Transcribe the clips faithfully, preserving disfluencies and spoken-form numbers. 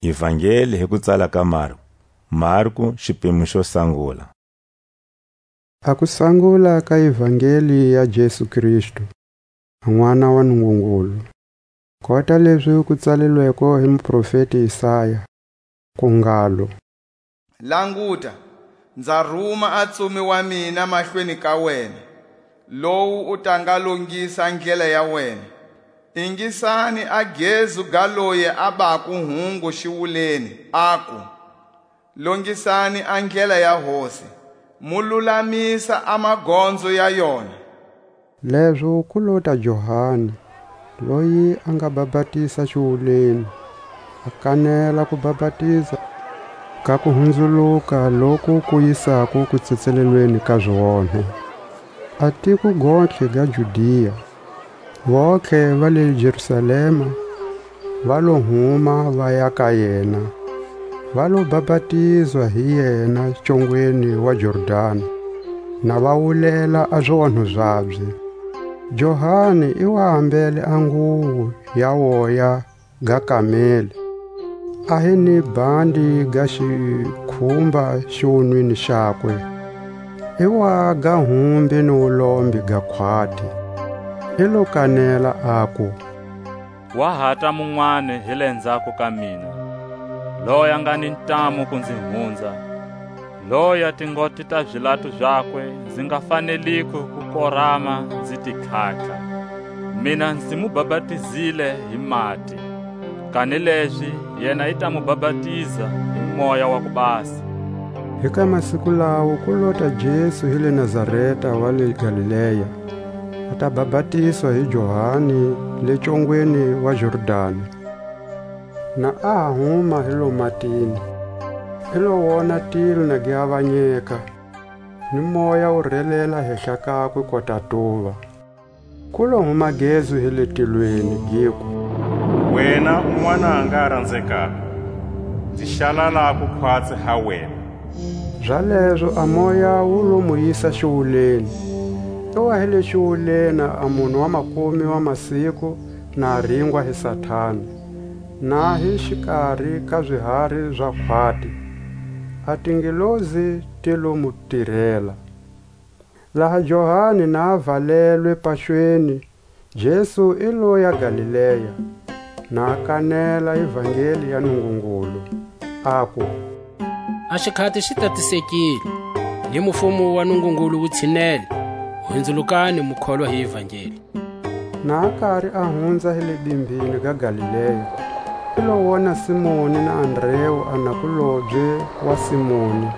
Ivangeli hi ku tsala ka Marku. Marku, xipimo xo sangula. A ku sangula ka Ivangeli ya Jesu Kristu, a N'wana wa Nungungulu, kota lezi ku tsalilweko hi muprofeti Isaya, ku ngalo: Languta, nza ruma a tsumi wa mina mahlweni ka wena, lowu u ta nga longisa ndlela ya wena. Ingisani a gezu ga loye a bako hungu xiwuleni, aku: Longisani a ndlela ya Hosi, mu lulamisa a magonzo ya yona. Lezo ku lota Johani, loyi a nga bapatiza xiwuleni, a kanela ku bapatiza ka kuhunzuluka loku ku yisako kutsetselelweni ka zionhe. A tiko gontlhe ga Judia, vontlhe va le Jerusalema, va lo huma va ya ka yena, va lo bapatizwa hi yena congweni wa Jordani, na va wulela a zionho zabye. Johani i wa ambele a nguwo ya woya ga kameli, a hi ni bandi ga xikhumba xiwunwini xakwe. I wa ga humbi ni wulombe ga khwati. I lo kanela, aku: Wa hata munwani hi le nzhako ka mina, loya nga ni ntamu ku nzi hunza, loya tingote ta zilatu zakwe nzi nga faneliko ku korama nzi ti tlhatlha. Mina nzi mu bapatizile hi mati, kanilezi yena i ta mu bapatiza hi Moya wa ku Basa. Hi ka masiku lawo ku lota Jesu hi le Nazareta wa le Galilea, a ta bapatizwa hi Johani le congweni wa Jordani. Na a ha huma hi lo matini, i lo wona tilo na gi avanyeka, ni Moya wu relela hehla kakwe kota tuva. Ku lo huma gezu hi le tilweni, giku: Wena u N'wananga a ranzekako, nzi xalalako khwatsi ha wena. Zalezo a Moya wu lo mu yisa xiwuleni. I wa hi le xiwuleni a munhu wa makume wa masiku na a ringwa hi Satani, na hi xikari ka zihari za khwati. A tingelosi ti lo mu tirela. Laha Johani na a valelwe paxweni, Jesu i loya Galilea, na a kanela ivangeli ya Nungungulu, aku: A xikhati xi tatisekile, ni mufumo wa Nungungulu wu tshinele. Hunzulukani, mu kholwa hi ivangeli. Na a kari a hunza hi le bimbini ga Galilea, i lo wona Simoni na Andreu a nakulobye wa Simoni,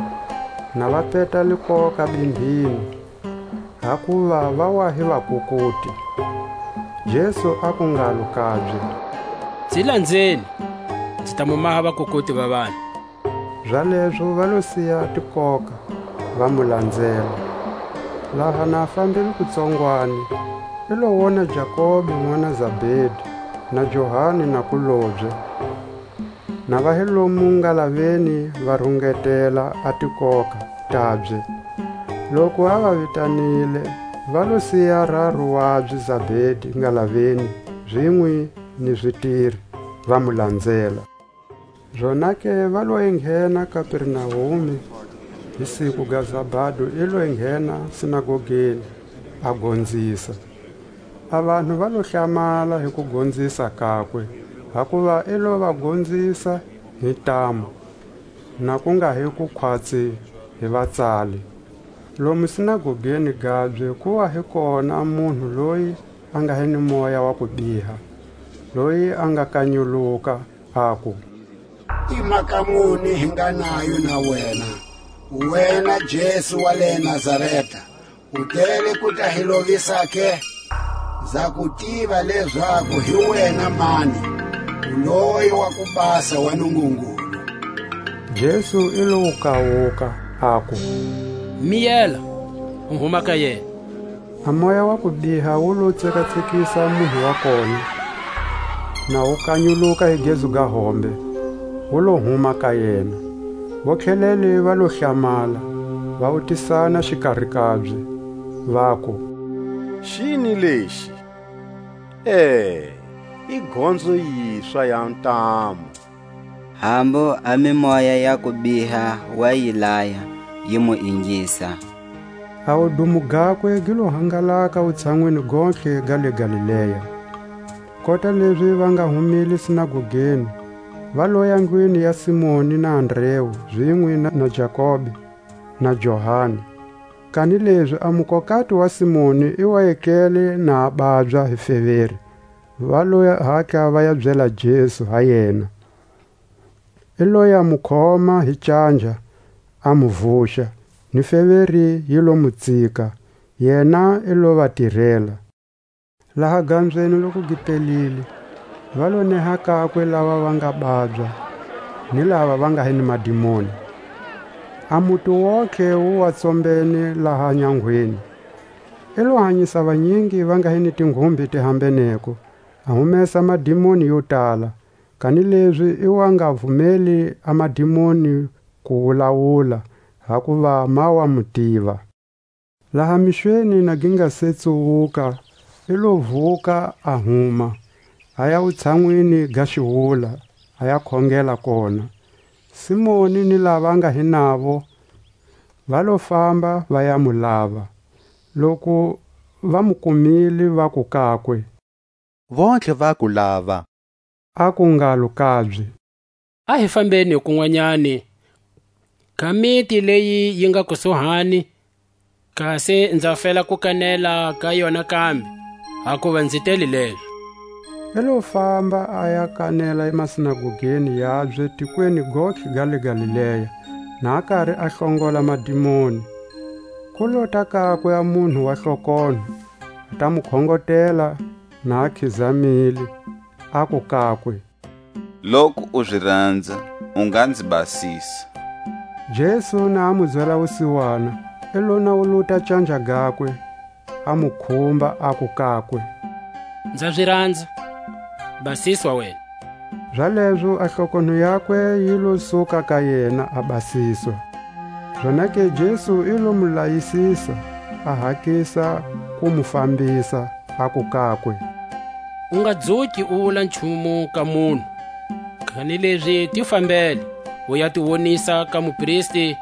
na va peta likoka bimbini, hakuva va wa hi vakukuti. Jesu aku ngalo kabye: Nzi lanzeni, nzi ta mu maha vakukuti va vanhu. Zalezo va lo siya tikoka, va mu lanzela. Laha na a fambile kutsongwani, i lo wona Jakobe n'wana Zabedi, na Johani nakulobye, na va hi lomu ngalaveni va rungetela a tikoka tabye. Loku a va vitanile, va lo siya raru wabye Zabedi ngalaveni, zinwe ni zitiri, va mu lanzela. Zonake va lo enghena Kapernaume, hi siku ga Zabado i lo enghena sinagogeni, a gonzisa. A vanhu va lo hlamala hi kugonzisa kakwe, hakuva i lo va gonzisa hi ntamu, na ku nga hi kukhwatsi hi vatsali. Lomu sinagogeni gabye ku wa hi kona munhu loyi a nga hi ni moya wa kubiha, loyi a nga kanyuluka, aku: I mhaka muni hi nga nayo na wena, wena Jesu wa le Nazareta? U tele ku ta hi lovisa ke? Nza ku tiva lezaku hi wena mani, u loyi wa ku basa wa Nungungulu. Jesu i lo wu kawuka, aku: Miyela, u huma ka yena. A moya wa kubiha wu lo tsekatsekisa munhu wa kona, na wu kanyuluka hi gezu ga hombe, wu lo huma ka yena. Votlhelele va lo hlamala, va wutisana xikari kabye, vaku: Xini lexi? E, i gonzo yiswa ya ntamu. Hambu a mimoya ya kubiha wa yi laya, yi mu ingisa. A wudumo gakwe gi lo hangalaka wutshanwini gontlhe ga le Galilea. Kota lezi va nga humile sinagogeni, va loya ndlwini ya Simoni na Andreu, zinwe na, na Jakobe, na Johani. Kanilezi a mukokati wa Simoni i wa etlele na a babya hi feveri. Va lo hatla va ya byela Jesu ha yena. I lo ya mu khoma hi canja, a mu vuxa, ni feveri yi lo mu tsika, yena i lo va tirela. Laha gambyeni loku gi pelile, va lo neha kakwe lava va nga babya, ni lava va nga hi ni madimoni. A muti wontlhe wu wa tsombene laha nyangweni. I lo hanyisa vanyingi va nga hi ni tinghumbi ti hambeneko, a humesa madimoni yo tala, kanilezi i wa nga vumeli a madimoni ku wulawula, hakuva ma wa mu tiva. Laha mixweni na gi nga se tsuwuka, i lo vuka a huma, a ya wutshanwini ga xiwula, a ya khongela kona. Simoni ni lava nga hi navo va lo famba va ya mu lava. Loku va mu kumile, vaku kakwe: Vontlhe va ku lava. Aku ngalo kabye: A hi fambeni kun'wanyani ka miti leyi yi nga kusuhani, kasi nza fela ku kanela ka yona kambe, hakuva nzi tele lezo. I lo famba a ya kanela masinagogeni yabye tikweni gontlhe ga le Galilea, na a kari a hlongola madimoni. Ku lota kakwe a munhu wa hlokonho, a ta mu khongotela, na a khizamile, aku kakwe: Loku u zi ranza, u nga nzi basisa. Jesu na a mu byela wusiwana, i lo nawuluta canja gakwe, a mu khumba, aku kakwe: Nza zi ranza, basiswa wena. Zalezo a hlokonho yakwe yi lo suka ka yena, a basiswa. Zonake Jesu i lo mu layisisa, a hatlisa ku mu fambisa, aku kakwe: U nga dzuki u wula nchumu ka munhu, kanilezi ti fambele, u ya ti wonisa ka mupristi,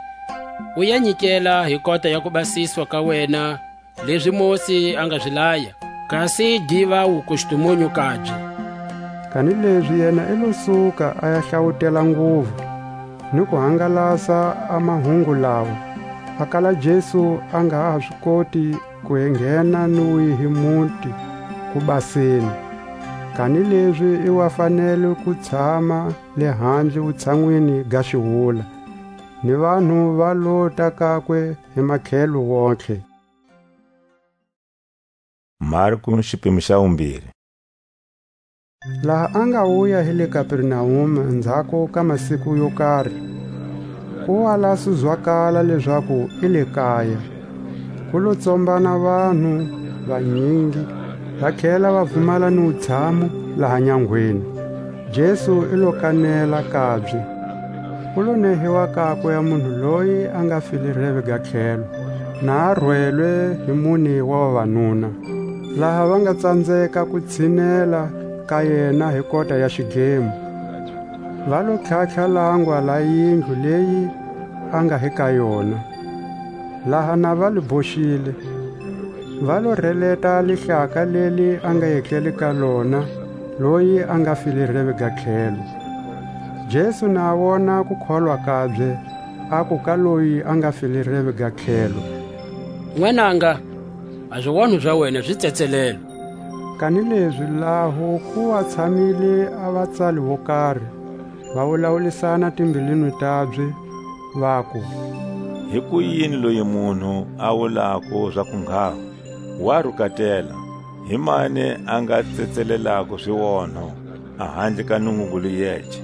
u ya nyikela hi kota ya kubasiswa ka wena, lezi Mosi a nga zi laya, kasi diva wukustumunyu kabye. Kanilezi yena i lo suka a ya hlawutela nguvu, ni ku hangalasa a mahungu lawa, a kala Jesu a nga ha zi koti ku enghena ni wihi muti ku baseni, kanilezi i wa fanele ku tshama le handle wutshanwini ga xiwula, ni vanhu va lota kakwe hi makhelo wontlhe. Marku, xipimo xa vumbiri. Laha a nga wuya hi le Kapernaume ndzhaku ka masiku yo kari, ku wa la su zwakala lezaku i le kaya. Ku lo tsombana vanhu vanyingi, va tlhela va vumala ni wutshamu laha nyangweni. Jesu i lo kanela kabye. Ku lo nehiwa kakwe a munhu loyi a nga file reve ga tlhelo, na a rwelwe hi mune wa vavanuna, laha va nga tsanzeka ku tshinela ka yena hi kota ya xidlemo. Va lo tlhatlha langwa la yindlu leyi a nga hi ka yona. Laha na va li boxile, va lo releta lihlaka leli a nga etlele ka lona loyi a nga file reve ga tlhelo. Jesu na a wona kukholwa kabye, aku ka loyi a nga file reve ga tlhelo: N'wananga, a zionho za wena zi tsetselelwe. Kanilezi laho ku wa tshamile a vatsali vo kari, va wulawulisana timbilwini tabye, vaku: Hikuyini loyi munhu a wulako zaku ngha wa rukatela? Hi mani a nga tsetselelako zionho, a handle ka Nungungulu yece?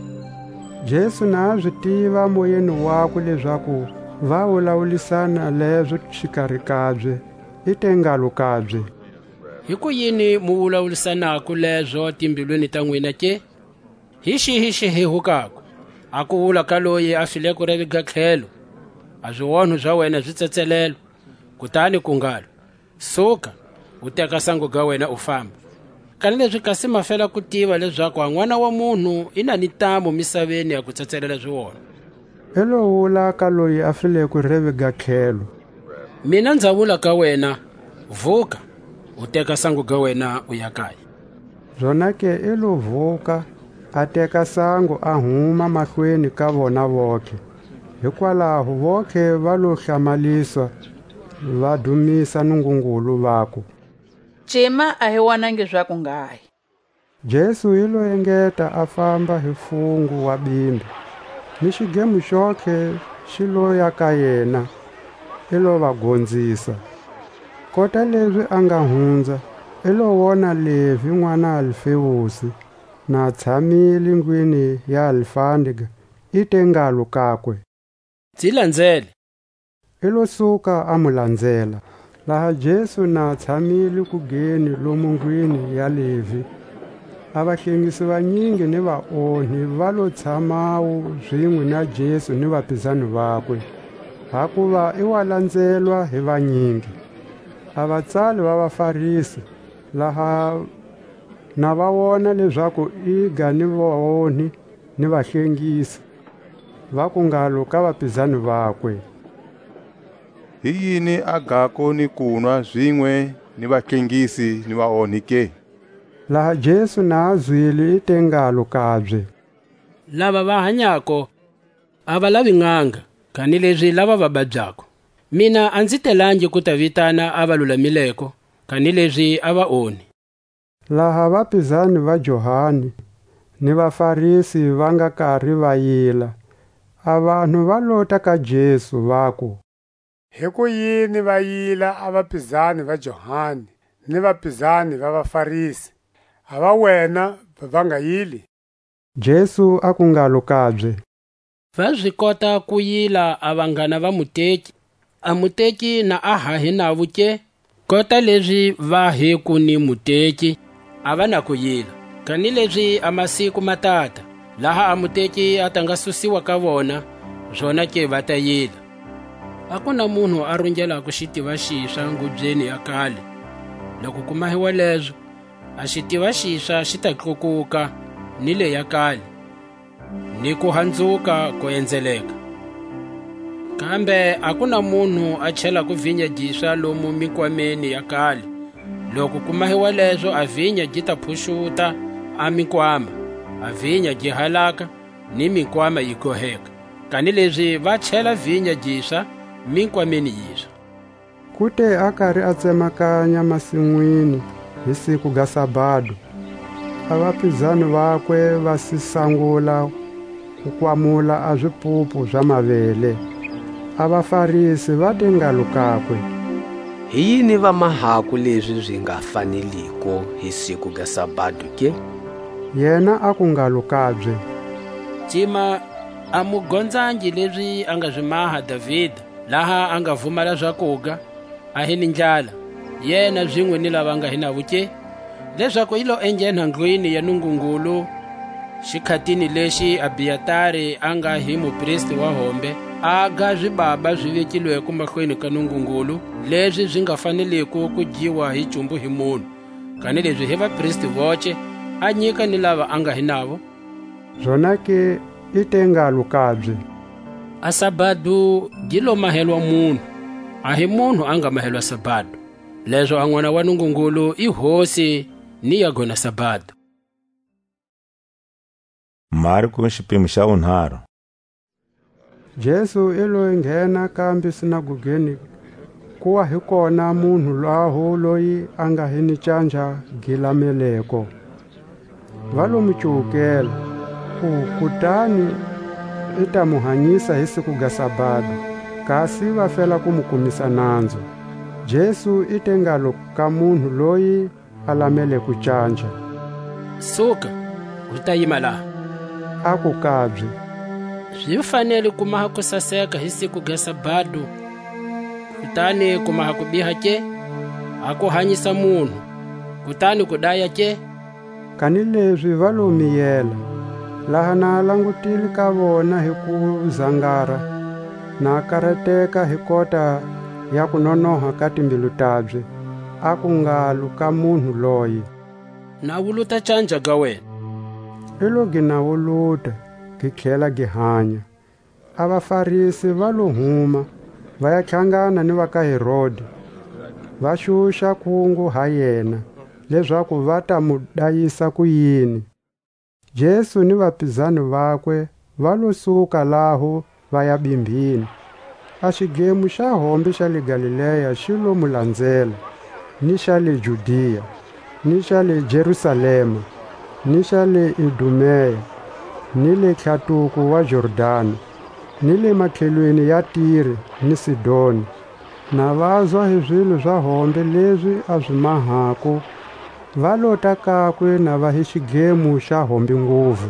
Jesu na a zi tiva moyeni wakwe lezaku va wulawulisana lezo xikari kabye, i te ngalo kabye: Hikuyini mu wulawulisanako lezo timbilwini ta nwina ke? Hi xihi xi hehukako, a ku wula ka loyi a fileko reve ga tlhelo: A zionho za wena zi tsetselelwe? Kutani ku ngalo: Suka, u teka sango ga wena, u famba. Kanilezi kasi ma fela ku tiva lezaku a N'wana wa munhu i na ni ntamu misaveni ya ku tsetselela zionho. I lo wula ka loyi a fileko revi ga tlhelo: Mina nza wula ka wena, vuka, u teka sango ga wena, u ya kaya. Zonake i lo vuka, a teka sango, a huma mahlweni ka vona vontlhe. Hikwalaho vontlhe va lo hlamaliswa, va dumisa Nungungulu, vaku: Cima a hi wonangi zaku nghahi. Jesu i lo engeta a famba hi fungu wa bimbi, ni xidlemo xontlhe xi loya ka yena, i lo va gonzisa. Kota lezi a nga hunza, i lo wona Levi n'wana Alfeusi, na tshamile ndlwini ya Alfandega, i te ngalo kakwe: Nzi lanzele. I lo suka, a mu lanzela. Laha Jesu na tshamile kugeni lomu ndlwini ya Levi, a vahlengisi vanyingi ni vaonhi va lo tshamawu zinwe na Jesu ni vapizani vakwe, hakuva i wa lanzelwa hi vanyingi. A vatsali va vaFarisi, laha na va wona lezaku i ga ni vaonhi ni vahlengisi, vaku ngalo ka vapizani vakwe: Hi yini a gako ni kunwa zinwe ni vahlengisi ni vaonhi ke? Laha Jesu na a zwile, i te ngalo kabye: Lava va hanyako a va lavi n'anga, kanilezi lava va babyako. Mina a nzi telangi ku ta vitana a va lulamileko, kanilezi a vaonhi. Laha vapizani va Johani ni vaFarisi va nga kari va yila, a vanhu va lota ka Jesu, vaku: Hikuyini va yila a vapizani va Johani ni vapizani va vaFarisi, a va wena va va nga yili? Jesu aku ngalo kabye: Va zi kota ku yila a vanghana va muteki, a muteki na a ha hi navo ke? Kota lezi va heku ni muteki, a va na ku yila. Kanilezi a masiku ma tata, laha a muteki a ta nga susiwa ka vona, zonake va ta yila. A ku na munhu a rungelako xitiva xiswa ngubyeni ya kale. Loku ku mahiwa lezo, a xitiva xiswa xi ta tlukuka ni leya kale, ni ku hanzuka ku enzeleka. Kambe a ku na munhu a chelako vinya giswa lomu minkwameni ya kale. Loku ku mahiwa lezo, a vinya gi ta phuxuta a minkwama, a vinya gi halaka, ni minkwama yi goheka. Kanilezi va chela vinya giswa minkwameni yiswa. Ku te a kari a tsemakanya masinwini hi siku ga sabado, a vapizani vakwe va si sangula ku kwamula a zipupu za mavele. A vaFarisi va te ngalo kakwe: Hi yini va mahako lezi zi nga faneliko hi siku ga sabado ke? Yena aku ngalo kabye: Cima, a mu gonzangi lezi a nga zi maha Davida, laha a nga vumala zakuga, a hi ni ndlala, yena zinwe ni lava nga hi navo ke? Lezaku i lo enghena ndlwini ya Nungungulu, xikhatini lexi Abiatari a nga hi mupristi wa hombe, a ga zibaba zi vekilweko mahlweni ka Nungungulu, lezi zi nga faneleko ku dyiwa hi cumbu hi munhu, kanilezi hi vapristi voce, a nyika ni lava a nga hi navo. Zonake i te ngalo kabye: A sabado gi lo mahelwa munhu, a hi munhu a nga mahelwa sabado. Lezo a N'wana wa Nungungulu i Hosi ni ya gona sabado. Marko, xipimo xa vunharhu. Jesu i lo nghena kambe sinagogeni, ku wa hi kona munhu laho loyi a nga hi ni canja gi lameleko. Va lo mu cuwukela, ku kutani i ta mu hanyisa hi siku ga sabado, kasi va fela ku mu kumisa nanzu. Jesu i te ngalo ka munhu loyi a lamele ku canja: Suka, u ta yima laha. Aku kabye: Zi fanele ku maha ku saseka hi siku ga sabado, kutani ku maha ku biha ke? A ku hanyisa munhu, kutani ku daya ke? Kanilezi va lo miyela. Laha na a langutile ka vona hi ku zangara, na a karateka hi kota ya kunonoha ka timbilu tabye, aku ngalo ka munhu loye: Nawu lu ta canja ga wena. I lo gi nawuluta, gi tlhela gi hanya. A vaFarisi va lo huma, va ya tlhangana ni va ka Herodi, va xuxa kungu ha yena, lezaku va ta mu dayisa kuyini. Jesu ni vapizani vakwe va lo suka laho, va ya bimbhini. A xidlemo xa hombe xa le Galilea xi lo mu lanzela, ni xa le Judia, ni xa le Jerusalema, ni xa le Idumea, ni le tlhatuko wa Jordani, ni le matlhelweni ya Tire ni Sidoni. Na vazwa hi zilo za hombe lezi a zi mahako, va lota kakwe na va hi xidlemo xa hombe nguvu.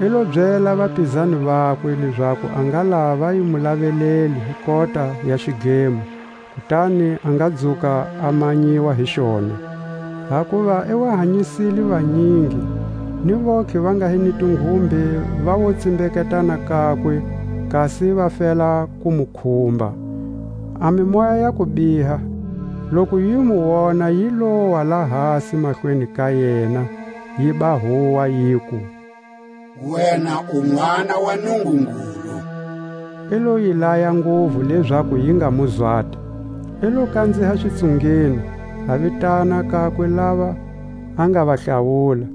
I lo byela vapizani vakwe lezaku a nga lava yi mu laveleli hi kota ya xidlemo, kutani a nga dzuka a manyiwa hi xona. Hakuva i wa hanyisile vanyingi, ni vontlhe va nga hi ni tinghumbe va wo tsimbeketana kakwe, kasi va fela ku mu khumba. A mimoya ya kubiha, loku yi mu wona, yi lowa la hasi mahlweni ka yena, yi ba huwa, yiku: "Wena u N'wana wa Nungungulu." I lo yi laya nguvu lezaku yi nga mu zwati. I lo kanziha xitsungeni, a vitana kakwe lava a nga va hlawula,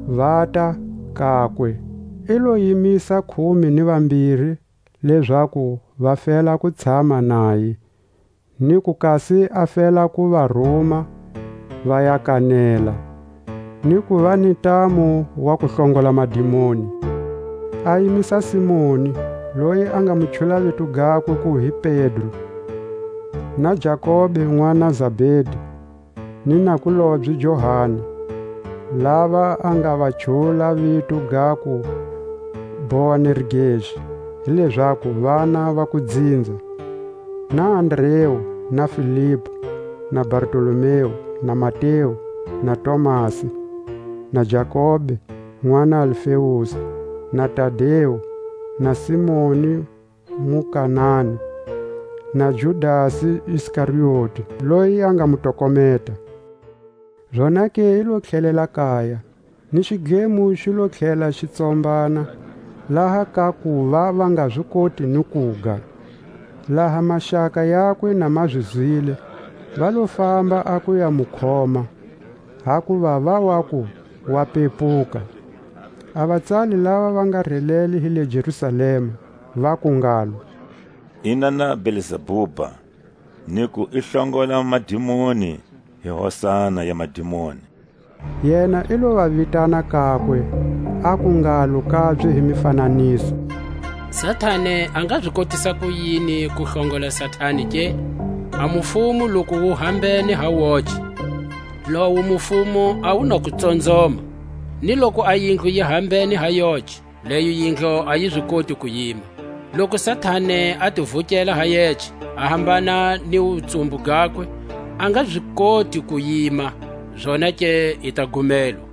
vata kakwe. I lo yimisa khume ni vambiri lezaku va fela ku tshama naye, ni ku kasi a fela ku va ruma va ya kanela, ni ku va ni ntamu wa ku hlongola madimoni. A yimisa Simoni, loyi a nga mu chula vito gakwe ku hi Pedro, na Jakobe n'wana Zabedi, ni nakulobye Johani, lava a nga va chula vito gaku Boanergesi, hi lezaku vana va kudzinza, na Andreu, na Filipu, na Bartolomeu, na Mateu, na Tomasi, na Jakobe, n'wana Alfeusi, na Tadeu, na Simoni Mukanani, na Judasi Iskarioti, loyi a nga mu tokometa. Zonake i lo tlhelela kaya, ni xidlemo xi lo tlhela xi tsombana, laha ka ku va va nga zi koti ni kuga. Laha maxaka yakwe na ma zi zwile, va lo famba a ku ya mu khoma, hakuva va waku, wa pepuka. A vatsali lava va nga relele hi le Jerusalema, vaku ngalo: "I na na Belzebuba, ni ku i hlongola madimoni hi hosana ya madimoni." Yena i lo va vitana kakwe, aku ngalo kabye hi mifananiso: "Satani a nga zi kotisa kuyini ku hlongola Satani ke? A mufumo loku wu hambene ha woce, lowu mufumo a wu na ku tsonzoma, ni loku a yindlu yi hambene ha yoce, leyo yindlu a yi zi koti ku yima. Loku Satani a ti vukela ha yece, a hambana ni wutsumbu gakwe, a nga zi koti ku yima, zonake i ta gumelwa.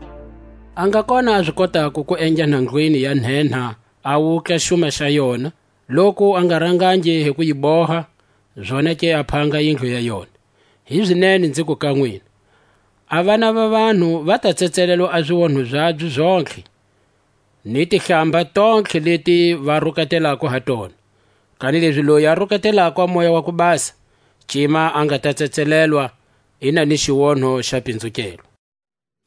A nga kona a zi kotako ku endla nhandlwini ya nhenha a wutla xuma xa yona, loku a nga rangangi hi ku yi boha, zonake a phanga yindlu ya yona. Hizinene nziku ka nwina, a vana va vanhu va ta tsetselelwa a zionho zabye zontlhe, ni tihlamba tontlhe leti va rukatelako ha tona. Kanilezi loyi a rukatelako a Moya wa ku Basa, cima a nga ta tsetselelwa, i na ni xionho xa pinzukelwa."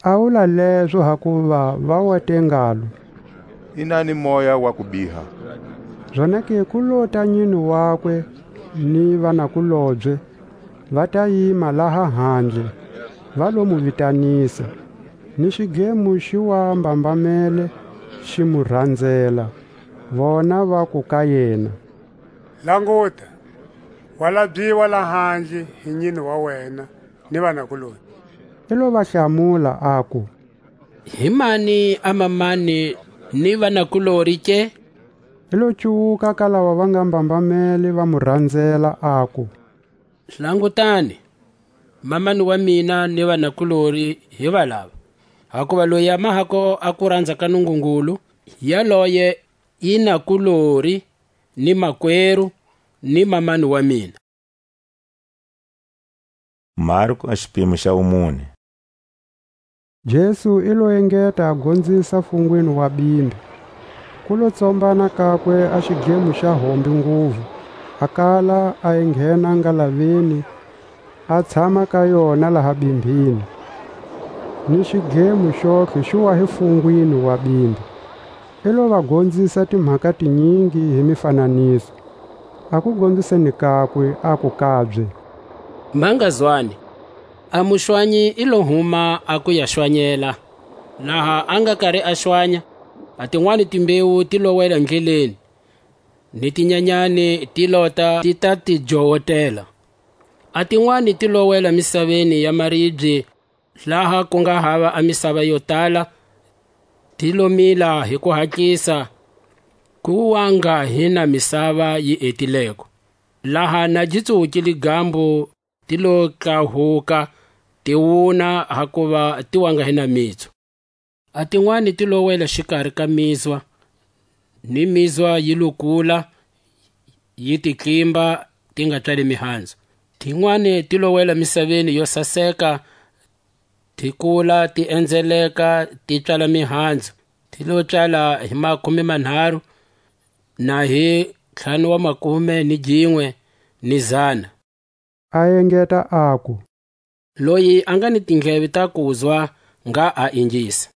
A wula lezo hakuva va wa te ngalo: "I na ni moya wa ku biha." Zonake ku lota nyini wakwe ni vanakulobye, va ta yima laha handle, va lo mu vitanisa. Ni xidlemo xi wa mbambamele, xi mu ranzela. Vona vaku ka yena: "Languta, wa labyiwa lahandle hi nyini wa wena ni vanakulobye." I lo va hlamula, aku: "Hi mani a mamani ni vanakulori ke?" I lo cuwuka ka lava va nga mbambamele, va mu ranzela, aku: "Langutani, mamani wa mina ni vanakulori hi valava. Hakuva loyi a mahako a kuranza ka Nungungulu, yaloye i nakulori, ni makweru, ni mamani wa mina." Marko a xipimo xa wumune. Jesu i lo engeta a gonzisa fungwini wa bimbi. Ku lo tsombana kakwe a xidlemo xa hombe nguvu, a kala a enghena ngalaveni, a tshama ka yona laha bimbini, ni xidlemo xontlhe xi wa hi fungwini wa bimbi. I lo va gonzisa timhaka tinyingi hi mifananiso. A ku gonziseni kakwe, aku kabye: Ma nga zwani, a muxwanyi i lo huma a ku ya xwanyela. Laha a nga kari a xwanya, a tinwani timbewu ti lo wela ndleleni, ni tinyanyani ti lota ti ta ti jowotela. A tinwani ti lo wela misaveni ya maribye, laha ku nga hava a misava yo tala, ti lo mila hi ku hatlisa, ku wa nga hi na misava yi etileko. Laha na gi tsuwukile gambu, ti lo tlahuka, ti wuna, hakuva ti wa nga hi na mitsu. A tinwani ti lo wela xikari ka mizwa, ni mizwa yi lo kula, yi ti tlimba, ti nga tswali mihanzu. Tinwani ti lo wela misaveni yo saseka, ti kula, ti enzeleka, ti tswala mihanzu. Ti lo tswala hi makume manharu, na hi ntlhanu wa makume ni ginwe, ni zana. A engeta aku: Loyi a nga ni tindleve ta kuzwa, nga a ingisa.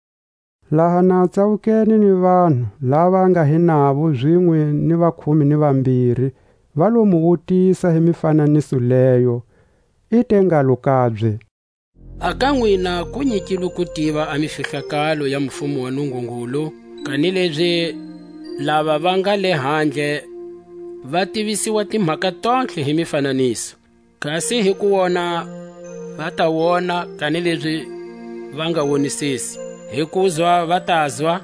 Laha na tsawukene ni vanhu lava nga hi navo zinwe ni vakhume ni vambiri, va lo mu wutisa hi mifananiso leyo. I te ngalo kabye: A ka nwina ku nyikilwe ku tiva a mifihlakalo ya mufumo wa Nungungulu, kanilezi lava va nga le handle va tivisiwa timhaka tontlhe hi mifananiso. Kasi hi ku wona va ta wona, kanilezi va nga wonisisi; hi kuzwa va ta zwa,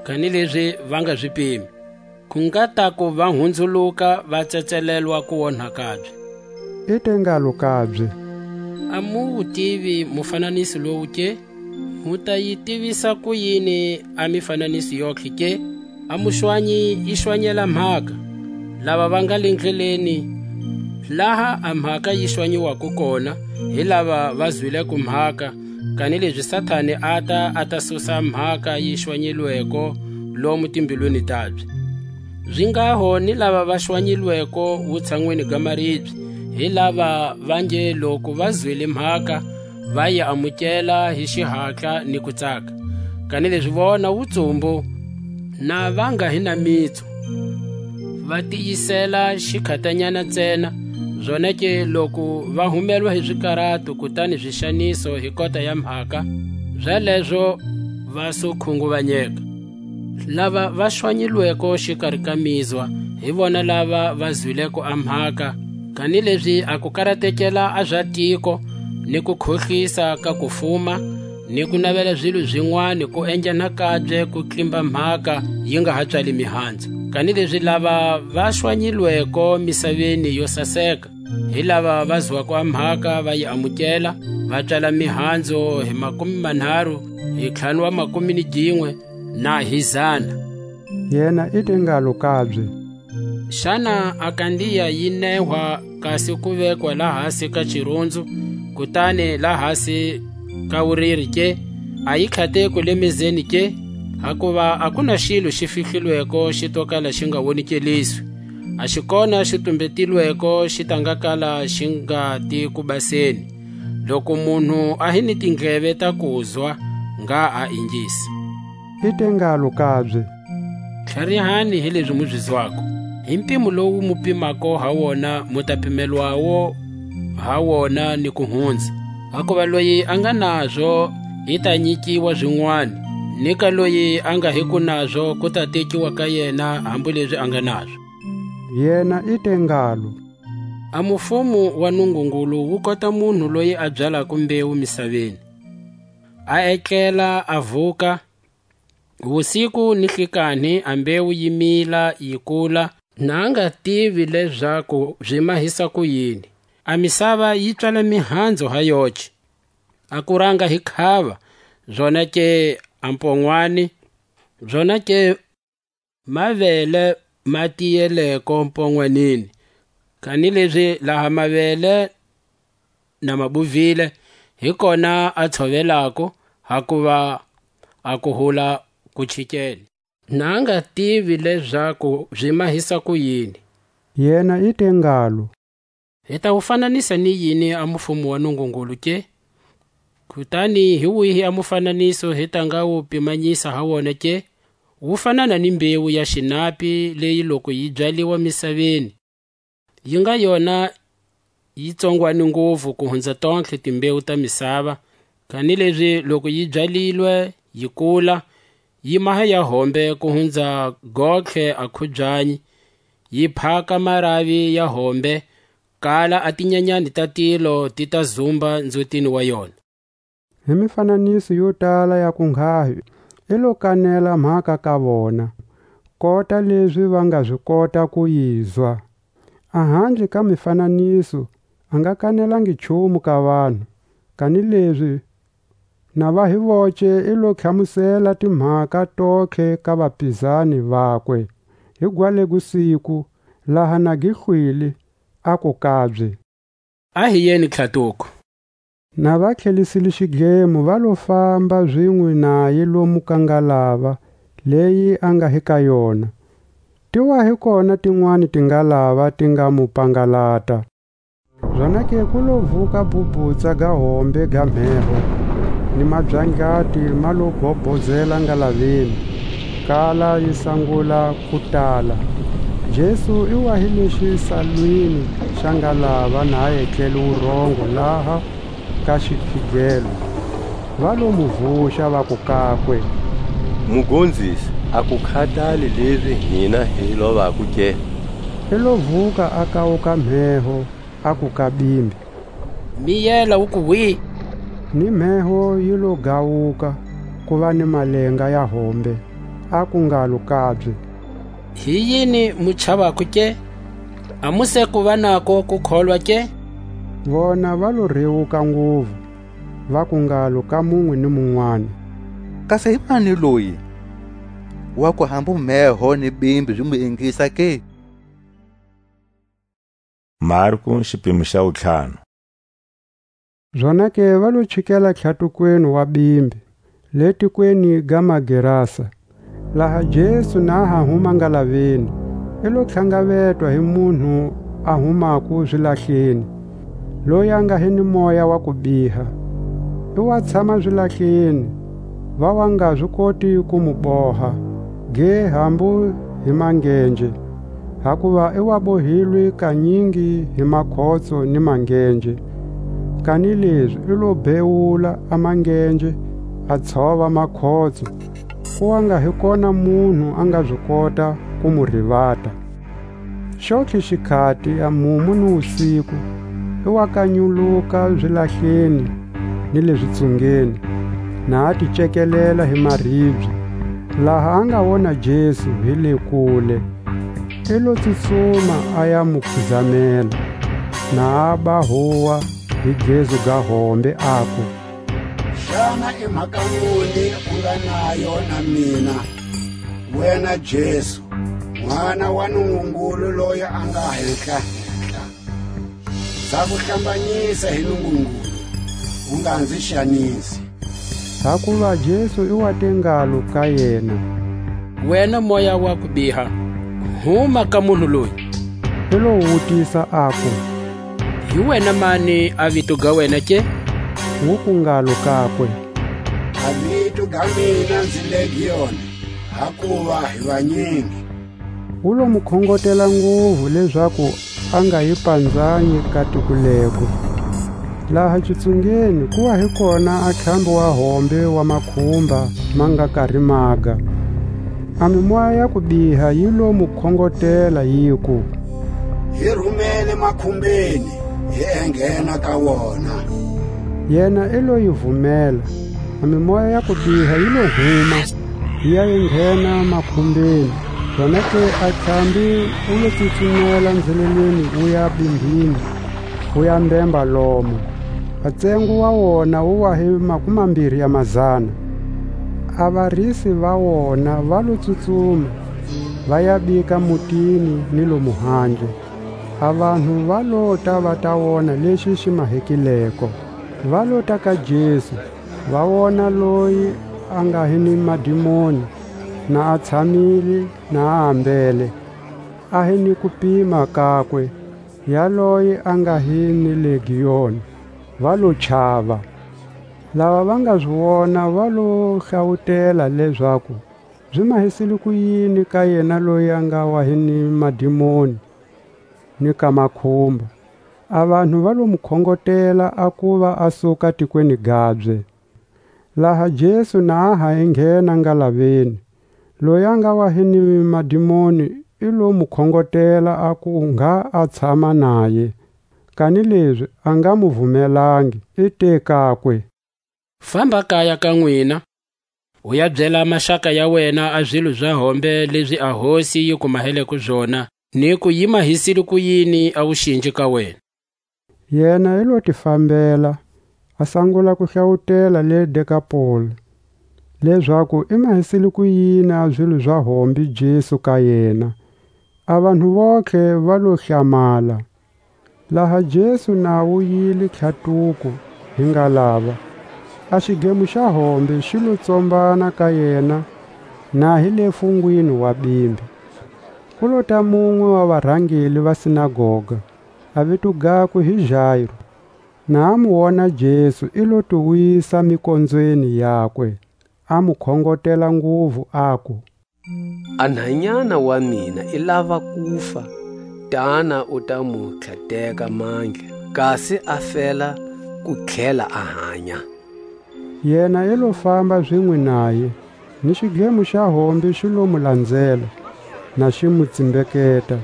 kanilezi va nga zi pimi. Ku nga taku va hunzuluka, va tsetselelwa kuonha kabye. I te ngalo kabye: A mu wu tivi mufananiso lowu ke? Mu ta yi tivisa kuyini a mifananiso yontlhe ke? A muxwanyi i xwanyela mhaka, lava va nga le ndleleni, laha a mhaka yi xwanyiwako kona, hi lava va zwileko mhaka, kanilezi Satani ata, a ta susa mhaka yi xwanyilweko lomu timbilwini tabye. Zi ngaho ni lava va xwanyilweko wutshanwini ga maribye, hi lava va nge loku va zwile mhaka, va yi amukela hi xihatla ni ku tsaka. Kanilezi vona wutsumbu, na va nga hi na mitsu, va tiyisela xikhatanyana ntsena, zonake loku va humelwa hi zikarato kutani zixaniso hi kota ya mhaka, zalezo va su khunguvanyeka. Lava va xwanyilweko xikari ka mizwa, hi vona lava va zwileko a mhaka, kanilezi a ku karatekela a za tiko, ni ku khohlisa ka ku fuma, ni ku navela zilo zinwani ku endla nakabye ku tlimba mhaka yi nga ha tswali mihanzu. Kanilezi lava va xwanyilweko misaveni yo saseka, hi lava va zwako a mhaka, va yi amukela, va tswala mihanzu hi makume manharu, hi ntlhanu wa makume ni ginwe, na hi zana. Yena i te ngalo kabye: Xana a kandiya yi nehwa kasi ku vekwa lahasi ka xirunzu, kutani lahasi ka wuriri ke? A yi khateko le mezeni ke? Hakuva a ku na xilo xi fihlilweko xi to kala xi nga wonikeliswi, a xi kona xi tumbetilweko xi ta nga kala xi nga ti ku baseni. Loku munhu a hi ni tindleve ta kuzwa, ngha a ingisa. I te ngalo kabye: Tlharihani hi lezi mu zi zwako. Hi mpimo lowu mu pimako ha wona, mu ta pimelwawo ha wona ni ku hunza. Hakuva loyi a nga nazo, i ta nyikiwa zinwani, ni ka loyi a nga hiko nazo, ku ta tekiwa ka yena hambu lezi a nga nazo. Yena i te ngalo: A mufumo wa Nungungulu wu kota munhu loyi a byalako mbewu misaveni, a etlela, a vuka, wusiku ni hlikanhi a mbewu yi mila, yi kula, na a nga tivi lezaku zi mahisa ku yini. A misava yi tswala mihanzu ha yoce, a kuranga hi khava, zonake a mponwani, zonake mavele ma tiyeleko mponwanini, kanilezi laha mavele na ma buvile, hi kona a tshovelako, hakuva a kuhula ku chikele. Na a nga tivi lezaku zi mahisa kuyini. Yena i te ngalo: Hi ta wu fananisa ni yini a mufumo wa Nungungulu ke? Kutani hi wihi a mufananiso hi ta nga wu pimanyisa ha wona ke? Wu fanana ni mbewu ya xinapi leyi, loko yi byaliwa misaveni, yi nga yona yi tsongwani nguvu ku hunza tontlhe timbewu ta misava, kanilezi loko yi byalilwe, yi kula, yi maha ya hombe ku hunza gontlhe a khubyanyi, yi phaka maravi ya hombe, kala a tinyanyani ta tilo ti ta zumba nzutini wa yona. Hi mifananiso yo tala ya kunghahi, i lo kanela mhaka ka vona, kota lezi va nga zi kota ku yizwa. A handle ka mifananiso, a nga kanelangi nchumu ka vanhu, kanilezi na va hi voce i lo tlhamusela timhaka tontlhe ka vapizani vakwe, hi gwalegu siku, laha na gi hlwile, aku kabye: A hi yeni tlhatuko. Na va tlhelisile xidlemo, va lo famba zinwe naye lomu ka ngalava leyi a nga hi ka yona. Ti wa hi kona tinwani tingalava ti nga mu pangalata. Zonake ku lo vuka bhubhutsa ga hombe ga mheho, ni mabyangyati ma lo bhobhozela ngalaveni, kala yi sangula ku tala. Jesu i wa hi le xisalwini xa ngalava, na a etlele wurongo laha ka xikhigelo. Va lo mu vuxa, vaku kakwe: Mugonzisi, a ku khatali lezi hina hi lovako ke? I lo vuka a kawuka mheho, aku ka bimbi: Miyela, u ku hwi? Ni mheho yi lo gawuka, ku va ni malenga ya hombe, aku ngalo kabye: Hi yini mu chavako ke? A mu se ku va nako ku kholwa ke? Vona va lo rewuka nguvu, vaku ngalo ka munwe ni munwani: Kasi hi mani loyi, wa ku hambu mheho ni bimbi zi mu ingisa ke? Marku, xipimo xa wutlhanu. Zonake va lo chikela tlhatukweni wa bimbi, le tikweni ga Magerasa. Laha Jesu na ha huma ngalaveni, i lo tlhangavetwa hi munhu a humako zilahleni, loyi a nga hi ni moya wa kubiha. I wa tshama zilahleni, va wa nga zi koti ku mu boha, ge hambu hi mangenje, hakuva i wa bohilwe kanyingi hi makhotso ni mangenje. Kanilezi i lo bewula a mangenje, a tshova makhotso, ku wa nga hi kona munhu a nga zi kota ku mu rivata. Xontlhe xikhati, a mumu ni wusiku, i wa kanyuluka zilahleni ni le zitsungeni, na a ti cekelela hi maribye. Laha a nga wona Jesu hi le kule, i lo tsutsuma a ya mu khuzamela, na a ba huwa hi gezu ga hombe, aku: Xana i mhaka muni u nga nayo na mina, wena Jesu, N'wana wa Nungungulu loyi a nga Henhla-henhla? Nza ku hlambanyisa hi Nungungulu, u nga nzi xanisi. Hakuva Jesu i wa te ngalo ka yena: Wena moya wa kubiha, huma ka munhu loyi! I lo wutisa, aku: Hi wena mani a vito ga wena ke? Wuku ngalo kakwe: A vito ga mina nzi Legioni, hakuva hi vanyingi. Wu lo mu khongotela nguvu lezaku a nga yi panzanyi ka tiko lego. Laha kitsungeni ku wa hi kona a ntlhambi wa hombe wa makhumba ma nga kari maga. A mimoya ya kubiha yi lo mu khongotela, yiku: Hi rhumele makhumbeni, hi enghena ka wona. Yena i lo yi vumela, a mimoya ya kubiha yi lo huma, yi ya yi nghena makhumbeni. Zonake a ntlhambi wu lo tsutsumela nzhelelweni wu ya bimbhini, wu ya mbemba lomo. A ntsengo wa wona wu wa hi makumambiri ya mazana. A varisi va wona va lo tsutsuma, va ya bika mutini ni lomu handle. A vanhu va lota va ta wona lexi xi mahekileko, va lota ka Jesu, Va wona loyi a nga hi ni madimoni, na a tshamile, na a ambele, a hi ni kupima kakwe, yaloye a nga hi ni legioni, va lo chava. Lava va nga zi wona va lo hlawutela lezaku zi mahisile kuyini ka yena loyi a nga wa hi ni madimoni ni ka makhumba. A vanhu va lo mu khongotela a kuva a suka tikweni gabye. Laha Jesu na a ha enghena ngalaveni, loyi a nga wa hi ni madimoni i lo mu khongotela a ku ngha a tshama naye, kanilezi a nga mu vumelangi, i te kakwe: Famba kaya ka nwina, u ya byela maxaka ya wena a zilo za hombe lezi a Hosi yi ku maheleko zona, ni ku yi mahisile kuyini a wuxinji ka wena. Yena i lo ti fambela, a sangula ku hlawutela le Dekapoli, lezaku i mahisile kuyini a zilo za hombe Jesu ka yena. A vanhu vontlhe va lo hlamala. Laha Jesu na wuyile tlhatuko hi ngalava, a xidlemo xa hombe xi lo tsombana ka yena, na hi le fungwini wa bimbi. Ku lota munwe wa varangeli va sinagoga, a vito gakwe hi Jairo. Na a mu wona Jesu, i lo ti wisa mikonzweni yakwe, a mu khongotela nguvu, aku: A nhanyana wa mina i lava kufa, tana u ta mu tlhateka mandla, kasi a fela ku tlhela a hanya. Yena i lo famba zinwe naye, ni xidlemo xa hombe xi lo mu lanzela, na xi mu tsimbeketa.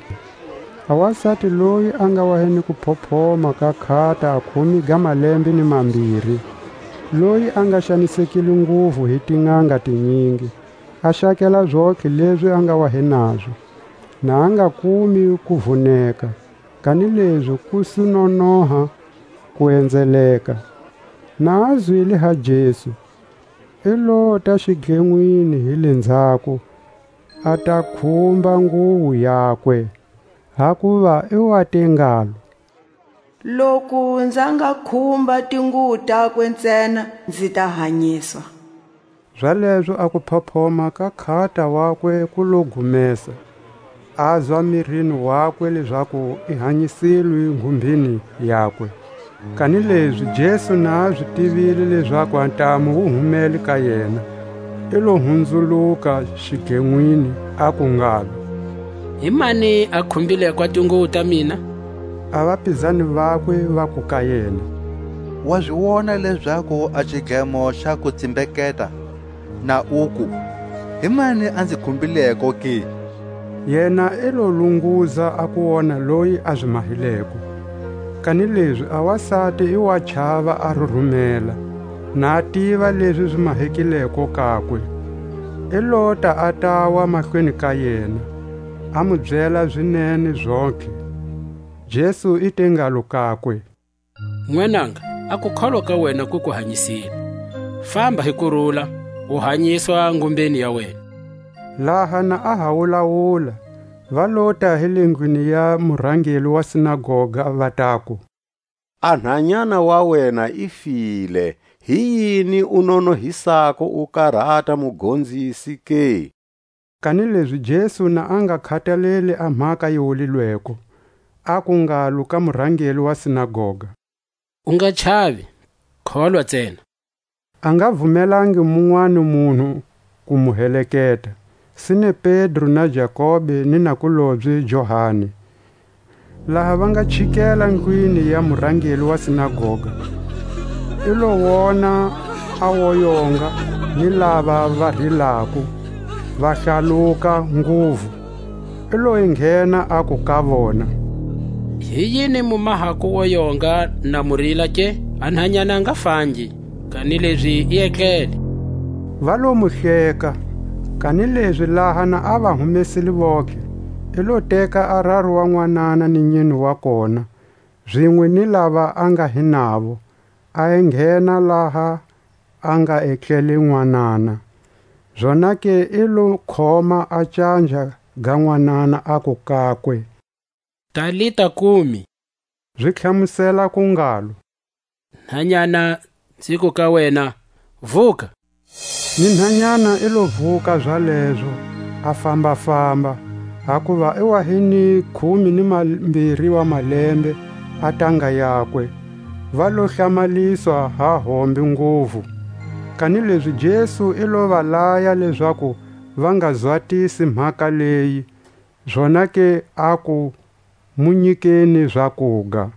A wasati loyi a nga wa hi ni kuphophoma ka khata a khume ga malembe ni mambiri, loyi a nga xanisekile nguvu hi tin'anga tinyingi, a xakela zontlhe lezi a nga wa hi nazo, na a nga kumi ku vuneka, kanilezi ku su nonoha ku enzeleka. Na a zwile ha Jesu, i lota xidlenwini hi le nzhaku, a ta khumba nguwu yakwe, hakuva i wa te ngalo: Loku nza nga khumba tinguwu takwe ntsena, nzi ta hanyiswa. Zalezo a kuphophoma ka khata wakwe ku lo gumesa, a zwa mirini wakwe lezaku i hanyisilwe ngumbhini yakwe. Kanilezi Jesu na a zi tivile lezaku a ntamu wu humele ka yena, i lo hunzuluka xidlenwini, aku ngalo: Hi mani a khumbileko a tinguwo ta mina? A vapizani vakwe vaku ka yena: Wa zi wona lezaku a xidlemo xa ku tsimbeketa, na uku: Hi mani a nzi khumbileko ke? Yena i lo lunguza a ku wona loyi a zi mahileko. Kanilezi a wasati i wa chava, a rurumela, na a tiva lezi zi mahekileko kakwe. I lota a tawa mahlweni ka yena, a mu byela zinene zontlhe. Jesu i te ngalo kakwe: N'wananga, a kukholwa ka wena ku ku hanyisile. Famba hi kurula, u hanyiswa ngumbeni ya wena. Laha na a ha wulawula, va lota hi le ndlwini ya murhangeli wa sinagoga, va taku: A nhanyana wa wena i file, hi yini u nonohisako u karata Mugonzisi ke? Kanilezi Jesu na a nga khataleli a mhaka yi wulilweko, aku ngalo ka murhangeli wa sinagoga: U nga chavi, kholwa ntsena. A nga vumelangi munwani munhu ku mu heleketa, sine Pedro na Jakobe ni nakulobye Johani. Laha va nga chikela ndlwini ya murhangeli wa sinagoga, i lo wona a woyonga ni lava va rilako, va hlaluka nguvu. I lo yi nghena, aku ka vona: Hi yini mu mahako woyonga na mu rila ke? A nhanyana a nga fangi, kanilezi i etlele. Va lo mu hleka. Kanilezi laha na a va humesile vontlhe, i lo teka a raru wa nwanana ni nyine wa kona, zinwe ni lava a nga hi navo, a enghena laha a nga etlele nwanana. Zonake i lo khoma a canja ga nwanana, aku kakwe: Talita kumi, zi tlhamusela ku ngalo: Nhanyana, nzi ku ka wena, Vuka! Ni nhanyana i lo vuka zalezo, a famba-famba, hakuva i wa hi ni khume ni mambiri wa malembe a tanga yakwe. Va lo hlamaliswa ha hombe nguvu. Kanilezi Jesu i lo va laya lezaku va nga zwatisi mhaka leyi, zonake aku, "Mu nyikeni zakuga."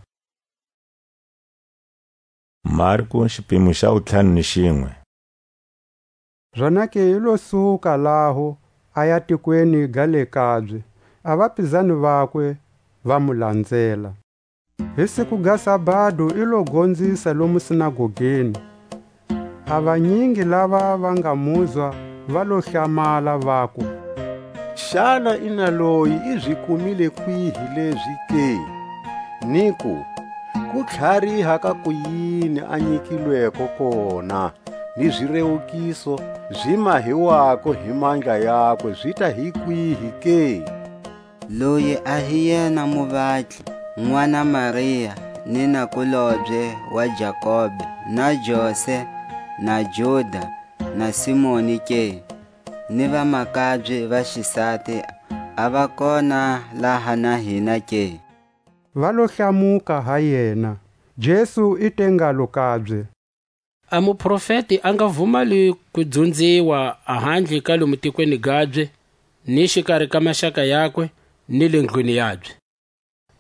Marko, xipimo xa wutlhanu ni xinwe. Zonake i lo suka laho, a ya tikweni ga le kabye, a vapizani vakwe va mu lanzela. Hi siku ga sabado i lo gonzisa lomu sinagogeni. A vanyingi lava va nga muzwa va lo hlamala, vaku: "Xana i na loyi i zi kumile kwihi lezi ke? Niku, ku tlhariha ka kuyini a nyikilweko kona, ni zirewukiso zi mahiwako hi mandla yakwe zi ta hi kwihi ke?" Loyi a hi yena muvatli, n'wana Maria, ni nakulobye wa Jakobe, na Jose, na Juda, na Simoni ke? Ni vamakabye va xisati a va kona laha na hina ke? Va lo hlamuka ha yena. Jesu i te ngalo kabye: A muprofeti a nga vumali ku dzunziwa ahandle ka lomu tikweni gabye, ni xikari ka maxaka yakwe, ni le ndlwini yabye.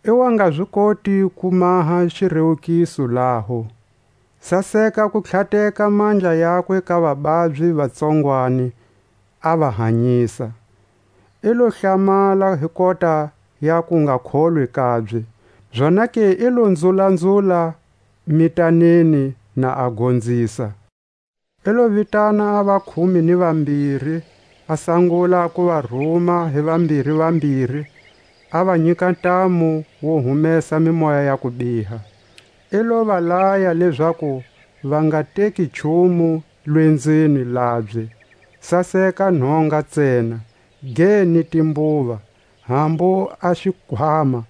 I wa nga zi koti ku maha xirewukiso laho. Saseka ku tlhateka mandla yakwe ka vababyi vatsongwani, a va hanyisa. I lo hlamala hi kota ya ku nga kholwi kabye, zonake i lo nzulanzula mitaneni na a gonzisa. I lo vitana a vakhume ni vambiri, a sangula ku va ruma hi vambiri-vambiri, a va nyika ntamu wo humesa mimoya ya kubiha. I lo va laya lezaku va nga teki nchumu lwenzeni labye, saseka nhonga ntsena, ge ni timbuva, hambu a xikhwama,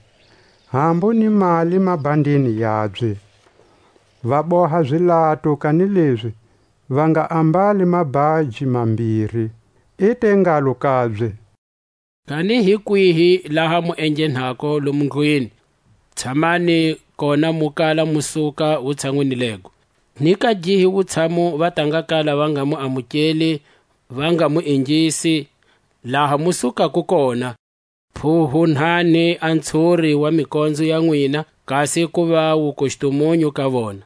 hambu ni mali mabhandini yabye. Va boha zilato, kanilezi va nga ambali mabhaji mambiri. I te ngalo kabye: Kani hi kwihi laha mu enghenhako lomu ndlwini, tshamani kona mu kala mu suka wutshanwini lego. Ni ka gihi wutshamu va ta nga kala va nga mu amukeli, va nga mu ingisi, laha mu sukako kona? Phuhunhani a ntshuri wa mikonzo ya nwina, kasi ku va wukustumunyu ka vona.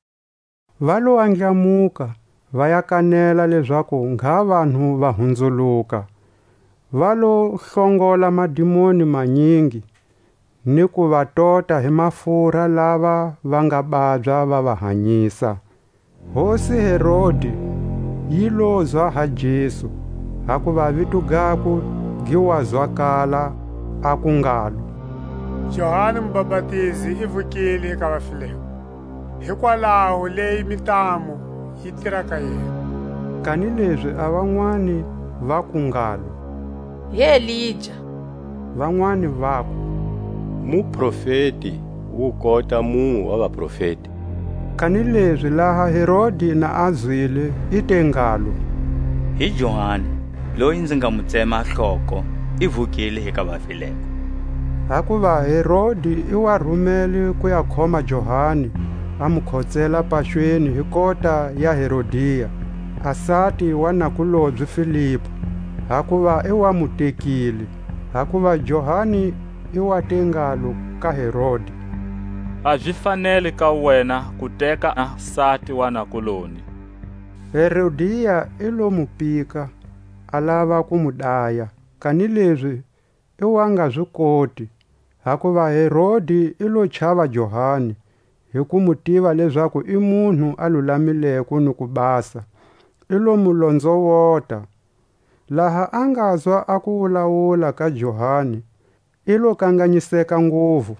Va lo andlamuka, va ya kanela lezaku ngha vanhu va hunzuluka. Va lo hlongola madimoni manyingi, ni ku va tota hi mafurha lava va nga babya va va hanyisa. Hosi Herodi yi lozwa ha Jesu, hakuva vito gakwe gi wa zwakala, aku ngalo: Johani Mubapatizi i vukile ka vafileko, hikwalaho leyi mitamu yi tira ka yena. Kanilezi a vanwani vaku ngalo: Hi Elija. Vanwani vaku: Muprofeti wu kota munwe wa vaprofeti. Kanilezi laha Herodi na a zwile, i te ngalo: Hi Johani, loyi nzi nga mu tsema hloko, i vukile hi ka vafileko. Hakuva Herodi i wa rumele ku ya khoma Johani, a mu khotsela paxweni hi kota ya Herodia, a sati wa nakulobye Filipu, hakuva i wa mu tekile. Hakuva Johani i wa te ngalo ka Herodi: A zi faneli ka wena ku teka a sati wa nakuloni. Herodia i lo mu pika, a lava ku mu daya, kanilezi i wa nga zi koti, hakuva Herodi i lo chava Johani, hi ku mu tiva lezaku i munhu a lulamileko ni ku basa, i lo mu lonzowota. Laha a ngazwa a kuwulawula ka Johani, i lo kanganyiseka nguvu,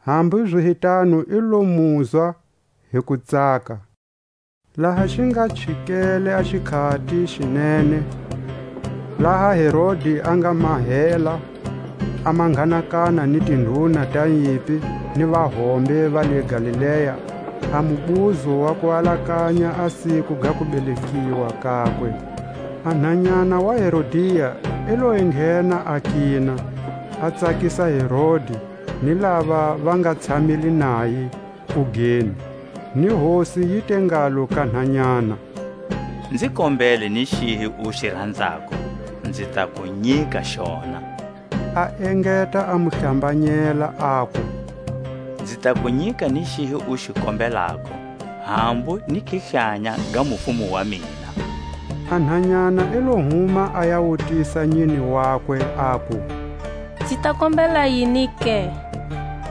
hambu zihitanu i lo muzwa hi kutsaka. Laha xi nga chikele a xikhati xinene, laha Herodi a nga mahela a manghanakana ni tindhuna ta nyimpi ni vahombe va le Galilea, a mubuzo wa ku alakanya a siku ga kubelekiwa kakwe. A nhanyana wa Herodia i lo enghena a kina, a tsakisa Herodi ni lava va nga tshamile naye kugeni. Ni hosi yi te ngalo ka nhanyana: Nzi kombele ni xihi u xi ranzako, nzi ta ku nyika xona. A engeta a mu hlambanyela, aku: Nzi ta ku nyika ni xihi u xi kombelako, hambu ni kihlanya ga mufumo wa mina. A nhanyana i lo huma a ya wutisa nyini wakwe, aku: Nzi ta kombela yini ke?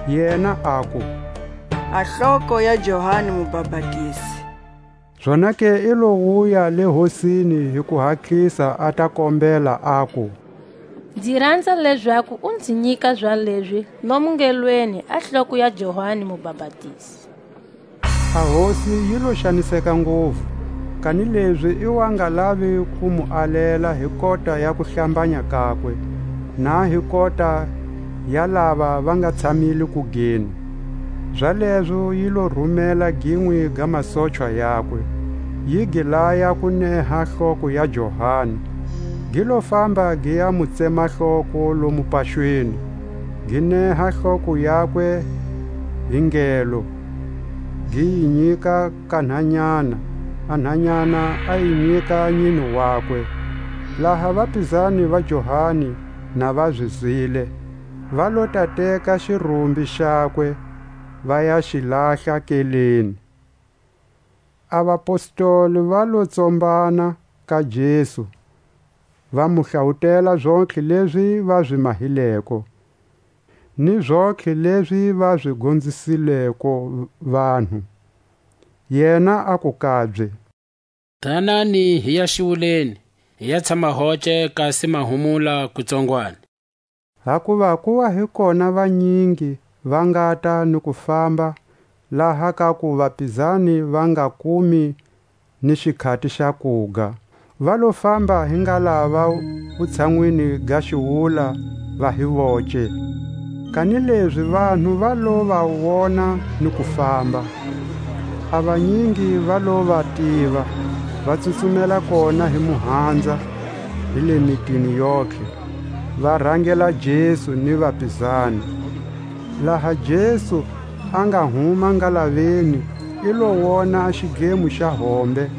Yena aku: A hloko ya Johani Mubapatizi. Zonake i lo wuya le hosini hi ku hatlisa, a ta kombela, aku: Nzi ranza lezaku u nzi nyika zalezi lomu ngelweni a hloko ya Johani Mubapatizi. A hosi yi lo xaniseka nguvu, kanilezi i wa nga lavi ku mu alela hi kota ya kuhlambanya kakwe, na hi kota ya lava va nga tshamile kugeni. Zalezo yi lo rumela ginwe ga masochwa yakwe, yi gi laya ku neha hloko ya Johani. Gi lo famba gi ya mu tsema hloko lomu paxweni, gi neha hloko yakwe hi ngelo, gi yi nyika ka nhanyana, a nhanyana a yi nyika nyini wakwe. Laha vapizani va Johani na va zi zwile, va lo ta teka xirumbi xakwe, va ya xi lahla keleni. A vapostoli va lo tsombana ka Jesu, va mu hlawutela zontlhe lezi va zi mahileko, ni zontlhe lezi va zi gonzisileko vanhu. Yena aku kabye: Tanani hi ya xiwuleni, hi ya tshama hoce kasi mahumula kutsongwani. Hakuva ku wa hi kona vanyingi va ngata ni ku famba, laha ka ku vapizani va nga kumi ni xikhati xa kuga. Va lo famba hi ngalava wutshanwini ga xiwula, va hi voce. Kanilezi vanhu va lo va wona ni ku famba. A vanyingi va lo va tiva, va tsutsumela kona hi muhandza, hi le mitini yontlhe, va rangela Jesu ni vapizani. Laha Jesu a nga huma ngalaveni, i lo wona a xidlemo xa hombe,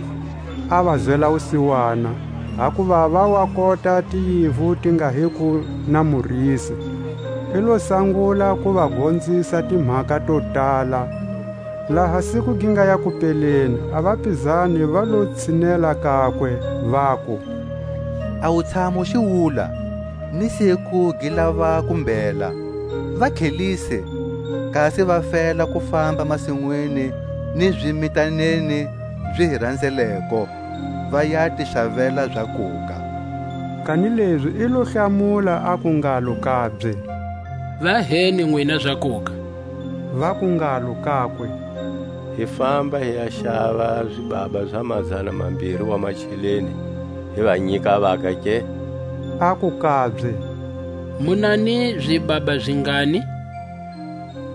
a va zwela wusiwana, hakuva va wa kota tiyivu ti nga hi ku na murisi. I lo sangula ku va gonzisa timhaka to tala. Laha siku gi nga ya ku peleni, a vapizani va lo tshinela kakwe, vaku: A wu tshama u xi wula, ni siku gi lava ku mbhela. Va khelise, kasi va fela ku famba masinwini ni zimitaneni zi hi ranzeleko, va ya ti xavela zakuga. Kanilezi i lo hlamula, aku ngalo kabye: Va heni nwina zakuga. Vaku ngalo kakwe: Hi famba hi ya xava zibaba za mazana mambiri wa macheleni, hi va nyika vaka ke? Aku kabye: Mu na ni zibaba zingani?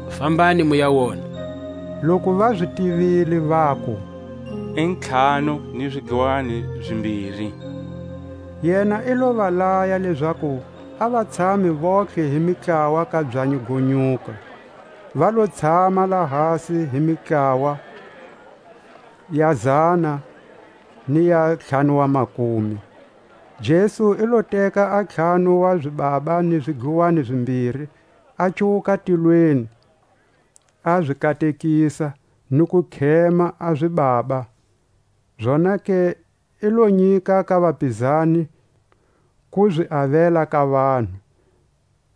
Fambani mu ya wona. Loku va zi tivile, vaku: I ntlhanu ni zidlwani zimbiri. Yena i lo va laya lezaku a va tshami vontlhe hi mitlawa ka byanyi go nyuka. Va lo tshama lahasi hi mitlawa ya zana ni ya ntlhanu wa makumi. Jesu i lo teka a ntlhanu wa zibaba ni zidluwani zimbiri, a cuwuka tilweni, a zi katekisa, ni ku khema a zibaba. Zonake i lo nyika ka vapizani ku zi avela ka vanhu,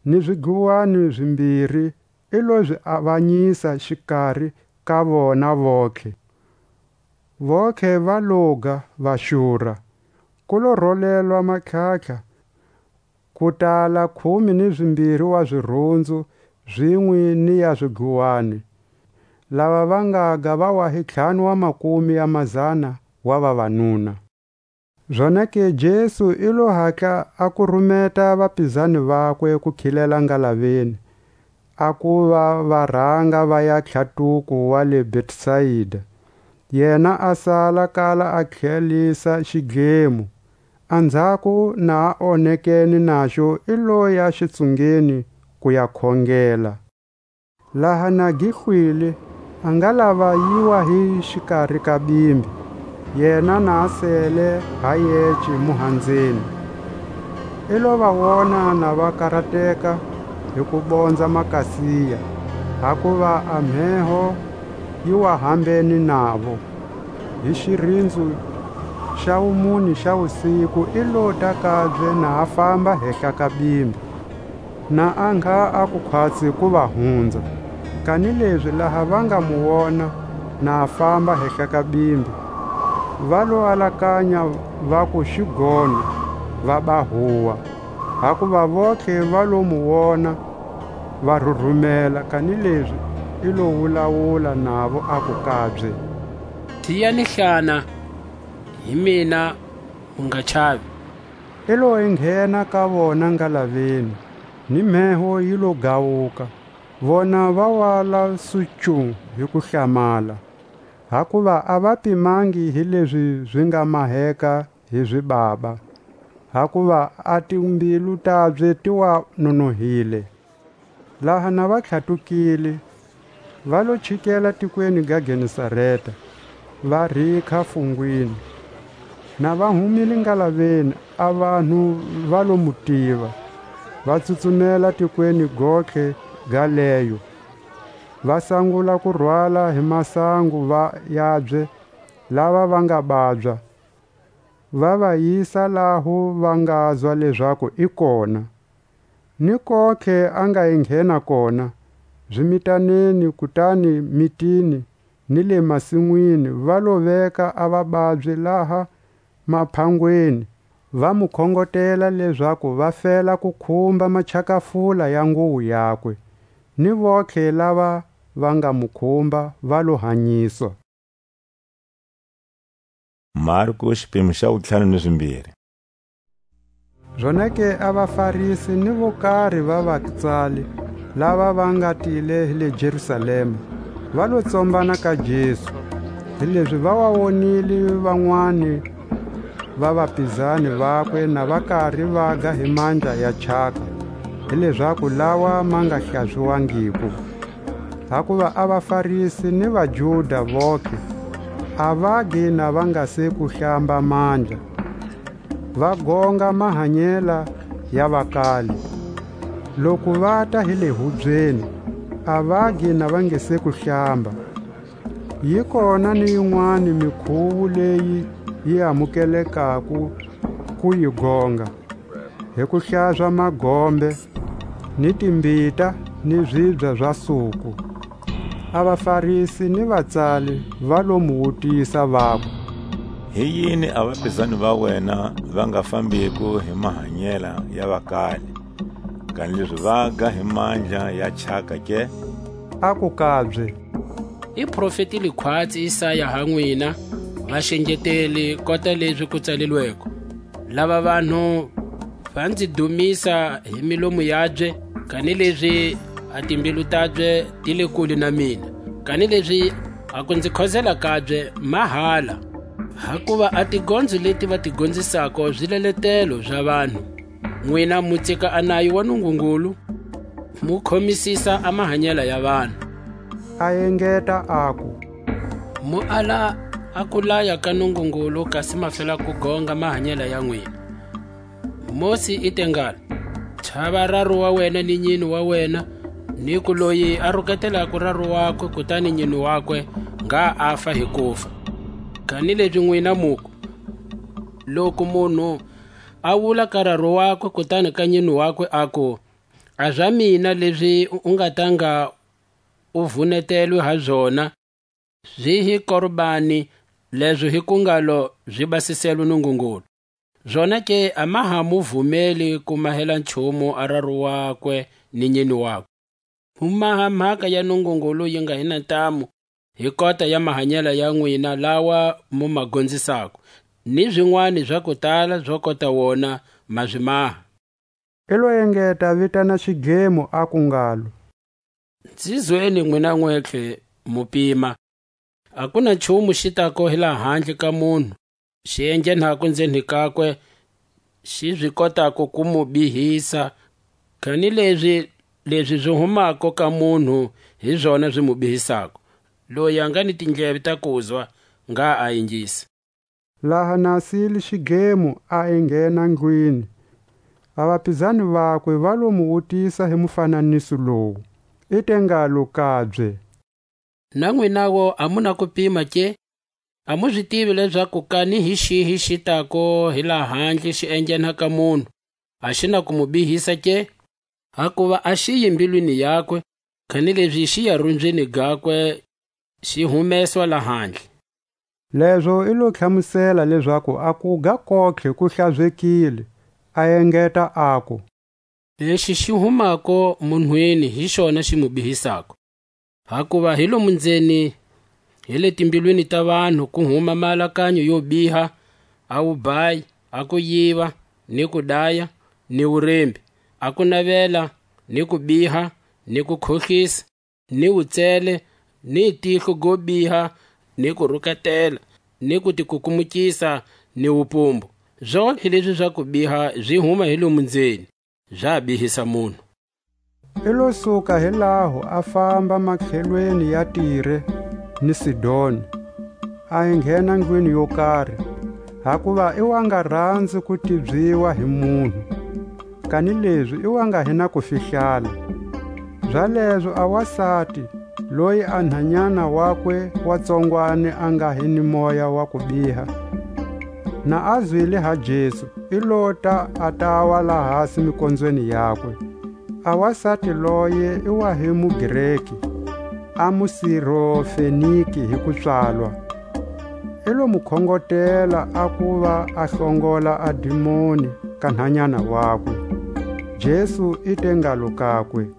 ni zidluwani zimbiri i lo zi avanyisa xikari ka vona vontlhe. Vontlhe va loga, va xura. Ku lo rolelwa matlhatlha, ku tala khume ni zimbiri wa zirhunzu, zinwe ni ya zidluwani. Lava va ngaga va wa hi ntlhanu wa makumi ya mazana wa vavanuna. Zonake Jesu i lo hatla a ku rumeta vapizani vakwe ku khilela ngalaveni, a kuva va ranga va ya tlhatuko wa le Betsaida. Yena a sala kala a tlhelisa xidlemo. Anzhako na a onekene naxo, i loya xitsungeni ku ya khongela. Laha na gi hlwile, a nga lava yiwa hi xikari ka bimbi, yena na a sele ha yece muhanzeni. I lo va wona na va karateka hi ku bonza makasiya, hakuva a mheho yi wa hambene navo. Hi xirinzu xa wumune xa wusiku i lota kabye na a famba hehla ka bimbi, na a ngha a kukhwatsi ku va hunza. Kanilezi laha va nga mu wona na a famba hehla ka bimbi, va lo alakanya vaku xi gona, va ba huwa. Hakuva vontlhe va lo mu wona, va rurumela, kanilezi i lo wulawula navo, aku kabye: Tiyani hlana, hi mina, mu nga chavi. I lo enghena ka vona ngalaveni, ni mheho yi lo gawuka. Vona va wala sucu hi ku hlamala, hakuva a va pimangi hi lezi zi nga maheka hi zibaba, hakuva a timbilu tabye ti wa nonohile. Laha na va tlhatukile, va lo chikela tikweni ga Genesareta, va rikha fungwini. Na va humile ngalaveni, a vanhu va lo mu tiva, va tsutsumela tikweni gontlhe ga leyo, va sangula ku rwala hi masangu va yabye lava va nga babya, va va yisa laho va ngazwa lezaku i kona. Ni kontlhe a nga enghena kona, zimitaneni, kutani mitini, ni le masinwini, va lo veka a vababyi laha maphangweni, va mu khongotela lezaku va fela ku khumba machakafula ya nguwo yakwe. Ni vontlhe lava va nga mu khumba va lo hanyiswa. Marko, xipimo xa wutlhanu ni zimbiri. Zonake a vaFarisi ni vo kari va vatsali lava va nga tile hi le Jerusalema, va lo tsombana ka Jesu, hilezi va wa wonile vanwani va vapizani vakwe na va kari va ga hi mandla ya chaka, hilezaku lawa ma nga hlaziwangiko. Hakuva a vaFarisi ni vaJuda vontlhe a va gi na va nga se ku hlamba mandla, va gonga mahanyela ya vakali. Loku vata hi le hubyeni, a va gi na va nge se ku hlamba. Yi kona ni yinwani mikhuwo leyi yi amukelekako ku yi gonga, hi ku hlazwa magombe, ni timbita, ni zibya za suku. A vaFarisi ni vatsali va lo mu wutisa, vaku: Hi yini a vapizani va wena va nga fambiko hi mahanyela ya vakali, kanilezi va ga hi mandla ya chaka ke? Aku kabye: I profeti likhwatsi Isaya ha nwina, vaxengeteli, kota lezi ku tsalilweko: Lava vanhu va nzi dumisa hi milomu yabye, kanilezi a timbilu tabye ti le kule na mina. Kanilezi a ku nzi khozela kabye mahala, hakuva a tigondzo leti va ti gonzisako zileletelo za vanhu. Nwina mu tsika a nayo wa Nungungulu, mu khomisisa a mahanyela ya vanhu. A engeta aku: Mu ala a kulaya ka Nungungulu, kasi ma fela ku gonga mahanyela ya nwina. Mosi i te ngalo: Chava raru wa wena ni nyini wa wena, ni ku loyi a ruketelako raru wakwe kutani nyini wakwe, ngha a fa hi kufa. Kanilezi nwina muku: Loku munhu a wula ka raru wakwe kutani ka nyini wakwe, aku: A za mina lezi u nga tanga u vunetelwe ha zona, zi hi korbani, lezo hi ku ngalo zi basiselwe Nungungulu. Zonake a ma ha mu vumeli ku mahela nchumu a raru wakwe ni nyini wakwe. Mu maha mhaka ya Nungungulu yi nga hi na ntamu, hi kota ya mahanyela ya nwina lawa mu ma gonzisako, ni zinwani za kutala zo kota wona ma zi maha. I lo engeta vitana xidlemo, aku ngalo: Nzi zweni nwina nwetlhe, mu pima. A ku na nchumu xi tako hi lahandle ka munhu, xi enghenhako nzeni kakwe, xi zi kotako ku mu bihisa, kanilezi lezi zi humako ka munhu hi zona zi mu bihisako. Loyi a nga ni tindleve ta kuzwa, ngha a ingisa. Laha na a siyile xidlemo, a enghena ndlwini. A vapizani vakwe va lo mu wutisa hi mufananiso lowu. I te ngalo kabye: Na nwinawo a mu na kupima ke? A mu zi tivi lezaku kani hi xihi xi tako hi lahandle xi enghena ka munhu, a xi na ku mu bihisa ke? Hakuva a xi yi mbilwini yakwe, kanilezi xi ya runzwini gakwe, xi humeswa lahandle. Lezo i lo tlhamusela lezaku a kuga kotlhe ku hlazekile, a engeta, aku: Lexi xi humako munhwini hi xona xi mu bihisako. Hakuva hi lomu nzeni, hi le timbilwini ta vanhu ku huma maalakanyo yo biha, a wubayi, a kuyiva, ni kudaya, ni wurembi, a kunavela, ni kubiha, ni kukhohlisa, ni wutsele, ni tihlo go biha, ni kurukatela, ni kutikukumukisa, ni wupumbu. Zontlhe lezi za kubiha zi huma hi lomu nzeni, za bihisa munhu. I lo suka hi laho, a famba matlhelweni ya Tire ni Sidoni, a enghena ndlwini yo kari, hakuva i wa nga ranzi ku tibyiwa hi munhu, kanilezi i wa nga hi na kufihlala. Zalezo a wasati, loyi a nhanyana wakwe wa tsongwani a nga hi ni moya wa kubiha, na a zwile ha Jesu, i lota, a tawa lahasi mikonzweni yakwe. A wasati loye i wa hi muGreki, a muSirofeniki hi kupswalwa. I lo mu khongotela a kuva a hlongola a dimoni ka nhanyana wakwe. Jesu i te ngalo kakwe: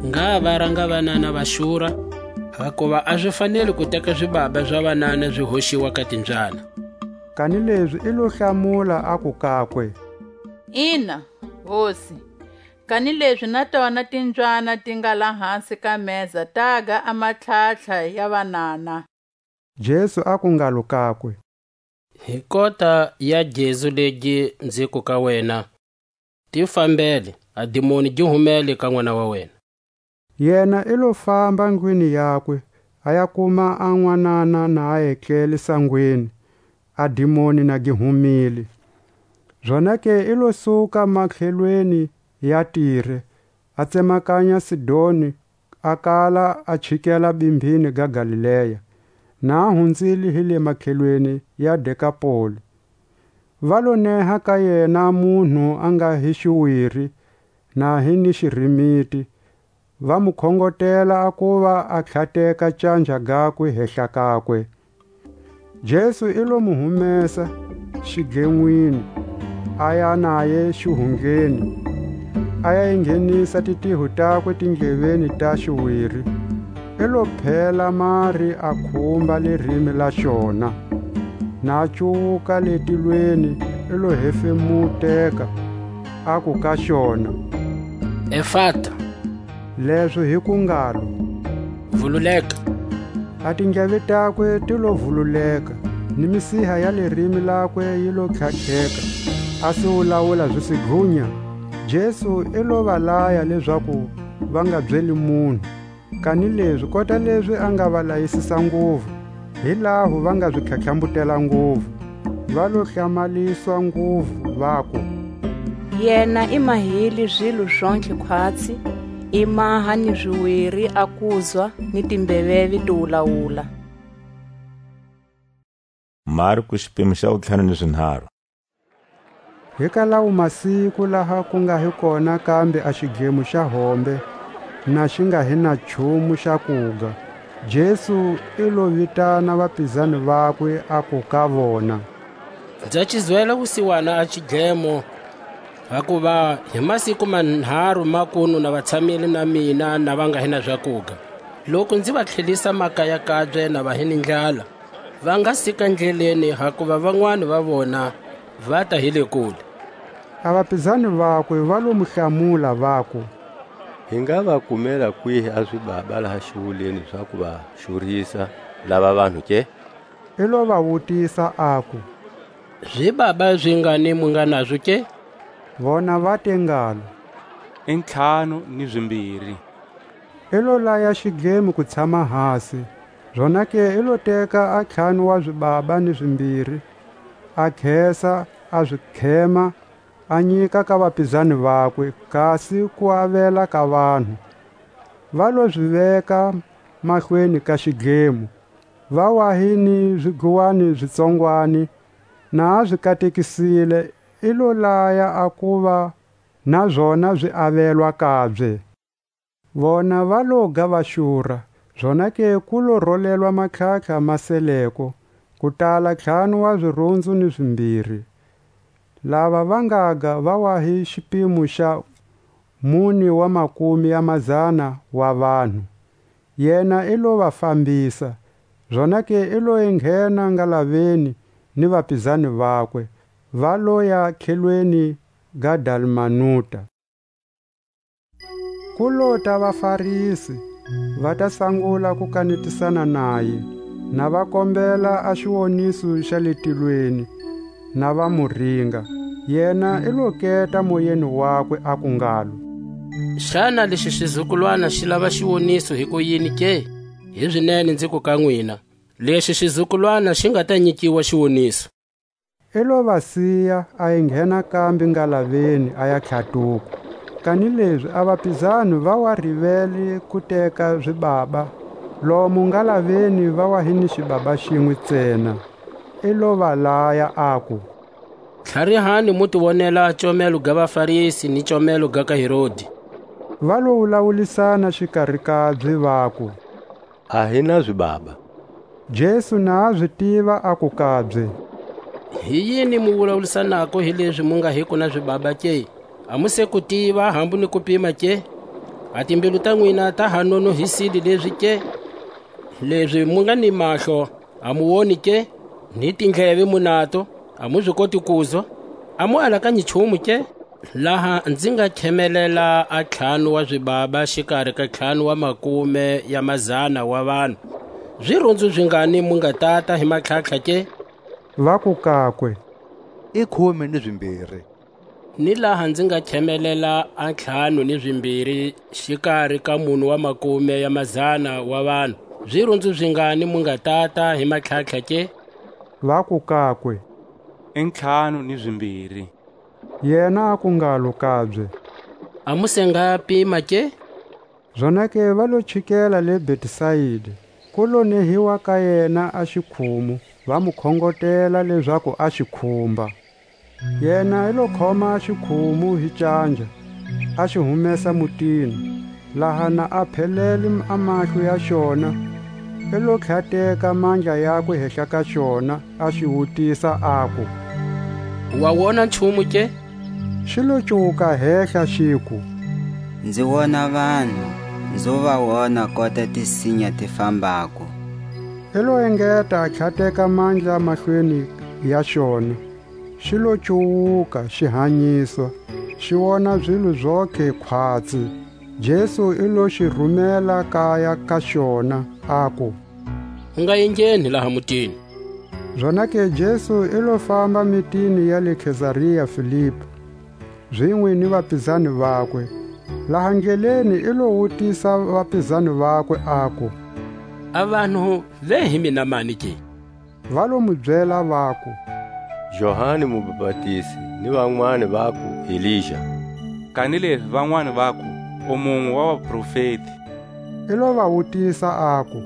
Ngha va ranga vanana va xura, hakuva a zi faneli ku teka zibaba za vanana zi hoxiwa ka timbyana. Kanilezi i lo hlamula, aku kakwe: Ina, Hosi, kanilezi na tona timbyana ti nga lahasi ka meza taga a matlhatlha ya vanana. Jesu aku ngalo kakwe: Hi kota ya gezu legi nziku ka wena, ti fambele, a dimoni gi humele ka n'wana wa wena. Yena i lo famba ndlwini yakwe, a ya kuma a nwanana na a etlele sangweni, a dimoni na gi humile. Zonake i lo suka matlhelweni ya Tire, a tsemakanya Sidoni, a kala a chikela bimbhini ga Galilea, na a hunzile hi le matlhelweni ya Dekapoli. Va lo neha ka yena munhu a nga hi xiwiri, na hi ni xirimiti, va mu khongotela a kuva a tlhateka canja gakwe hehla kakwe. Jesu i lo mu humesa xidlenwini, a ya naye xihundleni, a ya enghenisa titiho takwe tindleveni ta xiwiri, i lo phela mari a khumba lerimi la xona. Na a cuwuka le tilweni, i lo hefemuteka, aku ka xona: Efata, lezo hi ku ngalo: Vululeka. A tindleve takwe ti lo vululeka, ni misiha ya lirimi lakwe yi lo tlhatlheka, a siwulawula zisigunya. Jesu i lo va laya lezaku va nga byeli munhu, kanilezi kota lezi a nga va layisisa nguvu, hi laho va nga zi tlhatlhambutela nguvu, va lo hlamaliswa nguvu, vaku: Yena i mahile zilo zontlhe khwatsi, i maha ni ziwiri a kuzwa, ni timbeveve ti wulawula. Marku, xipimo xa wutlhanu ni swinharhu. Hi ka lawo masiku laha ku nga hi kona kambe a xidlemo xa hombe, na xi nga hi na nchumu xa kuga, Jesu i lo vitana vapizani vakwe, aku ka vona: Nza ci zwela wusiwana a xidlemo, hakuva hi masiku manharhu makunu na va tshamile na mina, na va nga hi na zakuga. Loku nzi va tlhelisa makaya kabye na va hi ni ndlala, va nga sika ndleleni, hakuva vanwani va vona va ta hi le kule. A vapizani vakwe va lo mu hlamula, vaku: I nga va kumela kwihi a zibaba laha xiwuleni za ku va xurisa lava vanhu ke? I lo va wutisa, aku: Zibaba zingani mu nga nazo ke? Vona va te ngalo: I ntlhanu ni zimbiri. I lo laya xidlemo ku tshama hasi, zonake i lo teka a ntlhanu wa zibaba ni zimbiri, a khesa, a zi khema, a nyika ka vapizani vakwe, kasi ku avela ka vanhu. Va lo zi veka mahlweni ka xidlemo, va wa hi ni zidluwani zitsongwani. Na a zi katekisile, i lo laya a kuva na zona zi avelwa kabye. Vona va lo ga va xura, zonake ku lo rolelwa matlhatlha ma seleko, ku tala ntlhanu wa zirunzu ni zimbiri. Lava va ngaga va wa hi xipimo xa mune wa makumi ya mazana wa vanhu. Yena i lo va fambisa, zonake i lo enghena ngalaveni ni vapizani vakwe, va loya khelweni ga Dalmanuta. Ku lota vaFarisi, va ta sangula ku kanetisana naye, na va kombela a xiwoniso xa le tilweni, na va mu ringa. Yena i lo keta moyeni wakwe, aku ngalo: Xana lexi xizukulwana xi lava xiwoniso hi kuyini ke? Hizinene nziku ka nwina, lexi xizukulwana xi nga ta nyikiwa xiwoniso. I lo va siya, a yi nghena kambe ngalaveni, a ya tlhatuka. Kanilezi a vapizani va wa rivele ku teka zibaba, lomu ngalaveni va wa hi ni xibaba xinwe ntsena. I lo va laya, aku: Tlharihani mu ti wonela a comelo ga vaFarisi ni comelo ga ka Herodi. Va lo wulawulisana xikari kabye, vaku: A hi na zibaba. Jesu na a zi tiva, aku kabye: Hi yini mu wulawulisanako hi lezi mu nga hiko na zibaba ke? A mu se ku tiva, hambu ni ku pima ke? A timbilu ta nwina ta ha nonohisile lezi ke? Lezi mu nga ni mahlo, a mu woni ke? Ni tindleve mu nato, a mu zi koti kuzwa? A mu alakanyi nchumu ke? Laha nzi nga khemelela a ntlhanu wa zibaba xikari ka ntlhanu wa makume ya mazana wa vanhu, zirunzu zingani mu nga tata hi matlhatlha ke? Vaku kakwe: I khume ni zimbiri. Ni laha nzi nga khemelela a ntlhanu ni zimbiri xikari ka mune wa makume ya mazana wa vanhu, zirunzu zingani mu nga tata hi matlhatlha ke? Vaku kakwe: I ntlhanu ni zimbiri. Yena aku ngalo kabye: A mu se nga pima ke? Zonake va lo chikela le Betsaida, ku lo nehiwa ka yena a xikhumu, va mu khongotela lezaku a xi khumba. Yena i lo khoma a xikhumu hi canja, a xi humesa mutini, laha na a phelele a mahlo ya xona, i lo tlhateka mandla yakwe hehla ka xona, a xi wutisa, aku: Wa wona nchumu ke? Xi lo cuwuka hehla, xiku: Nzi wona vanhu, nzo va wona kota tisinya ti fambako. I lo engeta a tlhateka mandla mahlweni ya xona, xi lo cuwuka, xi hanyiswa, xi wona zilo zontlhe khwatsi. Jesu i lo xi rhumela kaya ka xona, aku: U nga engheni laha mutini. Zonake Jesu i lo famba mitini ya le Kesaria Filipi, zinwe ni vapizani vakwe. Laha ndleleni i lo wutisa vapizani vakwe, aku: A vanhu ve hi mina mani ke? Va lo mu byela, vaku: Johani Mubapatizi, ni vanwani vaku: Elija, kanilezi vanwani vaku: U munwe wa vaprofeti. I lo va wutisa, aku: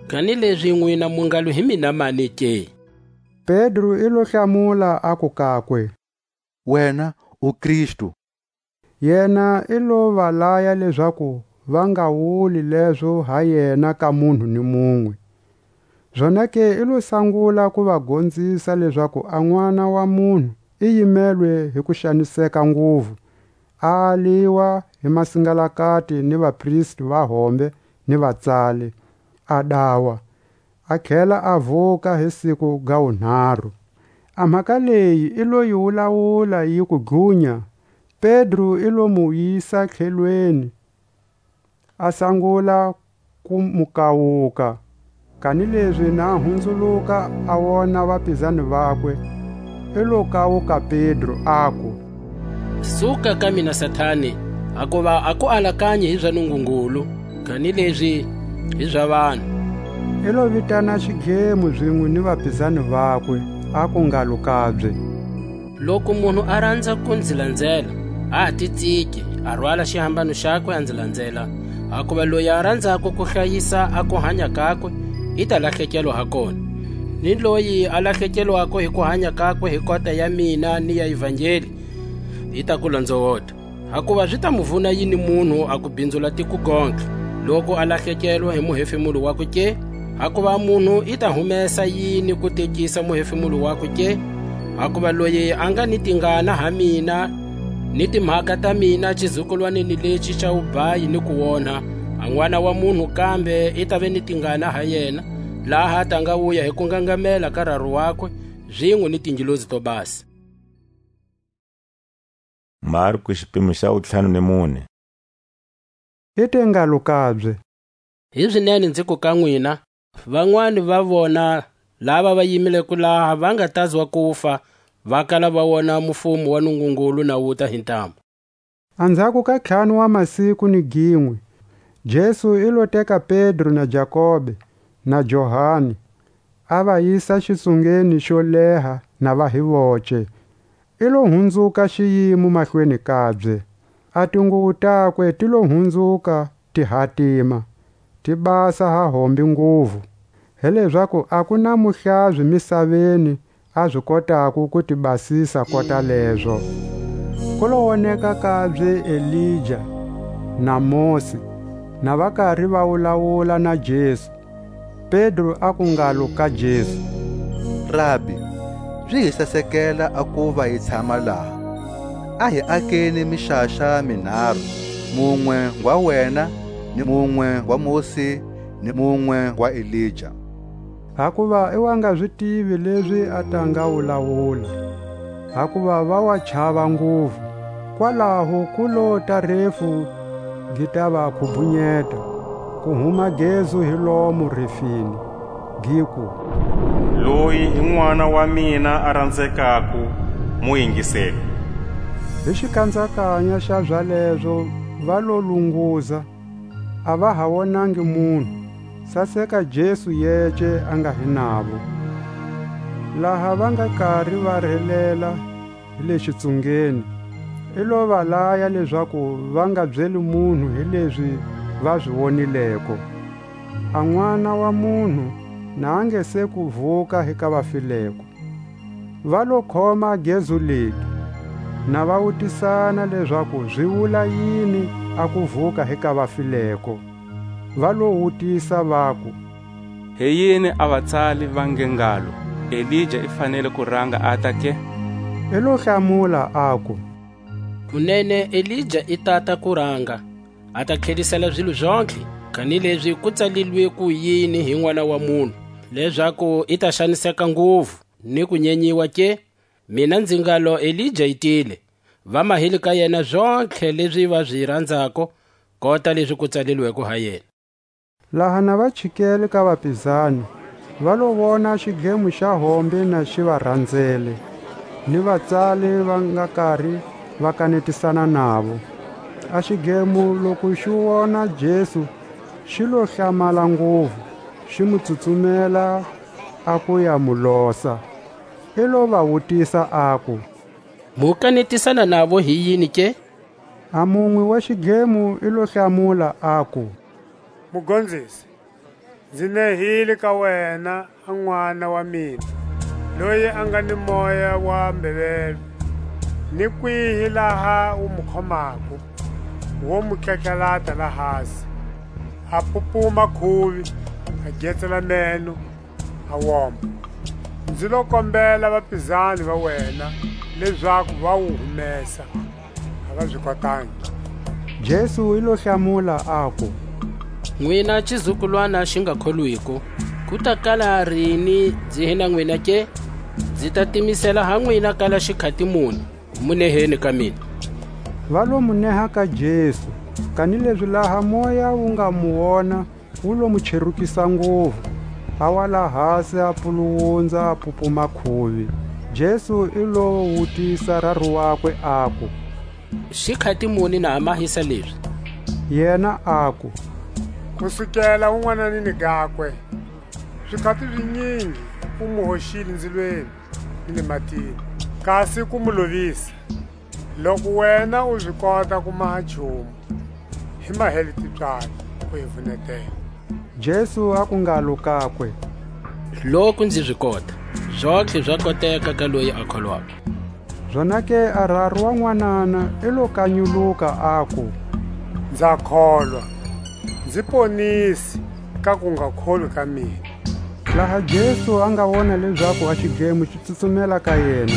Kanilezi nwina mu ngalo hi mina mani ke? Pedro i lo hlamula, aku kakwe: Wena u Kristu. Yena i lo va laya lezaku va nga wuli lezo ha yena ka munhu ni munwe. Zonake i lo sangula ku va gonzisa lezaku a N'wana wa munhu i yimelwe hi ku xaniseka nguvu, a aliwa hi masingalakati ni vapristi va hombe ni vatsali, a dawa, a tlhela a vuka hi siku ga wunharhu. A mhaka leyi i lo yi wulawula yi ku dlunya. Pedro i lo mu yisa tlhelweni, a sangula ku mu kawuka. Kanilezi na hunzuluka a wona vapizani vakwe, i lo kawuka Pedro, aku: Suka ka mina, Satani, hakuva a ku alakanyi hi za Nungungulu, kanilezi hi za vanhu. I lo vitana xidlemo zinwe ni vapizani vakwe, aku ngalo kabye: Loku munhu a ranza ku nzi lanzela, a ha ti tsiki, a rwala xihambano xakwe, a nzi lanzela. Hakuva loyi a ranzako ku hlayisa a kuhanya kakwe, i ta lahlekelwa ha kona. Ni loyi a lahlekelwako hi kuhanya kakwe hi kota ya mina ni ya Ivangeli, i ta ku lonzowota. Hakuva zi ta mu vuna yini munhu a ku binzula tiko gontlhe, loku a lahlekelwa hi muhefemulo wakwe ke? Hakuva a munhu i ta humesa yini ku tekisa muhefemulo wakwe ke? Hakuva loyi a nga ni tingana ha mina, ni timhaka ta mina, xizukulwaneni lexi xa wubhayi ni kuonha, a N'wana wa munhu kambe i tave ni tingana ha yena, laha ta nga wuya hi kungangamela ka Raru wakwe, zinwe ni tingelosi to basa. Marku, xipimo xa wutlhanu ni mune. I te ngalo kabye: Hizinene nziku ka nwina, vanwani va vona lava va yimileko laha va nga tazwa kufa, va kala va wona mufumo wa Nungungulu na wuta hi ntamu. Anzhako ka ntlhanu wa masiku ni ginwe, Jesu i lo teka Pedro na Jakobe na Johani, a va yisa xitsungeni xo leha na va hi voce. I lo hunzuka xiyimo mahlweni kabye. A tinguvu takwe ti lo hunzuka ti hatima, ti basa ha hombe nguvu, hi lezaku a ku na muhlazi misaveni a zi kotako ku ti basisa kota lezo. Ku lo woneka kabye Elija na Mosi, na va kari va wulawula na Jesu. Pedro aku ngalo ka Jesu: Rabi, zi hi sasekela a kuva hi tshama laha. A hi akeni mixaxa minharu, munwe ngwa wena, ni munwe ngwa Mosi, ni munwe ngwa Elija. Hakuva i wa nga zi tivi lezi a ta nga wulawula, hakuva va wa chava nguvu. Kwalaho ku lota refu gi ta va khubhunyeta, ku huma gezu hi lomo refini, giku: Loyi hi N'wana wa mina a ranzekako, mu yingiseni. Hi xikanzakanya xa zalezo va lo lunguza, a va ha wonangi munhu, saseka Jesu yece a nga hi navo. Laha va nga kari va relela hi le xitsungeni, i lo va laya lezaku va nga byeli munhu hi lezi va zi wonileko, a N'wana wa munhu na a nge se ku vuka hi ka vafileko. Va lo khoma gezu legi, na va wutisana lezaku zi wula yini a kuvuka hi ka vafileko. Va lo wutisa, vaku: Hi yini a vatsali va nge ngalo: Elija i fanele ku ranga ata ke? I lo hlamula, aku: Kunene, Elija i tata ku ranga, a ta tlhelisela zilo zontlhe, kanilezi ku tsalilwe ku yini hi N'wana wa munhu, lezaku i ta xaniseka nguvu ni ku nyenyiwa ke? Mina nzi ngalo, Elija i tile, va mahile ka yena zontlhe lezi va zi ranzako, kota lezi ku tsalilweko ha yena. Laha na va chikele ka vapizani, va lo vona xidlemo xa hombe na xi va ranzele, ni vatsali va nga kari va kanetisana navo. A xidlemo loku xi wona Jesu, xi lo hlamala nguvu, xi mu tsutsumela a ku ya mu losa. I lo va wutisa, aku: Mu kanetisana navo hi yini ke? A munwe wa xidlemo i lo hlamula, aku: Mugonzisi, nzi nehile ka wena a n'wana wa mina, loyi a nga ni moya wa mbevelo. Ni kwihi laha wu mu khomako, wo mu tlatlalata la hasi, a pupuma khuvi, a getsela meno, a woma. Nzi lo kombela vapizani va wena lezaku va wu humesa, a va zi kotangi. Jesu i lo hlamula, aku: Nwina xizukulwana xi nga kholwiko, ku ta kala rini nzi hi na nwina ke? Nzi ta timisela ha nwina kala xikhati muni? Mu neheni ka mina. Va lo mu neha ka Jesu, Kanilezi laha moya wu nga mu wona, wu lo mu cherukisa nguvu, a wa la hasi a puluwundza a pupuma khuvi. Jesu i lo wutisa raru wakwe, aku: Xikhati muni na ha mahisa lezi? Yena aku: Ku sukela wun'wananini gakwe, zikhati zinyingi u mu hoxile nzilweni ni le matini, kasi ku mu lovisa. Loku wena u zi kota ku maha nchumu, hi mahele tipswalo, u hi vunetela. Jesu aku ngalo kakwe: Loku nzi zi kota, zontlhe za koteka ka loyi a kholwako. Zonake a raru wa nwanana i lo kanyuluka, aku: Nza kholwa, nzi ponisi ka ku nga kholwi ka mina. Laha Jesu a nga wona lezaku a xidlemo xi tsutsumela ka yena,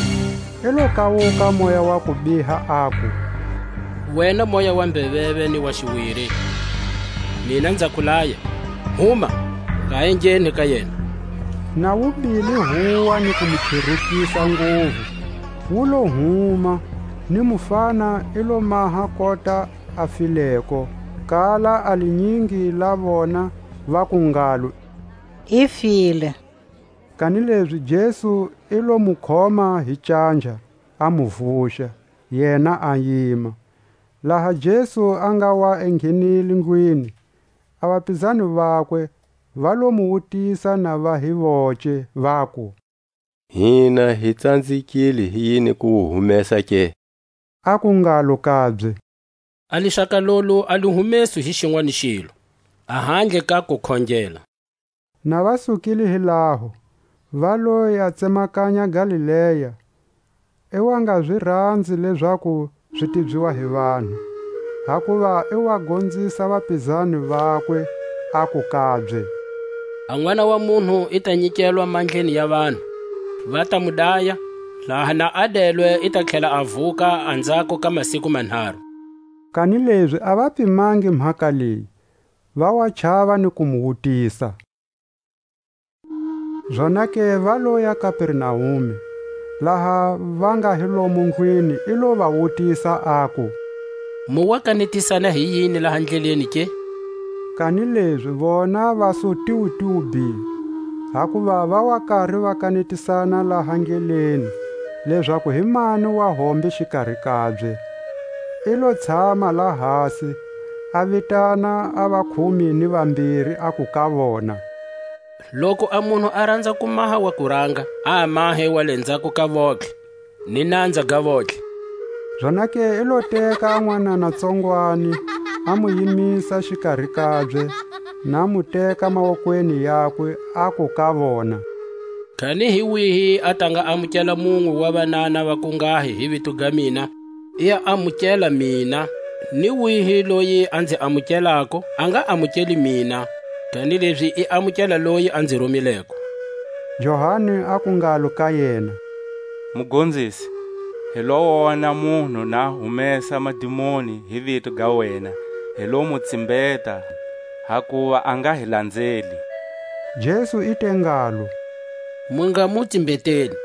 i lo kawuka moya wa kubiha, aku: Wena moya wa mbeveve ni wa xiwiri, mina nza ku laya, huma, nga ha engheni ka yena. Na wu bile huwa ni ku mu chirukisa nguvu, wu lo huma, ni mufana i lo maha kota a fileko. Kala a linyingi la vona, vaku ngalo: I file. Kanilezi Jesu i lo mu khoma hi canja, a mu vuxa, yena a yima. Laha Jesu a nga wa enghenile ndlwini, a vapizani vakwe va lo mu wutisa na va hi voce, vaku: Hina hi tsanzekile hi yini ku wu humesa ke? Aku ngalo kabye: A lixaka lolo a li humeswi hi xinwani xilo, ahandle ka ku khongela. Na va sukile hi laho, va lo ya tsemakanya Galilea, i wa nga zi ranzi lezaku zi tibyiwa hi vanhu, hakuva i wa gonzisa vapizani vakwe, aku kabye: A N'wana wa munhu i ta nyikelwa mandleni ya vanhu, va ta mu daya, laha na a delwe i ta tlhela a vuka anzhako ka masiku manharu. Kanilezi a va pimangi mhaka leyi, va wa chava ni ku mu wutisa. Zonake va loya Kapernaume. Laha va nga hi lomo ndlwini, i lo va wutisa, aku: Mu wa kanetisana hi yini laha ndleleni ke? Kanilezi vona va su tiwutiwu bi, hakuva va wa kari va kanetisana laha ndleleni, lezaku hi mani wa hombe xikari kabye. I lo tshama la hasi, a vitana a vakhume ni vambiri, aku ka vona: Loku a munhu a ranza ku maha wa kuranga, a mahe wa le nzhako ka votlhe, ni nanza ga votlhe. Zonake i lo teka a n'wanana tsongwani, a mu yimisa xikari kabye, na mu teka mawokweni yakwe, aku ka vona: Kani hi wihi a ta nga amukela munwe wa vanana va kungahi hi vito ga mina, i ya amukela mina, ni wihi loyi a nzi amukelako, a nga amukeli mina, kanilezi i amukela loyi a nzi rumileko. Johani aku ngalo ka yena: Mugonzisi, hi lo wona munhu na humesa madimoni hi vito ga wena, hi lo mu tsimbeta, hakuva a nga hi landzeli. Jesu i te ngalo: Mu nga mu tsimbeteni,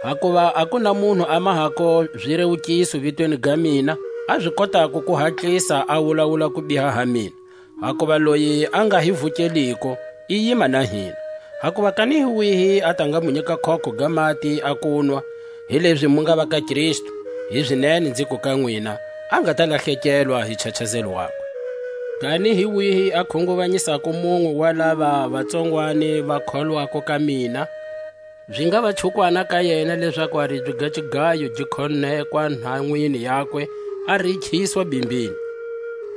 hakuva a ku na munhu a mahako zirewukiso vitweni ga mina, a zi kotako ku hatlisa a wulawula ku biha ha mina. Hakuva loyi a nga hi vukeliko, i yima na hina. Hakuva kani hi wihi a ta nga mu nyika khokho ga mati a kunwa, hilezi mu nga va ka Kristu, hizinene nziku ka nwina, a nga ta lahlekelwa hi nchachazelo wakwe. Kani hi wihi a khunguvanyisako munwe wa lava vatsongwani va kholwako ka mina, zi nga va chukwana ka yena, lezaku a ribye ga xigayo gi khonekwa nhanwini yakwe, a rikhiswa bimbini.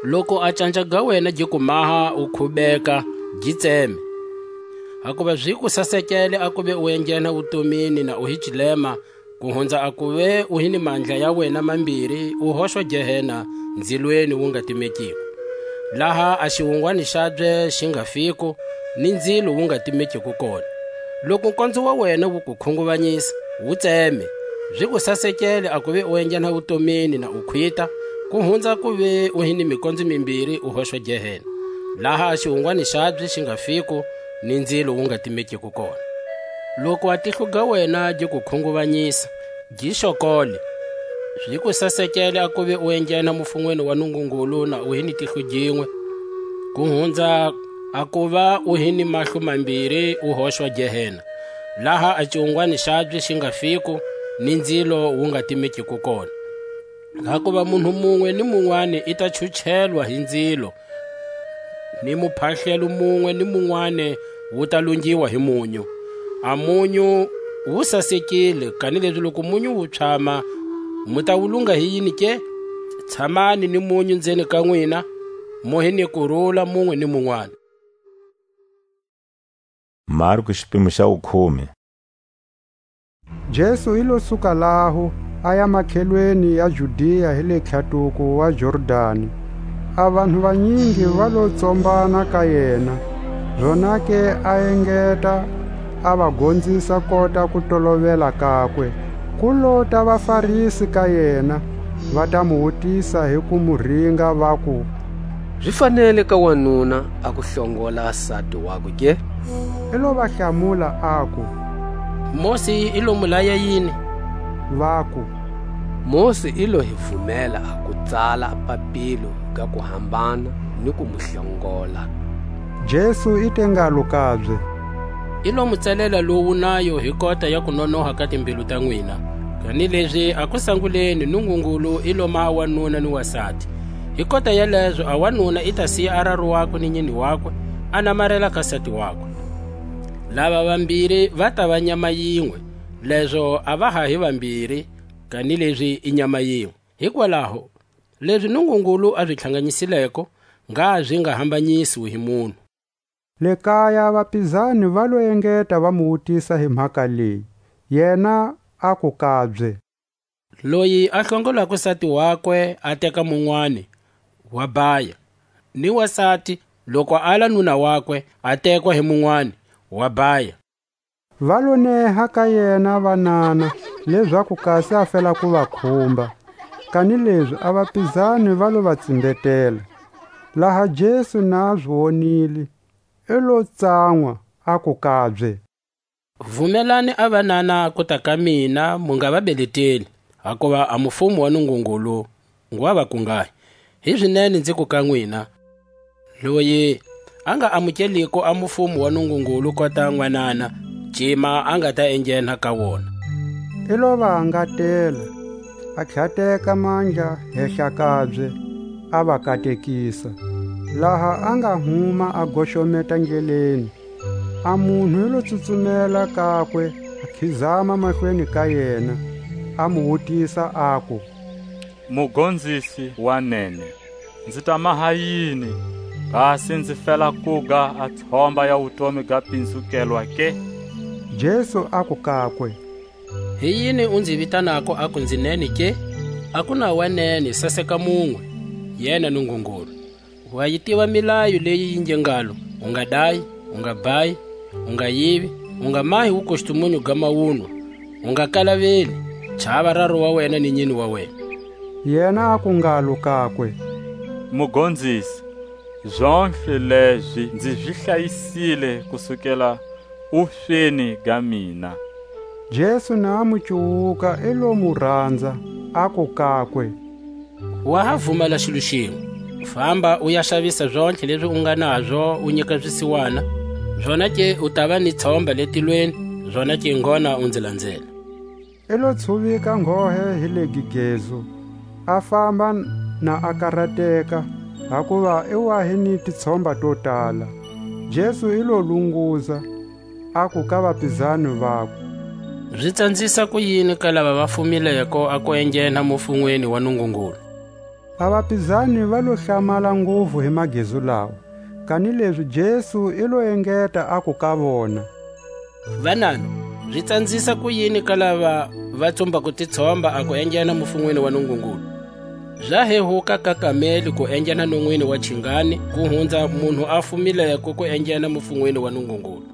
Loku a canja ga wena gi ku maha u khubeka, gi tseme. Hakuva zi ku sasekele a kuve u enghena wutomini na u hi cilema, ku hunza a kuve u hi ni mandla ya wena mambiri, u hoxwa Gehena, nzilweni wu nga timekiko. Laha a xiwungwani xabye xi nga fiko, ni nzilo wu nga timekiko kona. Loku nkonzo wa wena wu ku khunguvanyisa, wu tseme, zi ku sasekele a kuve u enghena wutomini na u khwita, ku hunza kuve u hi ni mikonzo mimbiri u hoxwa Gehena, laha a xiwungwani xabye xi nga fiko, ni nzilo wu nga timekiko kona. Loku a tihlo ga wena gi ku khunguvanyisa, gi xokole, Zi ku sasekele a kuva u enghena mufunweni wa Nungungulu na u hi ni tihlo ginwe, ku hunza a kuva u hi ni mahlo mambiri u hoxwa Gehena, laha a xiwungwani xabye xi nga fiko, ni nzilo wu nga timekiko kona. Hakuva munhu munwe ni munwani i ta chuchelwa hi nzilo, ni muphahlelo munwe ni munwani wu ta lungiwa hi munyu. A munyu wu sasekile, kanilezi loku munyu wu tshama, mu ta wu lunga hi yini ke? Tshamani ni munyu nzeni ka nwina, mu hi ni kurula munwe ni munwani. Marku xipimo xa wukhume. Jesu i lo suka laho, a ya makhelweni ya Judia hi le tlhatuko wa Jordani. A vanhu vanyingi va lo tsombana ka yena, zonake a engeta, a va gonzisa kota ku tolovela kakwe. Ku lota vaFarisi ka yena, va ta mu wutisa hi ku mu ringa, vaku: Zi fanele ka wanuna a ku hlongola sati wakwe ke? I lo va hlamula, aku: Mosi i lo mu laya yini? Vaku: Mosi i lo hi vumela a ku tsala papilo ga ku hambana ni ku mu hlongola. Jesu i te ngalo kabye: I lo mu tsalela lowu nayo hi kota ya kunonoha ka timbilu ta nwina. Kanilezi a kusanguleni Nungungulu i lo maha wanuna ni wasati. Hi kota yalezo a wanuna i ta siya a raru wakwe ni nyini wakwe, a namarela ka sati wakwe. Lava vambiri va ta va nyama yinwe, lezo a va ha hi vambiri, kanilezi i nyama yinwe. Hikwalaho, lezi Nungungulu a zi tlhanganyisileko, ngha zi nga hambanyisiwi hi munhu. Le kaya vapizani va lo engeta va mu wutisa hi mhaka leyi. Yena aku kabye: Loyi a hlongolako sati wakwe a teka munwani, wa baya, ni wasati, loku a ala nuna wakwe, a tekwa hi munwani, wa baya. Va lo neha ka yena vanana, lezaku kasi a fela ku va khumba. Kanilezi a vapizani va lo va tsimbetela. Laha Jesu na zi wonile, i lo tsanwa, aku kabye: Vumelani a vanana kuta ka mina, mu nga va beleteli, hakuva a mufumo wa Nungungulu ngwa va kungahi. Hizinene nziku ka nwina, loyi a nga amukeliko a mufumo wa Nungungulu kota nwanana, cima a nga ta enghena ka wona. I lo va angatela, a tlhateka mandla hehla kabye, a va katekisa. Laha a nga huma a goxometa ndleleni, a munhu i lo tsutsumela kakwe, a khizama mahlweni ka yena, a mu wutisa, aku: Mugonzisi wa nene, nzi ta maha yini, kasi nzi fela kuga a tshomba ya wutomi ga pinzukelwa ke? Jesu aku kakwe: Hi yini u nzi vitanako aku nzi nene ke? A ku na wa nene saseka munwe, yena Nungungulu. Wa yi tiva milayo leyi yi nge ngalo: U nga dayi, u nga bhayi, u nga yivi, u nga mahi wukustumunyu ga mawunwa, u nga kalaveli, chava raru wa wena ni nyini wa wena. Yena aku ngalo kakwe: Mugonzisi, zontlhe lezi nzi zi hlayisile kusukela wufeni ga mina. Jesu na a mu cuwuka, i lo mu ranza, aku kakwe: Wa ha vumala xilo xinwe. Famba, u ya xavisa zontlhe lezi u nga nazo, u nyika zisiwana, zonake u tava ni tshomba le tilweni, zonake ngona u nzi lanzela. I lo tshuvika nghohe hi le gigezo, a famba na a karateka, hakuva i wa hi ni titshomba to tala. Jesu i lo lunguza, aku ka vapizani vakwe: Zi tsanzisa ku yini ka lava va fumileko a ku enghena mufunweni wa Nungungulu? A vapizani va lo hlamala nguvu hi magezu lawa, kanilezi Jesu i lo engeta, aku ka vona: Vanana, zi tsanzisa ku yini ka lava va tsumbako titshomba a ku enghena mufunweni wa Nungungulu? Za hehuka ka kameli ku enghena nonwini wa chingani ku hunza munhu a fumileko ku enghena mufunweni wa Nungungulu.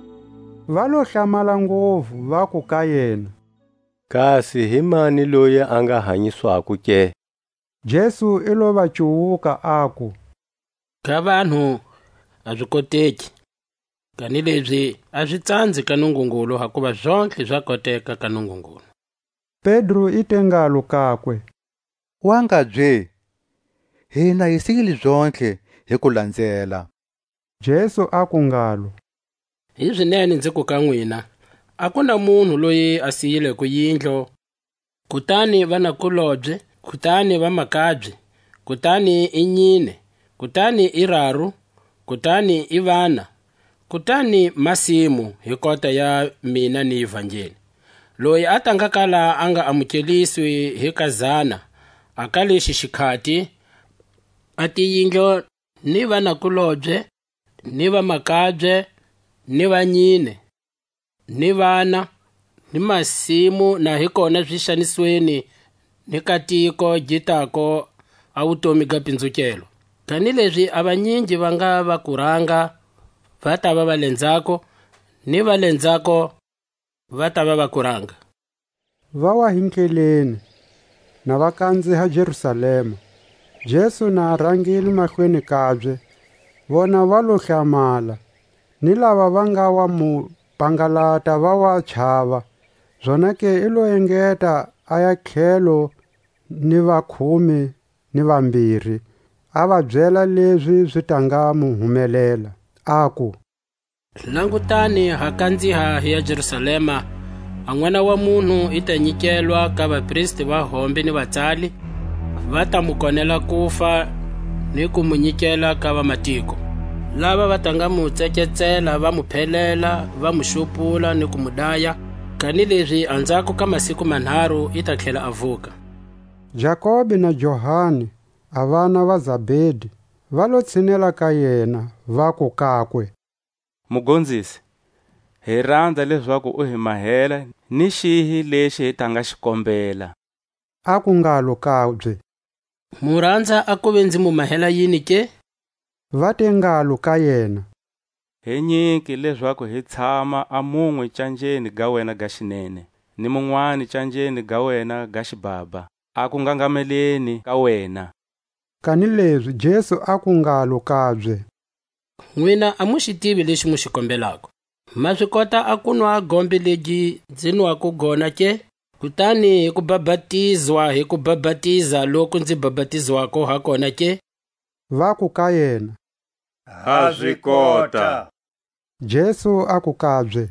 Va lo hlamala nguvu, vaku ka yena: Kasi hi mani loyi a nga hanyiswako ke? Jesu i lo va cuwuka, aku: Ka vanhu a zi koteki, kanilezi a zi tsanzi ka Nungungulu, hakuva zontlhe za koteka ka Nungungulu. Pedro i te ngalo kakwe: Wa ngabye? Hina hi siyile zontlhe hi ku lanzela. Jesu aku ngalo: Hizinene nzi ku ka nwina, a ku na munhu loyi a siyileko yindlu, kutani vanakulobye, kutani vamakabye, kutani i nyine, kutani i raru, kutani i vana, kutani masimu hi kota ya mina ni Ivangeli. Loyi a ta nga ka laha a nga amukeliswi hi kazana, a ka lexi xikhati, a tiyindlo, ni vanakulobye, ni vamakabye, ni vanyine, ni vana, ni masimu, na hi kona zixanisweni, ni ka tiko gi tako a wutomi ga pinzukelo. Kanilezi a vanyingi va nga va kuranga, va tava va lenzako, ni va lenzako, va tava va kuranga. Va wa hi ndleleni, na va kanziha Jerusalema. Jesu na a rangile mahlweni kabye, vona va lo hlamala, ni lava va nga wa mu pangalata va wa chava. Zonake i lo engeta a ya tlhelo ni vakhume ni vambiri, a va byela lezi zi ta nga mu humelela, aku: Langutani, ha kanziha hi ya Jerusalema, a N'wana wa munhu i ta nyikelwa ka vapristi va hombe ni vatsali, va ta mu konela kufa, ni ku mu nyikela ka vamatiko. Lava va ta nga mu tseketsela, va mu phelela, va mu xupula ni ku mu daya, kanilezi anzhako ka masiku manharu i ta tlhela a vuka. Jakobe na Johani, a vana va Zabedi, va lo tshinela ka yena, vaku kakwe: Mugonzisi, hi ranza lezaku u hi mahela ni xihi lexi hi ta nga xi kombela. Aku ngalo kabye: Mu ranza a kuve nzi mu mahela yini ke? Va te ngalo ka yena: Hi nyiki lezaku hi tshama a munwe canjeni ga wena ga xinene, ni munwani canjeni ga wena ga xibaba, a ku ngangameleni ka wena. Kanilezi Jesu aku ngalo kabye: Nwina a mu xi tivi lexi mu xi kombelako. Ma zi kota a ku nwa gombe legi nzi nwako gona ke? Kutani hi ku bhabhatizwa hi ku bhabhatiza loku nzi bhabhatizwako ha kona ke? Vaku ka yena: Ha zi kota. Jesu aku kabye: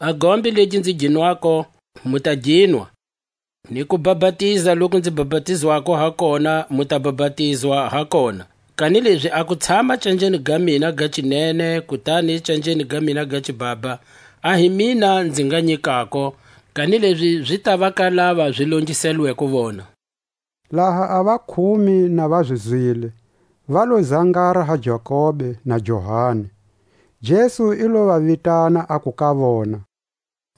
A gombe legi nzi gi nwako, mu ta gi nwa, ni ku bhabhatiza loku nzi bhabhatizwako ha kona, mu ta bhabhatizwa ha kona. Kanilezi a ku tshama canjeni ga mina ga cinene, kutani canjeni ga mina ga cibaba, a hi mina nzi nga nyikako, kanilezi zi ta va ka lava zi longiselweko vona. Laha a vakhume na va zi zwile, va lo zangara ha Jakobe na Johani. Jesu i lo va vitana, aku ka vona: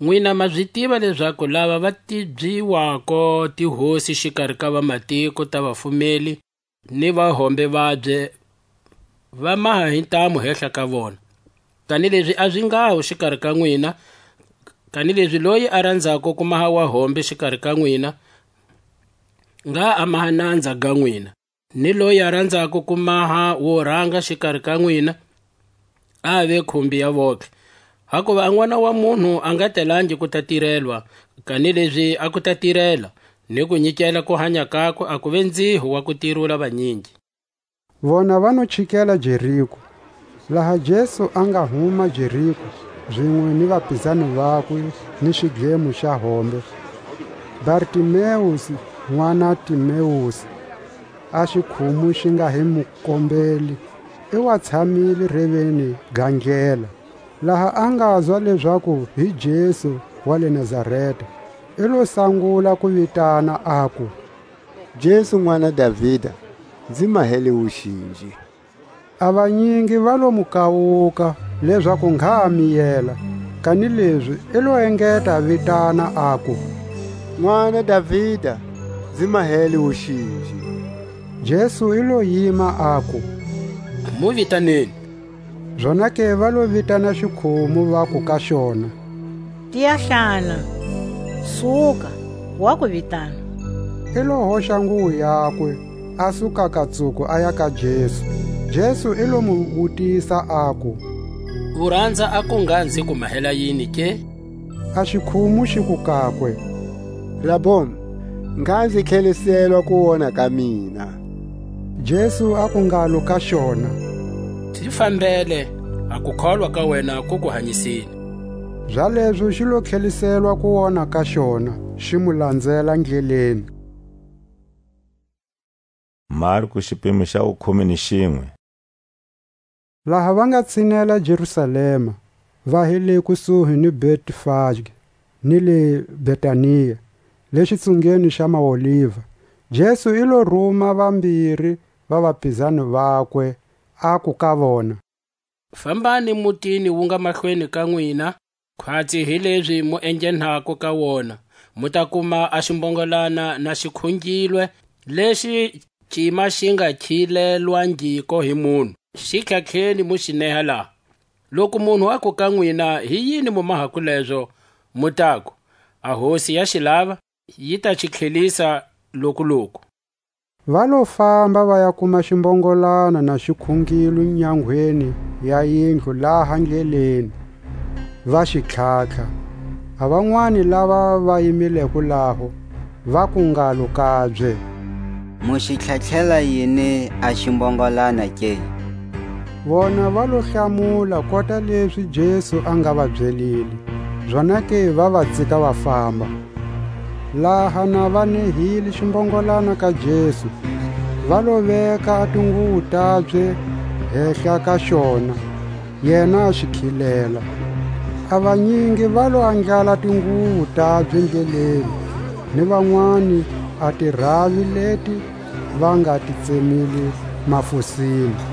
Nwina ma zi tiva lezaku lava va tibyiwako tihosi xikari ka vamatiko ta vafumeli ni vahombe vabye, va maha hi ntamu hehla ka vona. Kanilezi a zi nghaho xikari ka nwina, kanilezi loyi a ranzako ku maha wahombe xikari ka nwina, ngha a maha nanza ga nwina. Ni loyi a ranzako ku maha wo ranga xikari ka nwina, a ve khumbi ya votlhe. Hakuva a N'wana wa munhu a nga telangi ku ta tirelwa, kanilezi a ku ta tirela, ni ku nyikela ku hanya kakwe a kuve nziho wa ku tirula vanyingi. Vona va no chikela Jeriko. Laha Jesu a nga huma Jeriko, zinwe ni vapizani vakwe ni xidlemo xa hombe, Bartimeusi, n'wana Timeusi, a xikhumu xi nga hi mukombeli, i wa tshamile reveni ga ndlela. Laha a ngazwa lezaku hi Jesu wa le Nazareta, i lo sangula ku vitana, aku: Jesu, N'wana Davida, nzi mahele wuxinji. A vanyingi va lo mu kawuka, lezaku ngha a miyela; kanilezi i lo engeta a vitana, aku: N'wana Davida, nzi mahele wuxinji. Jesu i lo yima, aku: Mu vitaneni. Zonake va lo vitana xikhumu, vaku ka xona: Tiyahlana, suka, wa ku vitana. I lo hoxa nguwo yakwe, a suka katsuko, a ya ka Jesu. Jesu i lo mu wutisa, aku: U ranza a ku ngha nzi ku mahela yini ke? A xikhumu xiku kakwe: Raboni, Ngha nzi tlheliselwa ku wona ka mina. Jesu aku ngalo ka xona: Xi fambele, a kukholwa ka wena ku ku hanyisile. Zalezo xi lo tlheliselwa ku wona ka xona, xi mu lanzela ndleleni. Marku, xipimo xa wukhume ni xinwe. Laha va nga tshinela Jerusalema, va hi le kusuhi ni Betfage ni le Betania, le xitsungeni xa Maoliva, Jesu i lo ruma vambiri va vapizani vakwe, aku ka vona: Fambani mutini wu nga mahlweni ka nwina, khwatsi hi lezi mu enghenako ka wona, mu ta kuma a ximbongolana na xi khungilwe, lexi cima xi nga khilelwangiko hi munhu. Xi tlhatlheni, mu xi neha laha. Loku munhu aku ka nwina: Hi yini mu mahako lezo? Mu taku: A Hosi ya xi lava, yi ta xi tlhelisa lokuloku. Va lo famba, va ya kuma ximbongolana na xi khungilwe nyangweni ya yindlu laha ndleleni, va xi tlhatlha. A vanwani lava va yimileko laho, vaku ngalo kabye: Mu xi tlhatlhela yini a ximbongolana ke? Vona va lo hlamula kota lezi Jesu a nga va byelile, zonake va va tsika va famba. Laha na va nehile ximbongolana ka Jesu, va lo veka a tinguwo tabye hehla ka xona, yena a xi khilela. A vanyingi va lo andlala tinguwo tabye ndleleni, ni vanwani a tiravi leti va nga ti tsemile mafosini.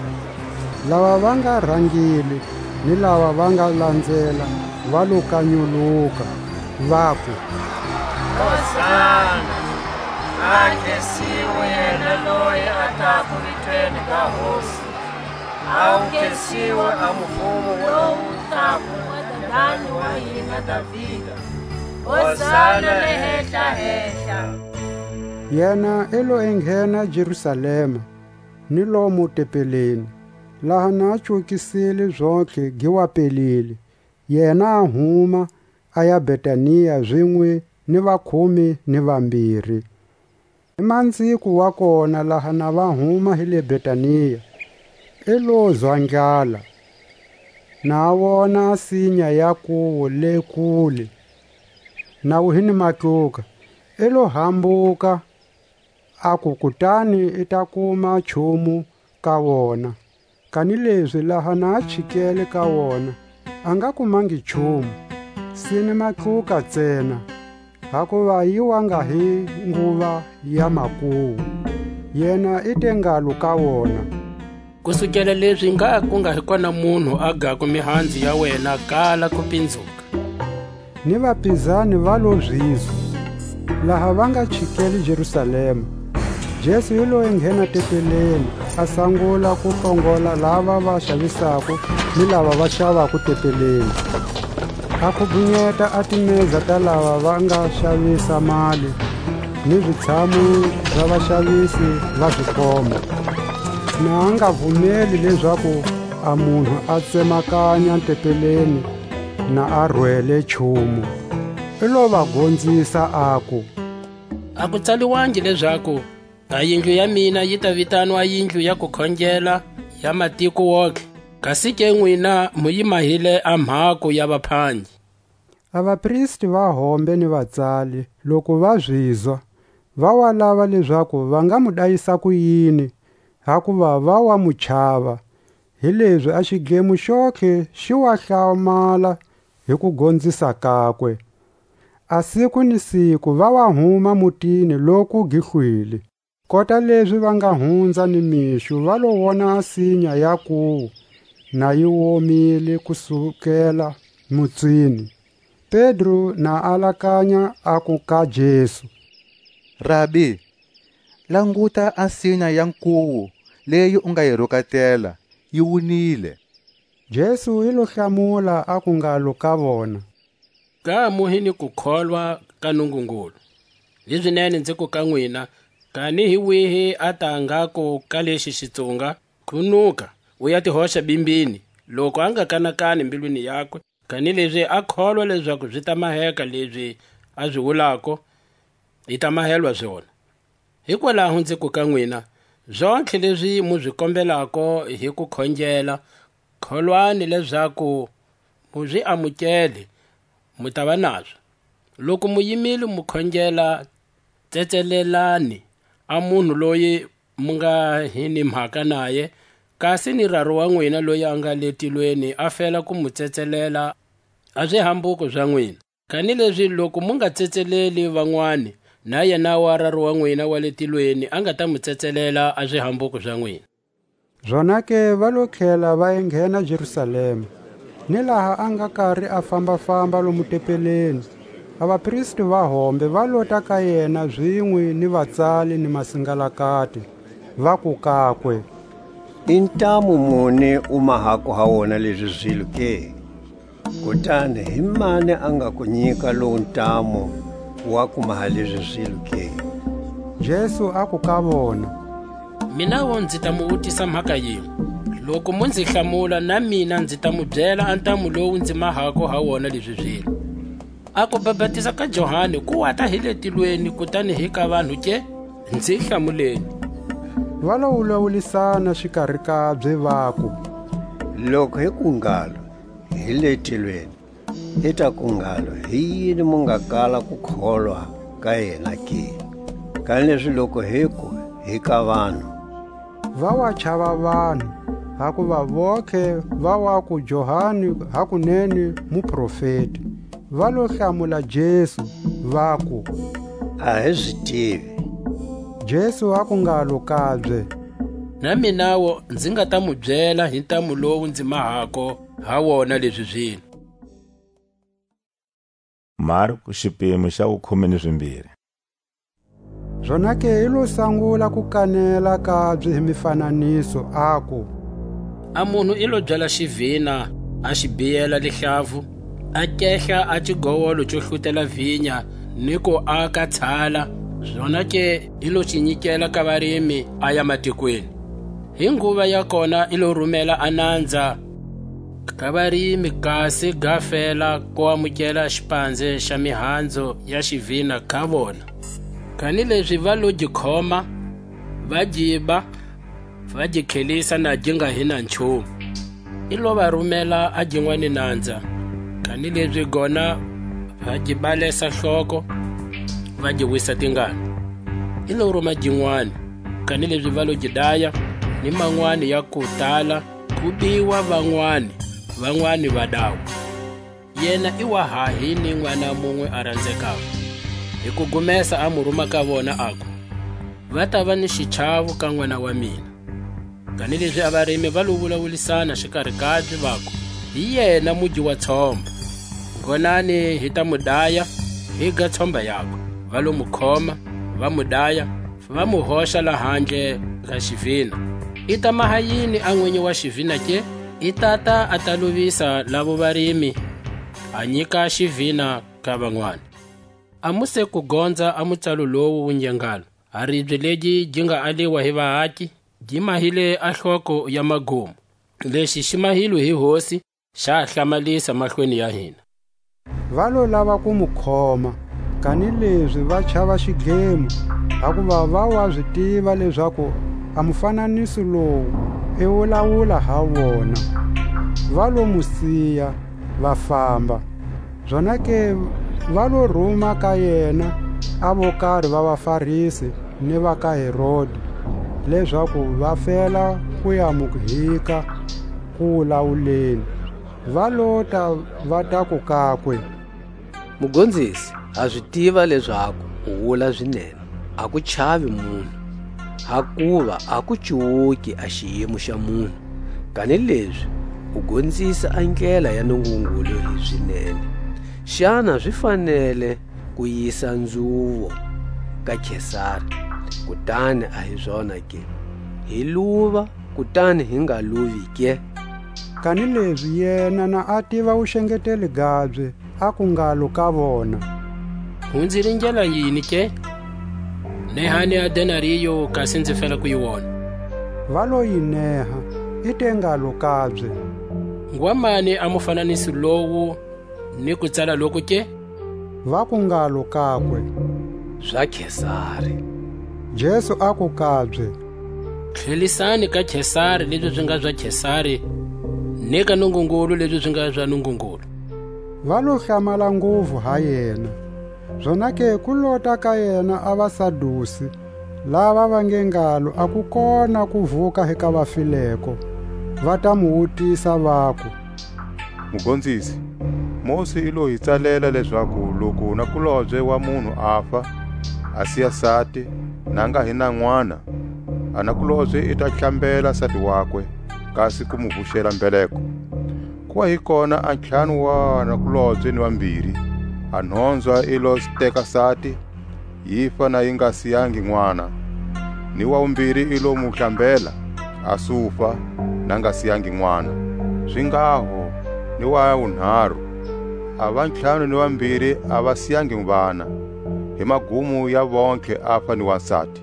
Lava va nga rangile ni lava va nga lanzela va lo kanyuluka, vaku: Hosana! A khesiwe yena loyi a tako vitweni ga Hosi! A wu khesiwe a mufumo lowu tako wa dadani wa hina Davida! Hosana le hehla-hehla! Yena i lo enghena Jerusalema, ni lomo tempeleni, laha na a cokisile zontlhe gi wa pelile, yena a huma, a ya Betania zinwe ni vakhume ni vambiri. Hi manziko wa kona, laha na va huma hi le Betania, i lo zwa ndlala, na a wona a sinya ya kuwo le kule, na wu hi ni matluka, i lo hambuka, aku kutani i ta kuma nchumu ka wona. Kanilezi laha na a chikele ka wona, a nga kumangi nchumu, sine matluka ntsena, hakuva yi wa nga hi nguva ya makuwu. Yena i te ngalo ka wona: Kusukela lezi ngha ku nga hi kona munhu a gako mihanzu ya wena kala ku pinzuka. Ni vapizani va lo zizwa. Laha va nga chikele Jerusalema, Jesu i lo enghena tempeleni, a sangula ku hlongola lava va xavisako ni lava va xavako tempeleni. A khubhunyeta a timeza ta lava va nga xavisa mali, ni zitshamu za vaxavisi va zikhoma. Na a nga vumeli lezaku a munhu a tsemakanya tempeleni na a rwele nchumu. I lo va gonzisa, aku: A ku tsaliwangi lezaku: A yindlu ya mina yi ta vitanwa yindlu ya kukhongela ya matiko wontlhe, kasi ke nwina mu yi mahile a mhako ya vaphangi? A vapristi va hombe ni vatsali, loku va zizwa, va wa lava lezaku va nga mu dayisa kuyini, hakuva va wa mu chava. Hilezi a xidlemo xontlhe xi wa hlamala hi kugonzisa kakwe. A siku ni siku va wa huma mutini loku gi hlwile. Kota lezi va nga hunza ni mixo, va lo wona a sinya ya kuwo na yi womile kusukela mutsini. Pedro na alakanya, aku ka Jesu: Rabi, languta, a sinya ya nkuwu leyi u nga yi rukatela, yi wunile. Jesu i lo hlamula, aku ngalo ka vona: Ka mu hi ni kukholwa ka Nungungulu. Hizinene nziku ka nwina, kani hi wihi a ta ngako ka lexi xitsunga: Khunuka, u ya ti hoxa bimbini, loku a nga kanakani mbilwini yakwe, kanilezi a kholwa lezaku zi ta maheka lezi a zi wulako, I ta mahelwa zona. Hikwalaho nzi ku ka nwina, zontlhe lezi mu zi kombelako hi ku khongela, kholwani lezaku mu zi amukele, mu tava nazo. Loku mu yimile mu khongela, tsetselelani a munhu loyi mu nga hi ni mhaka naye, kasi ni Raru wa nwina loyi a nga le tilweni a fela ku mu tsetselela a zihambuko za nwina. Kanilezi loku mu nga tsetseleli vanwani, na yena wa Raru wa nwina wa le tilweni a nga ta mu tsetselela a zihambuko za nwina. Zonake va lo tlhela va enghena Jerusalema. Ni laha a nga kari a famba-famba lomu tempeleni, a vapristi va hombe va lota ka yena zinwe ni vatsali ni masingalakati, vaku kakwe: I ntamu muni u mahako ha wona lezi zilo ke? Kutani hi mani a nga ku nyika lowu ntamu wa ku maha lezi zilo ke? Jesu aku ka vona: Minawu nzi ta mu wutisa mhaka yinwe. Loku mu nzi hlamula, na mina nzi ta mu byela a ntamu lowu nzi mahako ha wona lezi zilo. A kubapatiza ka Johani ku wata hi le tilweni, kutani hi ka vanhu ke? Nzi hlamuleni. Va lo wulawulisana xikari kabye, vaku: Loku hi ku ngalo: Hi le tilweni, i ta ku ngalo: Hi yini mu nga kala ku kholwa ka yena ke? Kanilezi loku hiku: Hi ka vanhu, va wa chava vanhu, hakuva vontlhe va waku Johani hakunene muprofeti. Va lo hlamula Jesu, vaku: A hi zi tivi. Jesu aku ngalo kabye: Na minawo nzi nga ta mu byela hi ntamu lowu nzi mahako ha wona lezi zilo. Marku, xipimo xa wukhume ni zimbiri. Zonake i lo sangula ku kanela kabye hi mifananiso, aku: A munhu i lo byala xivina, a xi biyela lihlavu, a kehla a xigowolo xo hlutela vinya, ni ku aka tshala, zonake i lo xi nyikela ka varimi, a ya matikweni. Hi nguva ya kona i lo rumela a nanza ka varimi, kasi ga fela ku amukela xipanze xa mihanzo ya xivina ka vona. Kanilezi va lo gi khoma, va gi ba, va gi khelisa na gi nga hi na nchumu. I lo va rumela a ginwani nanza, kanilezi gona va gi balesa hloko, va gi wisa tingana. I lo ruma ginwani, kanilezi va lo gi daya, ni manwani ya ku tala, ku biwa vanwani, vanwani va dawa. Yena i wa hahi ni n'wana munwe a ranzekako. Hi kugumesa a mu ruma ka vona, aku: Va ta va ni xichavu ka n'wana wa mina. Kanilezi a varimi va lo wulawulisana xikari kabye, vaku: Hi yena mugi wa tshomba. Ngonani hi ta mu daya, hi ga tshomba yakwe. Va lo mu khoma, va mu daya, va mu hoxa lahandle ga xivina. I ta maha yini a n'winyi wa xivina ke? I tata a ta luvisa lavo varimi, a nyika xivina ka van'wana. A mu se ku gonza a mutsalo lowu wu nge ngalo: A ribye legi gi nga aliwa hi vaaki, gi mahile a hloko ya magumo. Lexi xi mahilwe hi Hosi, xa hlamalisa mahlweni ya hina. Va lo lava ku mu khoma, kanilezi va chava xidlemo, hakuva va wa zi tiva lezaku a mufananiso lowu i wulawula ha vona. Va lo mu siya, va famba. Zonake va lo ruma ka yena a vo kari va vaFarisi ni va ka Herodi, lezaku va fela ku ya mu hika ku wulawuleni. Va lota, va taku kakwe: Mugonzisi, ha zi tiva lezaku u wula zinene, a ku chavi munhu, hakuva a ku cuwuki a xiyimo xa munhu, kanilezi u gonzisa a ndlela ya Nungungulu hi zinene. Xana zi fanele ku yisa nzuvo ka Kesari, kutani a hi zona ke? Hi luva, kutani hi nga luvi ke? Kanilezi yena na a tiva wuxengeteli gabye, aku ngalo ka vona: Hu nzi ringela yini ke? Nehani a denariyo, kasi nzi fela ku yi wona. Va lo yi neha, i te ngalo kabye: Ngwa mani a mufananiso lowu ni kutsala loku ke? Vaku ngalo kakwe: Za Kesari. Jesu aku kabye: Tlhelisani ka Kesari lezi zi nga za Kesari, ni ka Nungungulu lezi zi nga za Nungungulu. Va lo hlamala nguvu ha yena. Zonake ku lota ka yena a vaSadusi, lava va nge ngalo a ku kona ku vuka hi ka vafileko, va ta mu wutisa, vaku: Mugonzisi, Mosi i lo hi tsalela lezaku loku nakulobye wa munhu afa, a siya sati, na nga hi na n'wana, a nakulobye i ta hlambela sati wakwe, kasi ku mu vuxela mbeleko. Ku wa hi kona a ntlhanu wa vanakulobye ni vambiri, a nhonzwa i lo teka sati, yi fa na yi nga siyangi n'wana, ni wa wumbiri i lo mu hlambela, a sufa, na nga siyangi n'wana. Zinghaho ni wa wunharu, a va ntlhanu ni vambiri a va siyangi vana, hi magumo ya vontlhe afa ni wasati.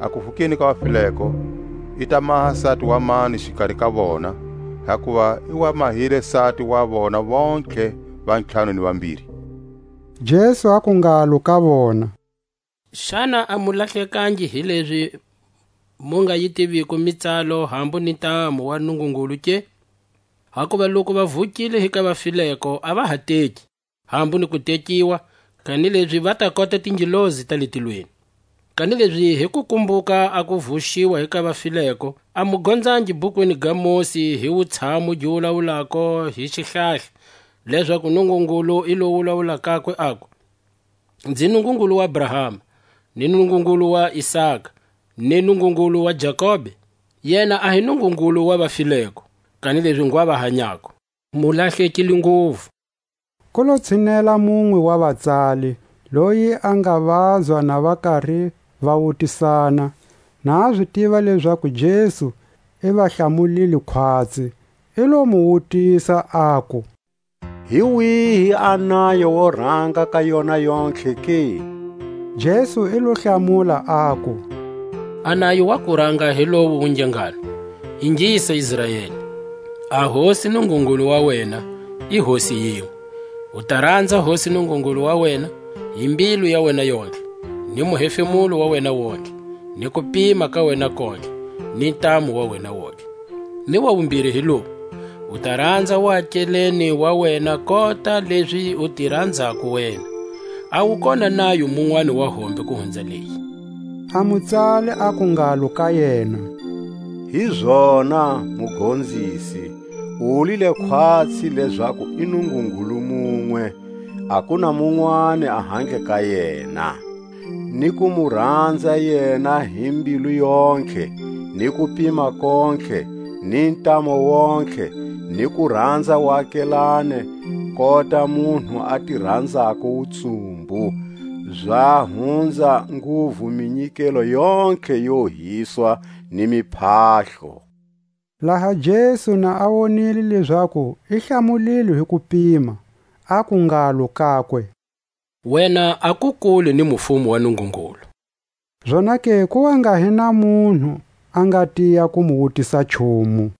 A kuvukeni ka vafileko, i ta maha sati wa mani xikari ka vona, hakuva i wa mahile sati wa vona vontlhe va ntlhanu ni vambiri? Jesu aku ngalo ka vona: Xana a mu lahlekangi hi lezi mu nga yi tiviko mitsalo hambu ni ntamu wa Nungungulu ke? Hakuva loku va vukile hi ka vafileko, a va ha teki, hambu ni ku tekiwa, kanilezi va ta kota tingelosi ta le tilweni. Kanilezi hi ku kumbuka a ku vuxiwa hi ka vafileko, a mu gonzangi bukwini ga Mosi hi wutshamu gi wulawulako hi xihlahla, lezaku Nungungulu i lo wulawula kakwe, aku: Nzi Nungungulu wa Abrahama, ni Nungungulu wa Isaka, ni Nungungulu wa Jakobe? Yena a hi Nungungulu wa vafileko, kanilezi ngwa va hanyako. Mu lahlekile nguvu. Ku lo tshinela munwe wa vatsali, loyi a nga vazwa na va kari va wutisana, na a zi tiva lezaku Jesu i va hlamulile khwatsi, i lo mu wutisa, aku: Hi wihi a nayo wo ranga ka yona yontlhe ke? Jesu i lo hlamula, aku: A nayo wa ku ranga hi lowu wu nge ngalo: Ingisa, Israeli, a Hosi Nungungulu wa wena i Hosi yinwe. U ta ranza Hosi Nungungulu wa wena hi mbilu ya wena yontlhe, ni muhefemulo wa wena wontlhe, ni kupima ka wena kontlhe, ni ntamu wa wena wontlhe. Ni wa wumbiri hi lowu: U ta ranza waakeleni wa wena kota lezi u ti ranzako wena. A wu kona nayo munwani wa hombe ku hunza leyi. A mutsali aku ngalo ka yena: Hizona, Mugonzisi, u wulile khwatsi lezaku i Nungungulu munwe, a ku na munwani a handle ka yena, ni ku mu ranza yena hi mbilu yontlhe, ni kupima kontlhe, ni ntamu wontlhe, ni ku ranza waakelane, kota munhu a ti ranzako wutsumbu, za hunza nguvu minyikelo yontlhe yo hiswa ni miphahlo. Laha Jesu na a wonile lezaku i hlamulilwe hi kupima, aku ngalo kakwe: Wena a ku kule ni mufumo wa Nungungulu. Zonake ku wa nga hi na munhu a nga tiya ku mu wutisa nchumu.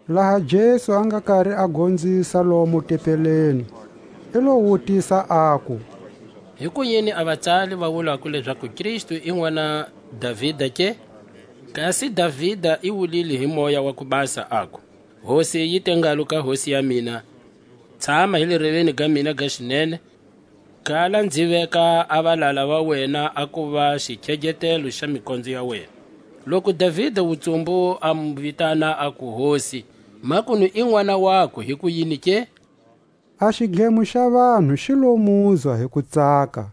Laha Jesu a nga kari a gonzisa lomo tempeleni, i lo wutisa, aku: Hikuyini a vatsali va wulako lezaku Kristu i n'wana Davida ke? Kasi Davida i wulile hi Moya wa ku Basa, aku: Hosi yi te ngalo ka Hosi ya mina: Tshama hi le reveni ga mina ga xinene, kala nzi veka a valala va wena a kuva xikheghetelo xa mikondzo ya wena. Loku Davida wutsumbu a mu vitana, aku: Hosi, makunu i n'wana wakwe, hikuyini ke? A xidlemo xa vanhu xi lo muzwa hi kutsaka,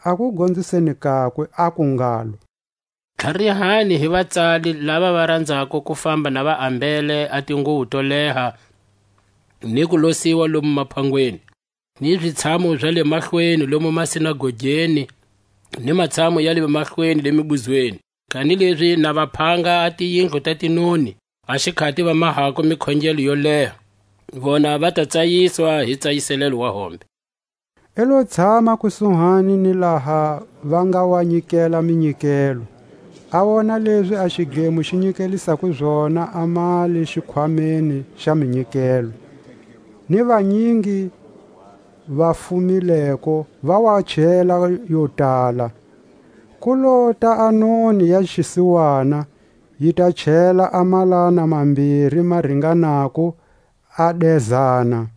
a kugonziseni kakwe, aku ngalo: Tlharihani hi vatsali lava va ranzako ku famba na va ambele a tinguvu to leha, ni ku losiwa lomu maphangweni, ni zitshamo za le mahlweni lomu masinagogeni, ni matshamo ya le mahlweni le mibuzweni, kanilezi na va phanga a tiyindlu ta tinoni, a xikhati va mahako mikhongelo yo leha, vona va ta tsayiswa hi tsayiselelo wa hombe. I lo tshama kusuhani ni laha va nga wa nyikela minyikelo. A wona lezi a xidlemo xi nyikelisako zona a mali xikhwameni xa minyikelo. Ni vanyingi va fumileko, va wa chela yo tala. Ku lota a noni ya xisiwana, yi ta chela a malana mambiri ma ringanako a dezana.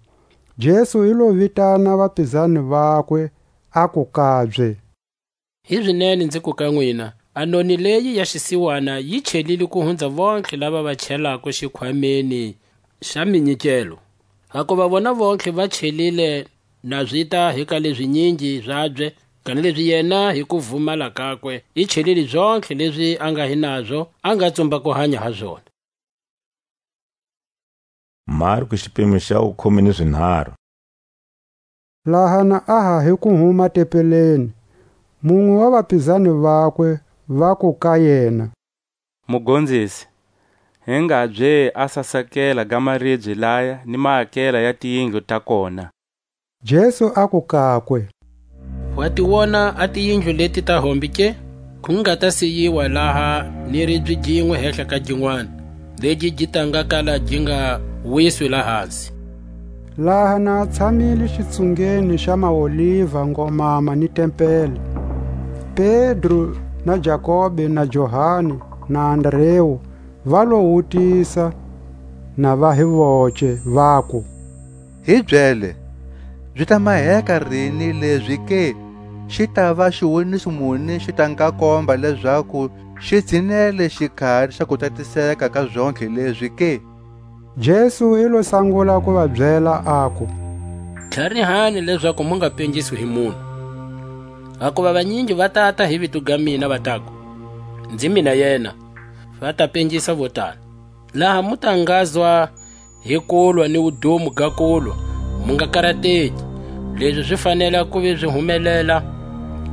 Jesu i lo vitana vapizani vakwe, aku kabye: Hizinene nzi ku ka nwina, a noni leyi ya xisiwana yi chelile ku hunza vontlhe lava va chelako xikhwameni xa minyikelo. Hakuva vona vontlhe va chelile, na zita hi ka lezinyingi zabye, kanilezi yena hi kuvumala kakwe i chelile zontlhe lezi a nga hi nazo, a nga tsumba ku hanya ha zona. Marku xipimo xa wukhume ni zinharhu. Laha na a ha hi ku huma tempeleni, munwe wa vapizani vakwe vaku ka yena: Mugonzisi, hi ngabye a sasakela ga maribye laya ni maakela ya tiyindlu ta kona? Jesu aku kakwe: Wa ti wona a tiyindlu leti ta hombe ke? Ku nga ta siyiwa laha ni ribye ginwe hehla ka ginwani, legi gi ta nga kala gi nga wiswi lahasi. Laha na a tshamile xitsungeni xa maoliva ngomama ni tempele, Pedro na Jakobe na Johani na Andreu va lo wutisa, na va hi voce, vaku: Hi byele, zi ta maheka rini lezi ke? Xi tava xiwoniso muni xi ta nga komba lezaku xi tshinele xikhari xa kutatiseka ka zontlhe lezi ke? Jesu i lo sangula ku va byela, aku: Tlharihani lezaku mu nga pengiswi hi munhu. Hakuva vanyingi va tata hi vito ga mina, va taku: Nzi mina yena, va ta pengisa vo tala. Laha mu ta ngazwa hi kulwa ni wudumo ga kulwa, mu nga karateki. Lezi zi fanela ku ve zi humelela,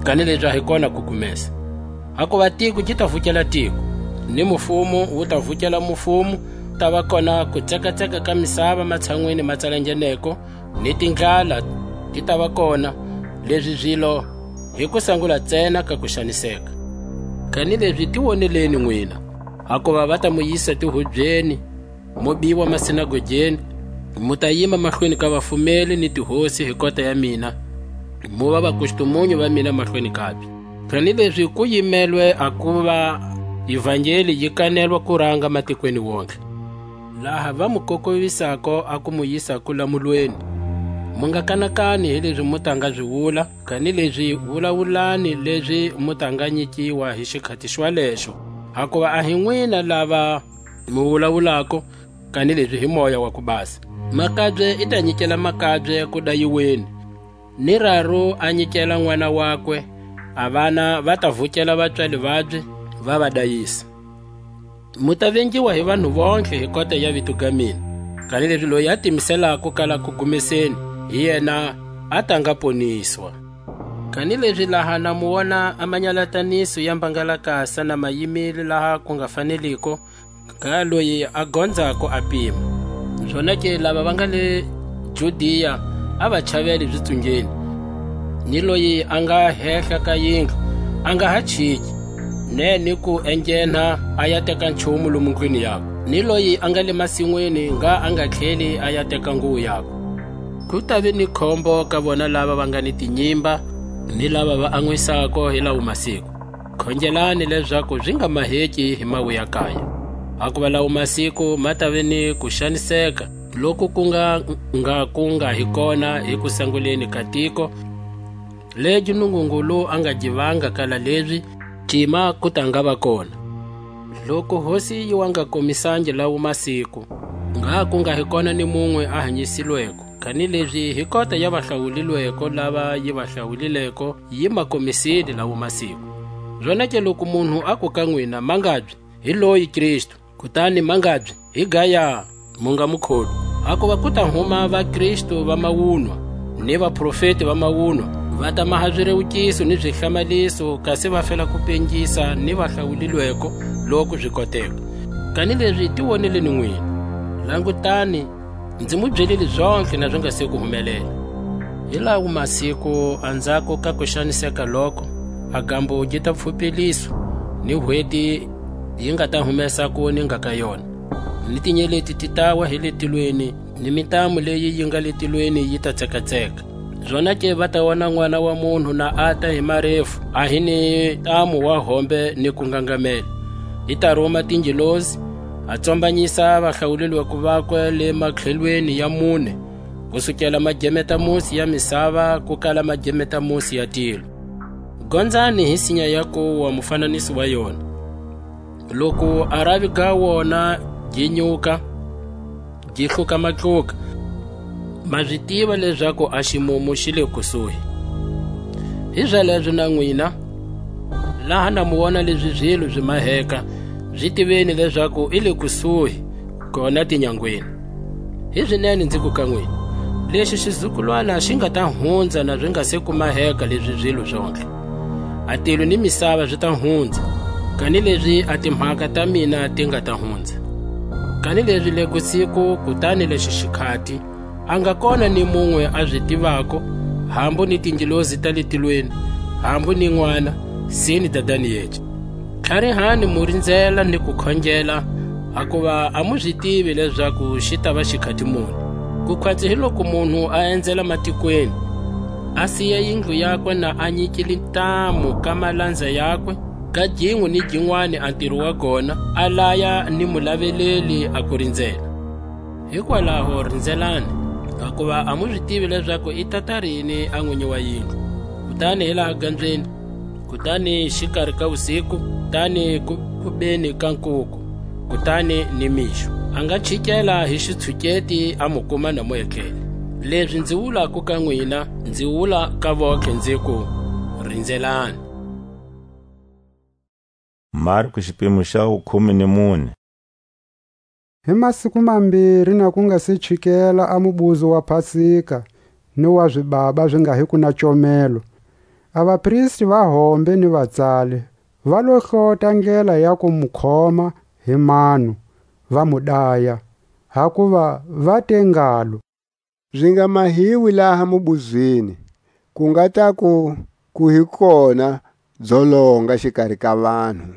kanilezi a hi kona ku gumesa. Hakuva tiko gi ta vukela tiko, ni mufumo wu ta vukela mufumo. Ku ta va kona kutsekatseka ka misava matshanwini ma tsalangeneko, ni tindlala ti ta va kona. Lezi zilo hi kusangula ntsena ka kuxaniseka. Kanilezi ti woneleni nwina, hakuva va ta mu yisa tihubyeni, mu biwa masinagogeni, mu ta yima mahlweni ka vafumeli ni tihosi hi kota ya mina, mu va vakustumunyu va mina mahlweni kabye. Kanilezi ku yimelwe a kuva Ivangeli yi kanelwa kuranga matikweni wontihe. Laha va mu kokovisako a ku mu yisa kulamulweni, mu nga kanakani hi lezi mu ta nga zi wula, kanilezi wulawulani lezi mu ta nga nyikiwa hi xikhati xwalexo. Hakuva a hi nwina lava mu wulawulako, kanilezi hi Moya wa ku Basa. Makabye i ta nyikela makabye ku dayiweni, ni raru a nyikela n'wana wakwe, a vana va ta vukela vapswali vabye, va va dayisa. Mu ta vengiwa hi vanhu vontlhe hi kota ya vito ga mina, kanilezi loyi a timiselako kala ku gumeseni, hi yena a ta nga poniswa. Kanilezi laha na mu wona a manyalataniso ya mbangalakasa na ma yimile laha ku nga faneliko, ka loyi a gonzako a pima. Zonake lava va nga le Judia a va chavele zitsungeni, ni loyi a nga hehla ka yindlu a nga ha chiki, ne ni ku engenha a ya teka nchumu lomu ndlwini yakwe, ni loyi a nga le masinwini ngha a nga tlheli a ya teka nguwo yakwe. Ku ta ve ni khombo ka vona lava va nga ni tinyimba, ni lava va anwisako hi lawo masiku. Khongelani lezaku zi nga maheki hi mawu ya kaya. Hakuva lawo masiku ma ta ve ni ku xaniseka, loku ku nga, nga ku nga hi kona hi kusanguleni ka tiko, legi Nungungulu a nga gi vanga kala lezi, cima ku ta nga va kona. Loku Hosi yi wa nga komisangi lawo masiku, ngha ku nga hi kona ni munwe a hanyisilweko, kanilezi hi kota ya va hlawulilweko lava yi va hlawulileko, yi ma komisile lawo masiku. Zonake loku munhu aku ka nwina, mangabye, hi loyi Kristu, kutani mangabye, hi gaya, mu nga mu kholwi. Hakuva ku ta huma vaKristu va mawunwa, ni vaprofeti va mawunwa, va ta maha zirewukiso ni zihlamaliso, kasi va fela ku pengisa ni va hlawulilweko, loku zi koteka. Kanilezi ti woneleni nwina. Langutani, nzi mu byelile zontlhe na zi nga se ku humelela. Hi lawo masiku anzhako ka ku xaniseka loko, a gambo gi ta pfhupeliswa, ni hweti yi nga ta humesa ku ninga ka yona, ni tinyeleti ti tawa hi le tilweni, ni mitamu leyi yi nga le tilweni yi ta tsekatseka. Zonake va ta wona N'wana wa munhu na ata hi marefu, a hi ni ntamu wa hombe ni ku ngangamela. I ta ruma tingelosi, a tsombanyisa vahlawulelwako vakwe le matlhelweni ya mune, kusukela magemetamusi ya misava ku kala magemetamusi ya tilo. Gonzani hi sinya ya kuwa mufananiso wa yona. Loku a ravi ga wona gi nyuka, gi hluka matluka, ma zi tiva lezaku a ximumu xi le kusuhi. Hi zalezo na nwina, laha na mu wona lezi zilo zi maheka, zi tiveni lezaku i le kusuhi, kona tinyangweni. Hi zinene nziku ka nwina, lexi xizukulwana xi nga ta hunza na zi nga se ku maheka lezi zilo zontlhe. A tilo ni misava zi ta hunza, kanilezi a timhaka ta mina ti nga ta hunza. Kanilezi le kusiku kutani lexi xikhati, a nga kona ni munwe a zi tivako, hambu ni tingelosi ta le tilweni, hambu ni N'wana, se ni Dadani yece. Tlharihani mu rinzela ni ku khongela, hakuva a mu zi tivi lezaku xi tava xikhati muni. Ku khwatsi hi loku munhu a endzela matikweni, a siya yindlu yakwe na a nyikile ntamu ka malanza yakwe, ka ginwe ni ginwani a ntiro wa gona, a laya ni mulaveleli a ku rinzela. Hikwalaho rinzelani, hakuva a mu zi tivi lezaku i tata rini a nwinyi wa yindlu. Kutani hi laha ganzweni, kutani xikari ka wusiku, kutani ku, ku beni ka nkuku, kutani ni mixo. A nga chikela hi xitshuketi a mu kuma na mu etlele. Lezi nzi wulako ka nwina, nzi wula ka vontlhe, nziku: Rinzelani. Marku, xipimo xa wukhume ni mune. Hi masiku mambiri na ku nga se chikela a mubuzo wa Pasika ni wa zibaba zi nga hiko na comelo, a vapristi va hombe ni vatsali va lo hlota ndlela ya ku mu khoma hi mano, va mu daya, hakuva va te ngalo: Zi nga mahiwi laha mubuzweni, ku nga taku ku hi kona dzolonga xikari ka vanhu.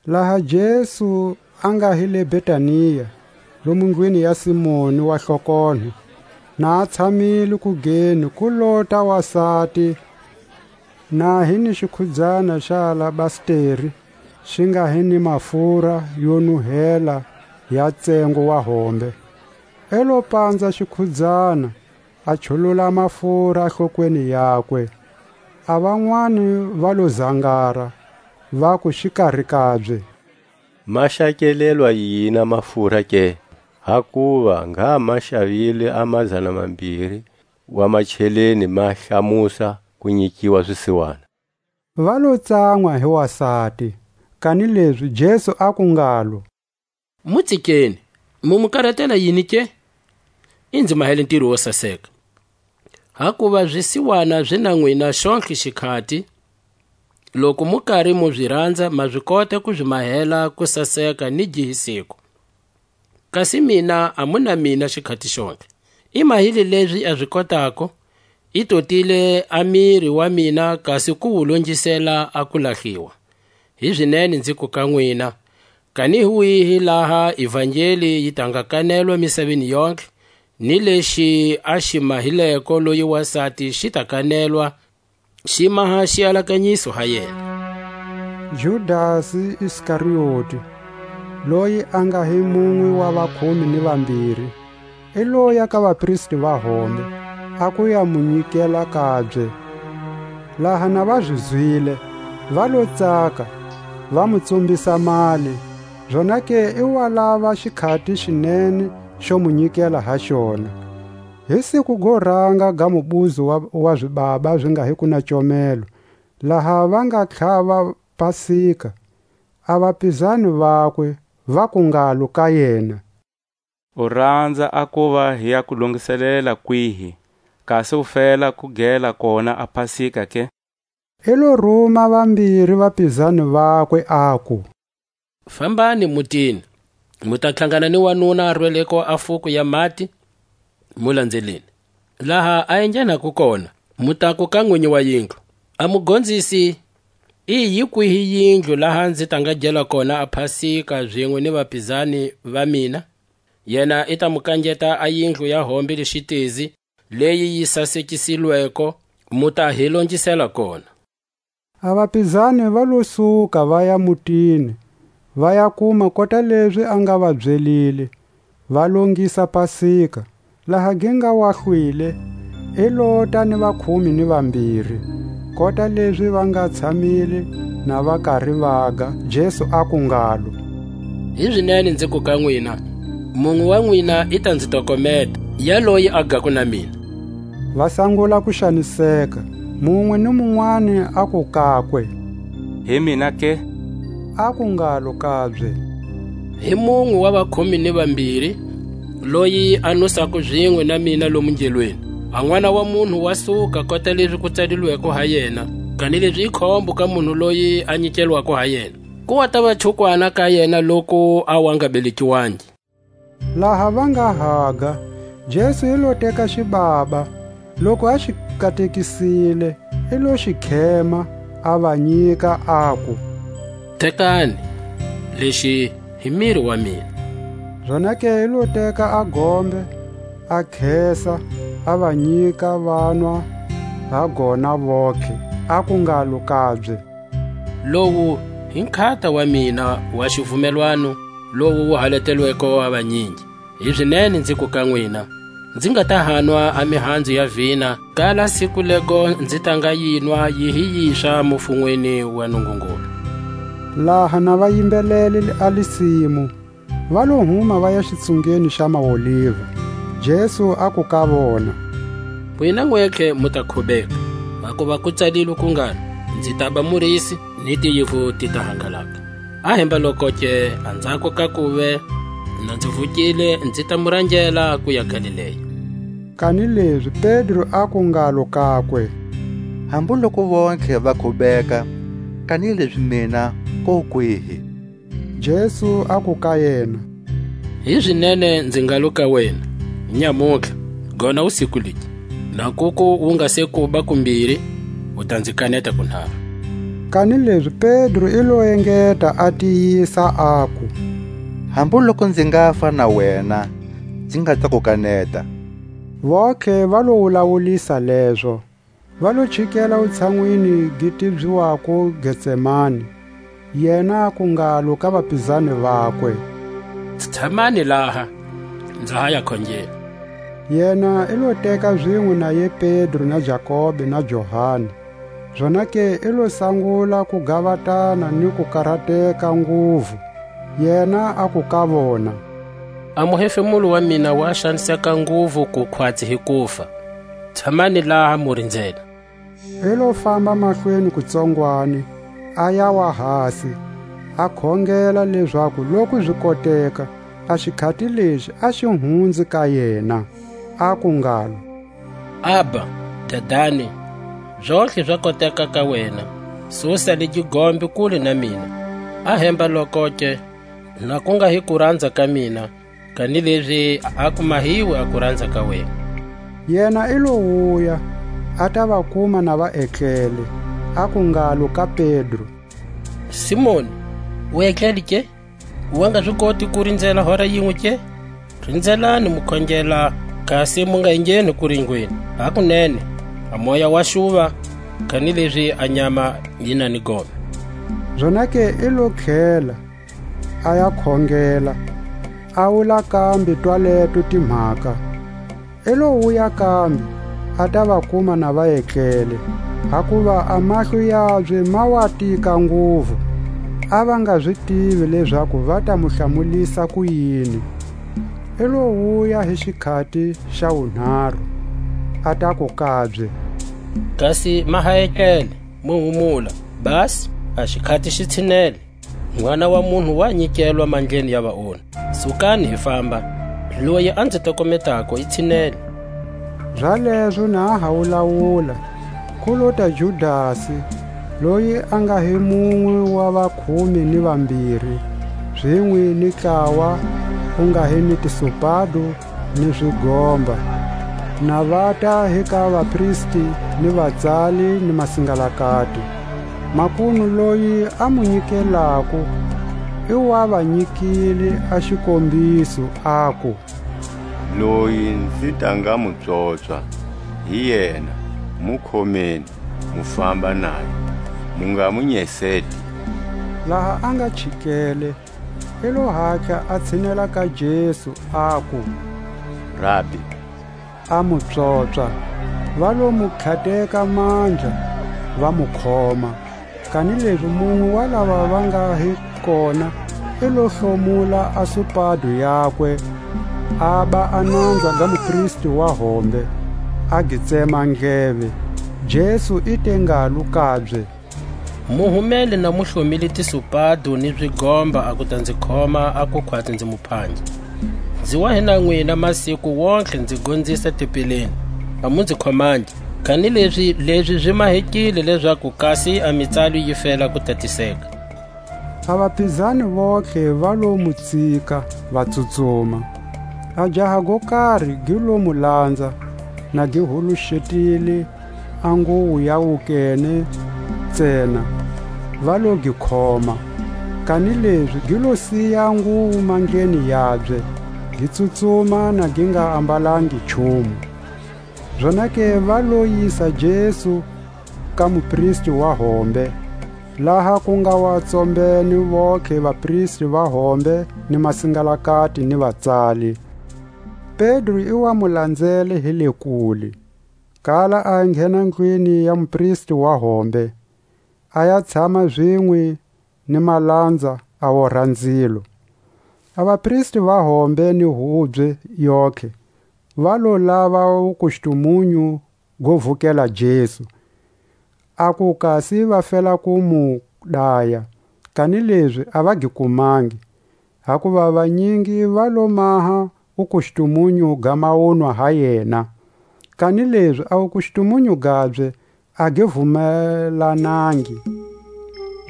Laha Jesu a nga hi le Betania, lomu ndlwini ya Simoni wa hlokonho, na a tshamile kugeni, ku lota wasati, na hi ni xikhudzana xa alabasteri, xi nga hi ni mafura yo nuhela ya tsengo wa hombe. I lo panza xikhudzana, a chulula mafura hlokweni yakwe. A vanwani va lo zangara, vaku xikari kabye: Ma xakelelwa yini a mafura ke? Hakuva ngha ma xavile a mazana mambiri wa macheleni ma hlamusa ku nyikiwa swisiwana. Va lo tsanwa hi wasati, kanilezi Jesu aku ngalo: Mu tsikeni, mu mu karatela yini ke? I nzi mahele ntiro wo saseka. Hakuva zwisiwana zi na nwina xontlhe xikhati, loku mu kari mu zi ranza, ma zi kota ku zi mahela ku saseka ni gi hi siku. Kasi mina a mu na mina xikhati xontlhe. I mahile lezi a zi kotako, i totile a miri wa mina, kasi ku wu longisela a ku lahliwa. Hi zinene nziku ka nwina, kani hi wihi laha ivangeli yi ta nga kanelwa misaveni yontlhe, ni lexi a xi mahileko loyi wasati xi ta kanelwa, xi maha xialakanyiso ha yena. Judasi Iskarioti, loyi a nga hi munwe wa vakhume ni vambiri, i loya ka vapristi va hombe, a ku ya mu nyikela kabye. Laha na va zi zwile, va lo tsaka, va mu tsumbisa mali, zonake i wa lava xikhati xinene xo mu nyikela ha xona. Hi siku go ranga ga mubuzo wa, wa zibaba zi nga hi ku na comelo, laha va nga tlhava Pasika, a vapizani vakwe vaku ngalo ka yena: U ranza a kuva hi ya ku longiselela kwihi, kasi u fela ku gela kona a Pasika ke? I lo ruma vambiri vapizani vakwe, aku: Fambani mutini, mu ta tlhangana ni wanuna a rweleko a fuku ya mati, mu landzeleni. Laha a enghenako kona, mu taku ka nwinyi wa yindlu: A mugonzisi, i yi kwihi yindlu laha nzi ta nga gela kona a Pasika zinwe ni vapizani va mina? Yena i ta mu kangeta a yindlu ya hombe le xitezi, leyi yi sasekisilweko, mu ta hi longisela kona. A vapizani va lo suka, va ya mutini, va ya kuma kota lezi a nga va byelile, va longisa Pasika. Laha gi nga wa hlwile, i lota ni vakhume ni vambiri. Kota lezi va nga tshamile na va kari vaga, Jesu aku ngalo: Hizinene nziku ka nwina, munwe wa nwina i ta nzi tokometa, yaloyi a gako na mina. Va sangula ku xaniseka, munwe ni munwani aku kakwe: Hi mina ke? Aku ngalo kabye: Hi munwe wa vakhume ni vambiri, loyi a nusako zinwe na mina lomu ngelweni. A N'wana wa munhu wa suka kota lezi ku tsalilweko ha yena, kanilezi i khombo ka munhu loyi a nyikelwako ha yena. Ku wa tava chukwana ka yena loku a wa nga belekiwangi. Laha va nga haga, Jesu i lo teka xibaba, loku a xi katekisile, i lo xi khema, a va nyika, aku: Tekani, lexi hi miri wa mina. Zonake i lo teka a gombe, a khesa, a va nyika, vanwa ha gona vontlhe, aku ngalo kabye: Lowu hi nkhata wa mina wa xivumelwano, lowu wu haletelweko a vanyingi. Hizinene nziku ka nwina, nzi nga ta hanwa a mihanzu ya vina, kala siku lego nzi ta nga yinwa yi hi yiswa mufunweni wa Nungungulu. Laha na va yimbelele a lisimu, va lo huma va ya xitsungeni xa maoliva. Jesu aku ka vona: Nwina nwetlhe mu ta khubeka, hakuva ku tsalilwe ku ngalo: Nzi taba murisi, ni tiyivu ti ta hangalaka. A hemba lokoke, anzhako ka kuve na nzi vukile, nzi ta mu rangela ku ya Galilea. Kanilezi Pedro aku ngalo kakwe: Hambu loku vontlhe va khubeka, kanilezi mina ko kwihi? Jesu aku ka yena: Hizinene nzi ngalo ka wena, nyamutlha, gona wusiku legi, na kuku wu nga se kuba kumbiri, u ta nzi kaneta kunharu. Kanilezi Pedro i lo engeta a tiyisa, aku: Hambu loku nzi ngafa na wena, nzi nga ta ku kaneta. Vontlhe va lo wulawulisa lezo, va lo chikela wutshanwini gi tibyiwako Getsemani. Yena aku ngalo ka vapizani vakwe: Tshamani laha, nza ha ya khongela. Yena i lo teka zinwe na ye Pedro na Jakobe na Johani. Zonake i lo sangula ku gavatana ni ku karateka nguvu. Yena aku ka vona: A muhefemulo wa mina wa xaniseka nguvu ku khwatsi hi kufa. Tshamani laha mu rinzela. I lo famba mahlweni kutsongwani, a yawa hasi, a khongela lezaku loku zi koteka, a xikhati lexi a xi hunzi ka yena, aku ngalo: Abba, Dadani, zontlhe za koteka ka wena, susa le gigombe kule na mina. A hemba lokoke, na ku nga hi kuranza ka mina, kanilezi a ku mahiwe a kuranza ka wena. Yena i lo wuya, a ta va kuma na va etlele, aku ngalo ka Pedro: Simoni, u etlele ke? Wa nga zi koti ku rinzela hora yinwe ke? Rinzelani mu khongela, kasi mu nga engheni kuringweni. Hakunene, a moya wa xuva, kanilezi a nyama yi na ni gome. Zonake i lo tlhela, a ya khongela, a wula kambe twaleto timhaka. I lo wuya kambe, a ta va kuma na va etlele, hakuva a mahlo yabye ma wa tika nguvu, a va nga zi tivi lezaku va ta mu hlamulisa kuyini. I lo wuya hi xikhati xa wunharu, a taku kabye: Kasi ma ha etlele, mu humula, basi a xikhati xi tshinele. N'wana wa munhu wa nyikelwa mandleni ya vaonhi. Sukani, hi famba, loyi a nzi tokometako i tshinele. Zalezo na a ha wulawula, ku lota Judasi, loyi a nga hi munwe wa vakhume ni vambiri, zinwe ni ntlawa wu nga hi ni tisopado ni zigomba, na vata hi ka vapristi ni vatsali ni masingalakati. Makunu loyi a mu nyikelako i wa va nyikile a xikombiso, aku: Loyi nzi ta nga mu pswopswa, Hi yena, mu khomeni, mu famba naye, mu nga mu nyeseti. Laha a nga chikele, i lo hatla a tshinela ka Jesu, aku: Rabi! A mu pswopswa. Va lo mu tlhateka mandla, va mu khoma. Kanilezi munwe wa lava va nga hi kona i lo hlomula a supado yakwe, a ba a nanza ga mupristi wa hombe, a gi tsema ndleve. Jesu i te ngalo kabye: Mu humele na mu hlomile tisupado ni zigomba a ku ta nzi khoma a kukhwatsi nzi mu phangi. Nzi wa hi na nwina masiku wontlhe nzi gonzisa tempeleni, a mu nzi khomangi. Kanilezi lezi zi mahekile lezaku kasi a mitsalo yi fela ku tatiseka. A vapizani vontlhe va lo mu tsika, va tsutsuma. A jaha go kari gi lo mu lanza, na gi huluxetile a nguwo ya wukene ntsena, va lo gi khoma. Kanilezi gi lo siya a nguwo mandleni yabye, gi tsutsuma na gi nga ambalangi nchumu. Zonake va lo yisa Jesu ka mupristi wa hombe, laha ku nga wa tsombene vontlhe vapristi va hombe ni masingalakati ni vatsali. Pedro i wa mu lanzele hi le kule, kala a nghena ndlwini ya mupristi wa hombe, a ya tshama zinwe ni malanza a orha nzilo. A vapristi va hombe ni hubye yontlhe va lo lava wukustumunyu go vukela Jesu, a ku kasi va fela ku mu daya, kanilezi a va gi kumangi, hakuva vanyingi va lo maha wukustumunyu ga maunwa ha yena. Kanilezi a wukustumunyu gabye a gi vumelanangi.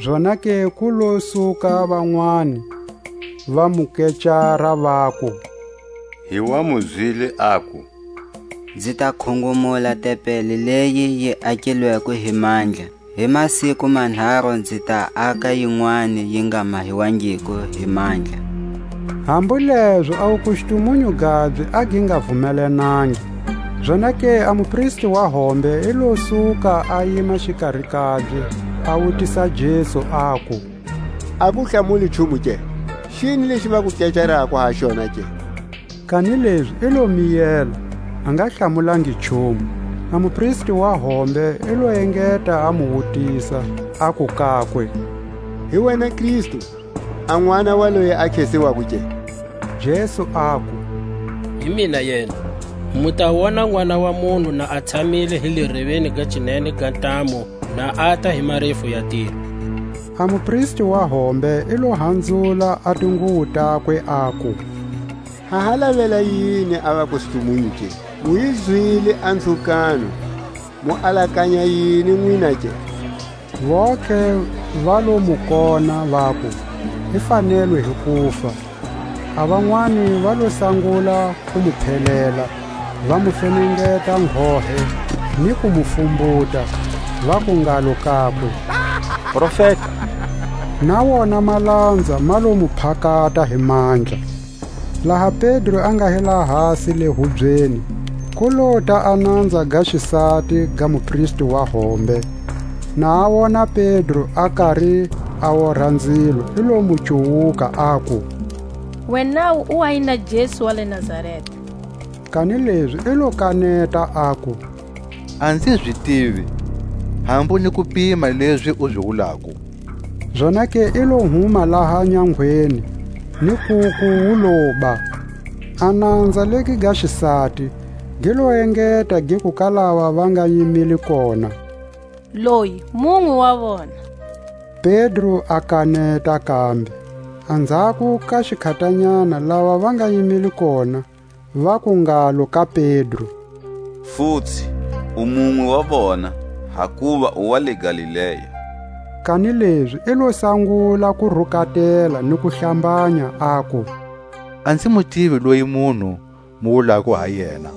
Zonake ku lo suka vanwani, va mu kecara, vaku: Hi wa mu zwile aku: Nzi ta khungumula tempeli leyi yi akilweko hi mandla, hi masiku manharu nzi ta aka yinwani yi nga mahiwangiko hi mandla. Hambu lezo a wukustumunyu gabye a gi nga vumelanangi. Zonake a mupristi wa hombe i lo suka a yima xikari kabye, a wutisa Jesu, aku: A ku hlamuli nchumu ke? Xini lexi va ku kecarako ha xona ke? Kanilezi i lo miyela, a nga hlamulangi nchumu. A mupristi wa hombe i lo engeta a mu wutisa, aku kakwe: Hi wena Kristu, a N'wana wa loyi a khesiwako ke? Jesu aku: Hi mina yena. Mu ta wona N'wana wa munhu na a tshamile hi le reveni ga cinene ga ntamu, na ata hi marefu ya tilo. A mupristi wa hombe i lo hanzula a tinguwo takwe, aku: Ha ha lavela yini a vakustumunyu ke? Mu yi zwile a nzhukano, mu alakanya yini nwina ke? Vontlhe va lo mu kona, vaku: I fanelwe hi kufa. A vanwani va lo sangula ku mu phelela, va mu fenengeta nghohe ni ku mu fumbuta, vaku ngalo kakwe: Profeta! Na wona malanza ma lo mu phakata hi mandla. Laha Pedro a nga hi lahasi le hubyeni, ku lota a nanza ga xisati ga mupristi wa hombe. Na a wona Pedro a kari a orha nzilo, i lo mu cuwuka, aku: Wenawu u wa yina Jesu wa le Nazareta. Kanilezi i lo kaneta, aku: A nzi zi tivi, hambu ni ku pima lezi u zi wulako. Zonake i lo huma laha nyangweni, ni kuku wu loba. A nanza legi ga xisati gi lo engeta giku ka lava va nga yimile kona: Loyi munwe wa vona. Pedro a kaneta kambe. Anzhako ka xikhatanyana lava va nga yimile kona, vaku ngalo ka Pedro: Futsi, u munwe wa vona, hakuva u wa le Galilea. Kanilezi i lo sangula ku rukatela ni ku hlambanya, aku: A nzi mu tivi loyi munhu mu wulako ha yena.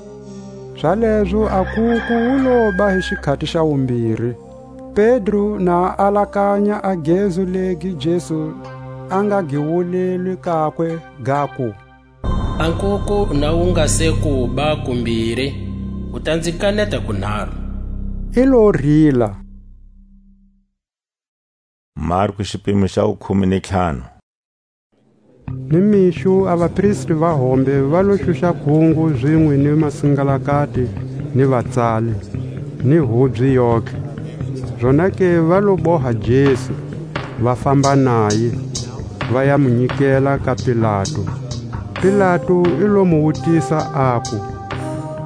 Zalezo a kuku wu loba hi xikhati xa wumbiri. Pedro na a alakanya a gezu legi Jesu a nga gi wulelwe kakwe, gaku: A nkuku na wu nga se ku ba kumbiri, U ta nzi kaneta kunharu. I lo rila. Marku xipimo xa wukhume ni ntlhanu. Ni mixo a vapristi va hombe va lo xuxa kungu zinwe ni masingalakati, ni vatsali, ni hubye yotlhe. Zonake va lo boha Jesu, va famba naye, va ya mu nyikela ka Pilatu. Pilatu i lo mu wutisa, aku: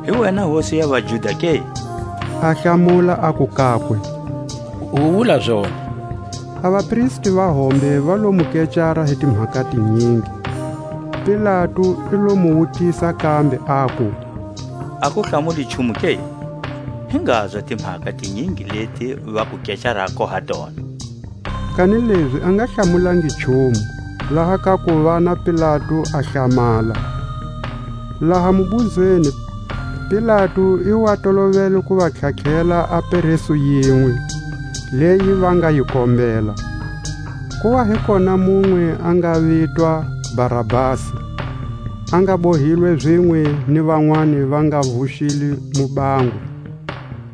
Hi wena hosi ya vaJuda ke? A hlamula, aku kakwe: U wula zona. A vapristi va hombe va lo mu kecara hi timhaka tinyingi. Pilatu i lo mu wutisa kambe, aku: A ku hlamuli nchumu ke? Hi ngazwa timhaka tinyingi leti va ku kecarako ha tona. Kanilezi a nga hlamulangi nchumu, laha ka kuva na Pilatu a hlamala. Laha mubuzweni, Pilatu i wa tolovele ku va tlhatlhela a peresu yinwe, leyi va nga yi kombela. Ku wa hi kona munwe a nga vitwa Barabasi, a nga bohilwe zinwe ni vanwani va nga vuxile mubango,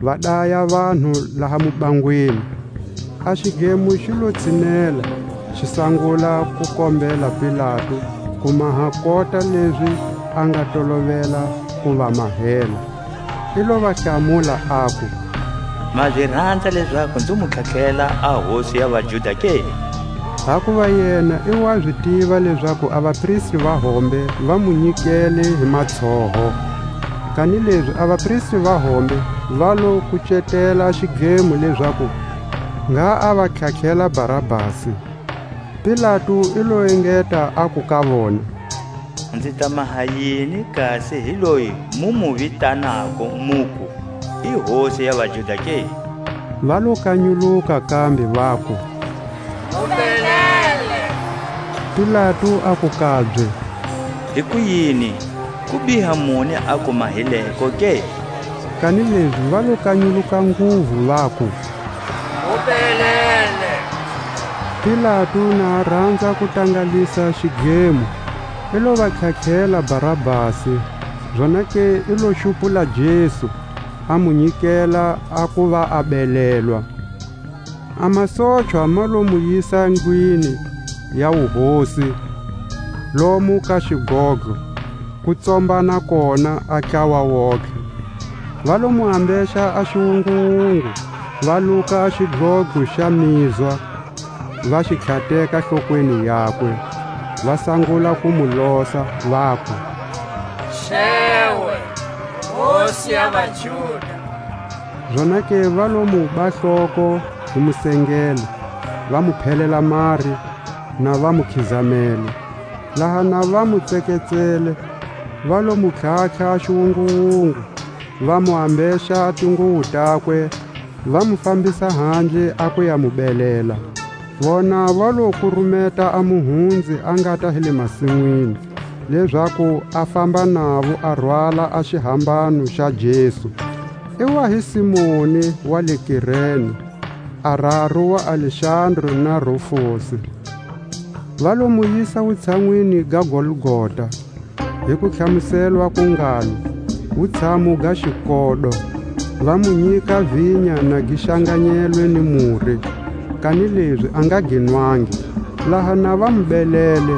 va daya vanhu laha mubangweni. A xidlemo xi lo tshinela, xi sangula ku kombela Pilatu ku maha kota lezi a nga tolovela ku va mahela. I lo va hlamula, aku: Ma zi ranza lezaku nzi mu tlhatlhela a hosi ya vaJuda ke? Hakuva yena i wa zi tiva lezaku a vapristi va hombe va mu nyikele hi matshoho. Kanilezi a vapristi va hombe va lo kucetela xidlemo lezaku ngha a va tlhatlhela Barabasi. Pilatu i lo engeta, aku ka vona: Nzi ta maha yini kasi hi loyi mu mu vitanako, muku i hosi ya vaJuda ke? Va lo kanyuluka kambe, vaku: Mu belele! Pilatu aku kabye: Hikuyini? Ku biha muni a ku mahileko ke? Kanilezi va lo kanyuluka nguvu, vaku: Mu belele! Pilatu na a ranza ku tangalisa xidlemo, i lo va tlhatlhela Barabasi, zonake i lo xupula Jesu, a mu nyikela a kuva a belelwa. A masochwa ma lo mu yisa ndlwini ya wuhosi, lomu ka xidlodlo, ku tsombana kona a ntlawa wontlhe. Va lo mu ambexa a xiwunguwungu, va luka a xidlodlo xa mizwa, va xi tlhateka hlokweni yakwe, va sangula ku mu losa, vaku: Xewe, Hosi ya vaJuda! Zonake va lo mu ba hloko hi musengele, va mu phelela mari, na va mu khizamela. Laha na va mu tseketsele, va lo mu tlhatlha a xiwunguwungu, va mu ambexa a tinguwo takwe, va mu fambisa handle a ku ya mu belela. Vona va lo kurumeta a muhunzi a ngata hi le masinwini, lezaku a famba navo a rwala a xihambano xa Jesu. I wa hi Simoni wa le Kirene, a raru wa Alexandru na Rufosi. Va lo mu yisa wutshanwini ga Golgota, hi ku hlamuselwa ku ngalo, Wutshamo ga xikodo. Va mu nyika vinya na gi xanganyelwe ni mure, kanilezi a nga gi nwangi. Laha na va mu belele,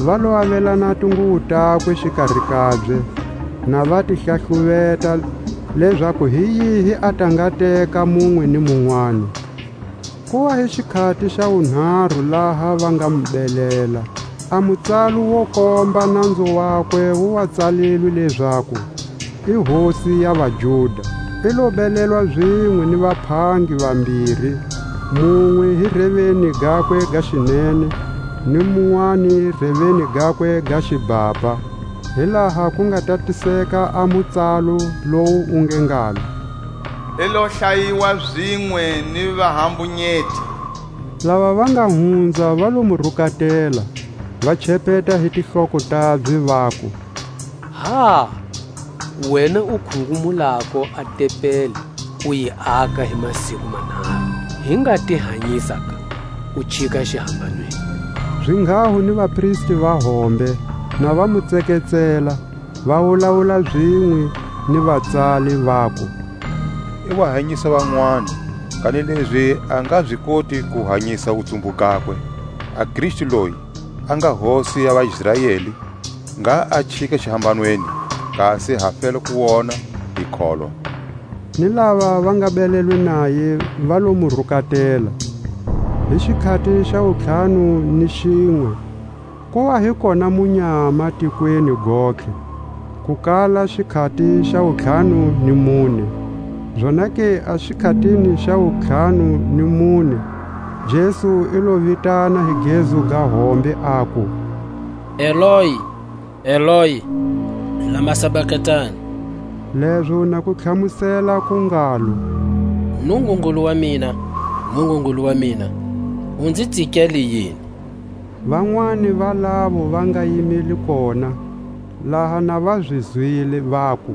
va lo avelana tinguwo takwe xikari kabye, na va ti hlahluveta, lezaku hi yihi a ta nga teka munwe ni munwani. Ku wa hi xikhati xa wunharu laha va nga mu belela. A mutsalo wo komba nanzo wakwe wu wa tsalilwe lezaku, I Hosi ya vaJuda. I lo belelwa zinwe ni vaphangi vambiri, munwe hi reveni gakwe ga xinene, ni munwani reveni gakwe ga xibhabha, hi laha ku nga tatiseka a mutsalo lowu wu nge ngalo: I lo hlayiwa zinwe ni vahambunyeti. Lava va nga hunza va lo mu rukatela, va chepeta hi tihloko tabye, vaku: Ha! Wena u khungumulako a tempeli, u yi aka hi masiku manharu, hi nga ti hanyisa ka, u chika xihambanweni. Zinghaho ni vapristi va hombe, na va mu tseketsela, va wulawula zinwe, ni vatsali, vaku: I wa hanyisa vanwani, kanilezi a nga zi koti ku hanyisa wutsumbu gakwe. A Kristu loyi, a nga Hosi ya vaIsraeli, ngha a chika xihambanweni, kasi ha fela ku wona, hi kholwa. Ni lava va nga belelwe naye va lo mu rukatela. Hi xikhati xa wutlhanu ni xinwe, ku wa hi kona munyama tikweni gontlhe, ku kala xikhati xa wutlhanu ni mune. Zonake a xikhatini xa wutlhanu ni mune, Jesu i lo vitana hi gezu ga hombe, aku: Eloi, Eloi, lama sabakatani? Lezo na ku tlhamusela ku ngalo: Nungungulu wa mina, Nungungulu wa mina, u nzi tsikele yini? Vanwani va lavo va nga yimile kona, laha na va zi zwile, vaku: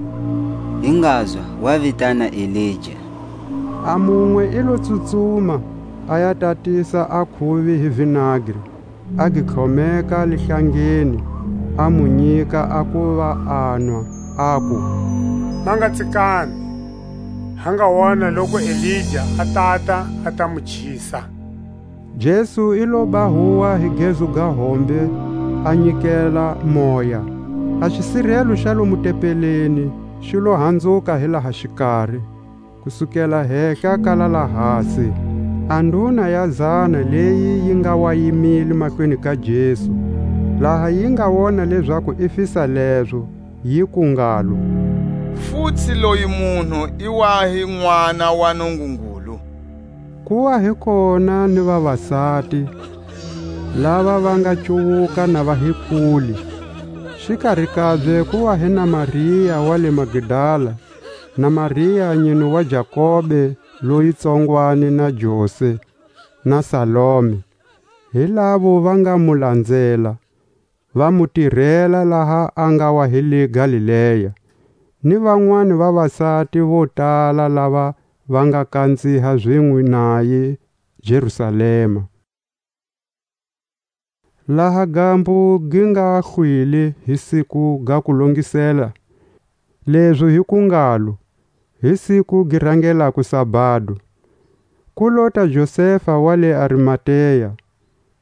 Hi ngazwa, wa vitana Elija. A munwe i lo tsutsuma, a ya tatisa a khuvi hi vinagri, a gi tlhomeka lihlangeni, a mu nyika a kuva a nwa, aku: Ma nga tsikami, ha nga wona loku Elija a tata, a ta mu chisa. Jesu i lo ba huwa hi gezu ga hombe, a nyikela moya. A xisirelo xa lomu tempeleni xi lo hanzuka hi laha xikari, ku sukela hehla kala lahasi. A nduna ya zana leyi yi nga wa yimile mahlweni ka Jesu, laha yi nga wona lezaku i fisa lezo, yiku ngalo: Futsi loyi munhu i wa hi N'wana wa Nungungulu. Ku wa hi kona ni vavasati, lava va nga cuwuka na va hi kule. Xikari kabye ku wa hi na Maria wa le Magdala, na Maria nyine wa Jakobe loyi tsongwani na Jose, na Salome. Hi lavo va nga mu lanzela, va mu tirela laha a nga wa hi le Galilea, ni vanwani vavasati vo tala lava va nga kanziha zinwe naye Jerusalema. Laha gambu gi nga hlwile hi siku ga ku longisela, lezo hi ku ngalo, hi siku gi rangelako sabado, ku lota Josefa wa le Arimatea,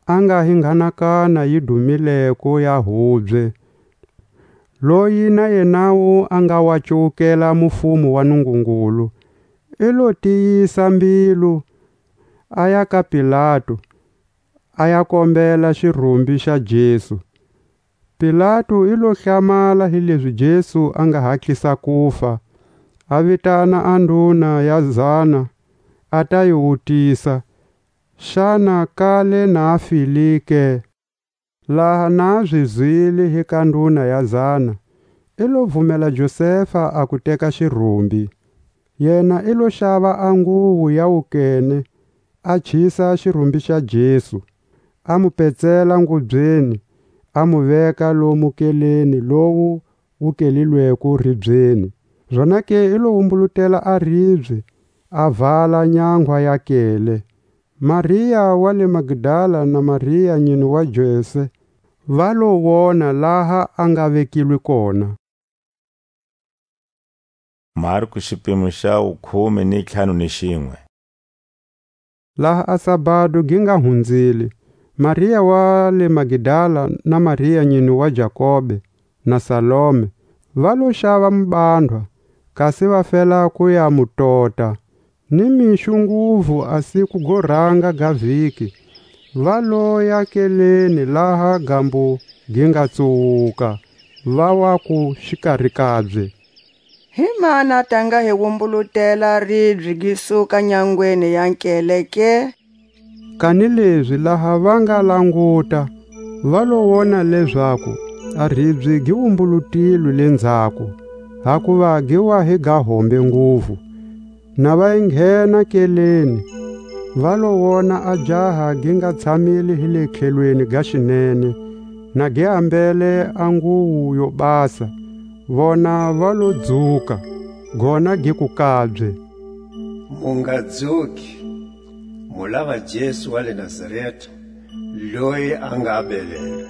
a nga hi nghanakana yi dumileko ya hubye, loyi na yenawu a nga wa cuwukela mufumo wa Nungungulu, i lo tiyisa mbilu, a ya ka Pilatu, a ya kombela xirumbi xa Jesu. Pilatu i lo hlamala hilezi Jesu a nga hatlisa kufa, a vitana a nduna ya zana, a ta yi wutisa, xana kale na a file ke. Laha na a zi zwile hi ka nduna ya zana, i lo vumela Josefa a ku teka xirumbi. Yena i lo xava a nguvu ya wukene, a chisa xirumbi xa Jesu, a mu petsela ngubyeni, a mu veka lomu keleni lowu wu kelilweko ribyeni. Zonake i lo wumbulutela a ribye, a vala nyanghwa ya kele. Maria wa le Magdala na Maria nyine wa Jose va lo wona laha a nga vekilwe kona. Marku xipimo xa wukhume ni ntlhanu ni xinwe. Laha a sabado gi nga hunzile, Maria wa le Magdala na Maria nyine wa Jakobe na Salome va lo xava mubandhwa, kasi va fela ku ya mu tota. Ni mixo nguvu a siku go ranga ga viki, va loya keleni laha gambo gi nga tsuwuka, va waku xikari kabye: Hi mani a ta nga hi wumbulutela ribye gi suka nyangweni ya nkele ke? Kanilezi laha va nga languta, va lo wona lezaku a ribye gi wumbulutilwe le nzhaku, hakuva gi wa hi ga hombe nguvu. Na va yi nghena keleni, va lo wona a jaha gi nga tshamile hi le tlhelweni ga xinene, na gi ambele a nguwu yo basa. Vona va lo dzuka, gona giku kabye: Mu nga dzuki, mu lava Jesu wa le Nazareta, loyi a nga belele.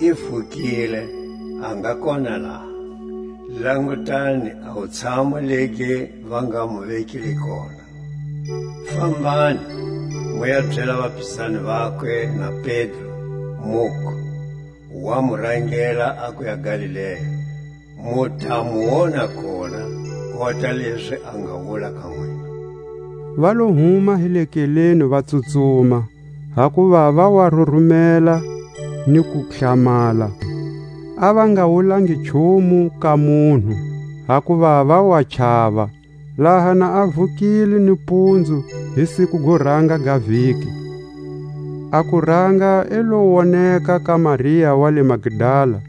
I vukile, a nga kona laha. Langutani a wutshamu legi va nga mu vekile kona. Fambani, mu ya byela vapizani vakwe na Pedro, muku, wa mu rangela a ku ya Galilea, mu ta mu wona kona, kota lezi a nga wula ka n'wina. Va lo huma hi le keleni va tsutsuma, hakuva va wa rurumela ni ku hlamala. A va nga wulangi nchumu ka munhu, hakuva va wa chava. Laha na a vukile nipunzu hi siku go ranga ga vhiki, a kuranga i lo woneka ka Maria wa le Magdala,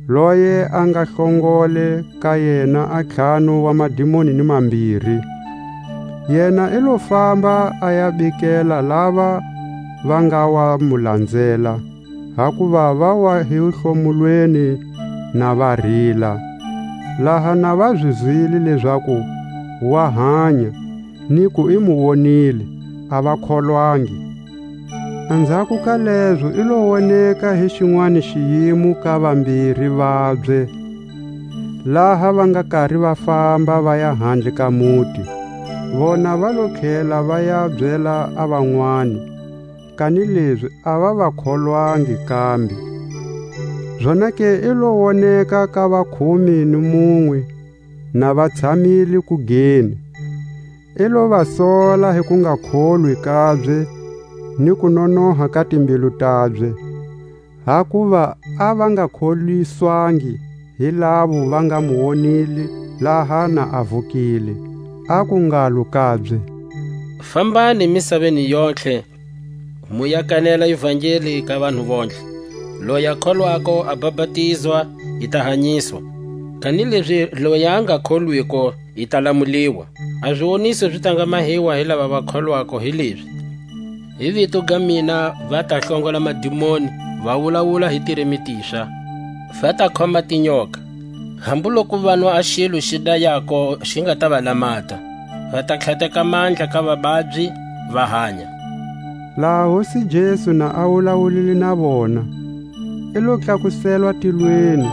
loye a nga hlongole ka yena a ntlhanu wa madimoni ni mambiri. Yena i lo famba a ya bikela lava va nga wa mu lanzela, hakuva va wa hi hlomulweni na va rila. Laha na va zi zwile lezaku wa hanya, ni ku i mu wonile, a va kholwangi. Anzhako ka lezo i lo woneka hi xinwani xiyimo ka vambiri vabye, laha va nga kari va famba va ya handle ka muti. Vona va lo tlhela va ya byela a vanwani, kanilezi a va va kholwangi kambe. Zonake i lo woneka ka vakhume ni munwe, na va tshamile kugeni. I lo va sola hi ku nga kholwi kabye ni ku nonoha ka timbilu tabye, hakuva a va nga kholiswangi hi lavo va nga mu wonile laha na a vukile. Aku ngalo kabye: Fambani misaveni yontlhe, mu ya kanela ivangeli ka vanhu vontlhe. Loyi a kholwako a bapatizwa, i ta hanyiswa, kanilezi loyi a nga kholwiko, i ta lamuliwa. A ziwoniso zi ta nga mahiwa hi lava va kholwako hi lezi: Hi vito ga mina va ta hlongola madimoni, va wulawula hi tirimi tixa, va ta khoma tinyoka. Hambu loku vanwa a xilo xi dayako xi nga ta va lamata, va ta tlhateka mandla ka vababyi, va hanya. Laha Hosi Jesu na a wulawulile na vona, i lo tlakuselwa tilweni,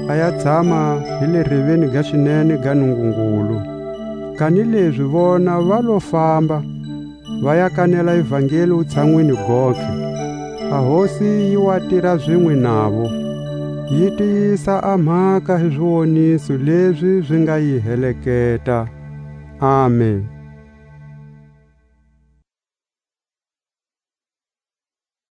a ya tshama hi le reveni ga xinene ga Nungungulu. Kanilezi vona va lo famba, va ya kanela ivangeli wutshanwini gontlhe. A Hosi yi wa tira zinwe navo, yi tiyisa a mhaka hi ziwoniso lezi zi nga yi heleketa. Amen.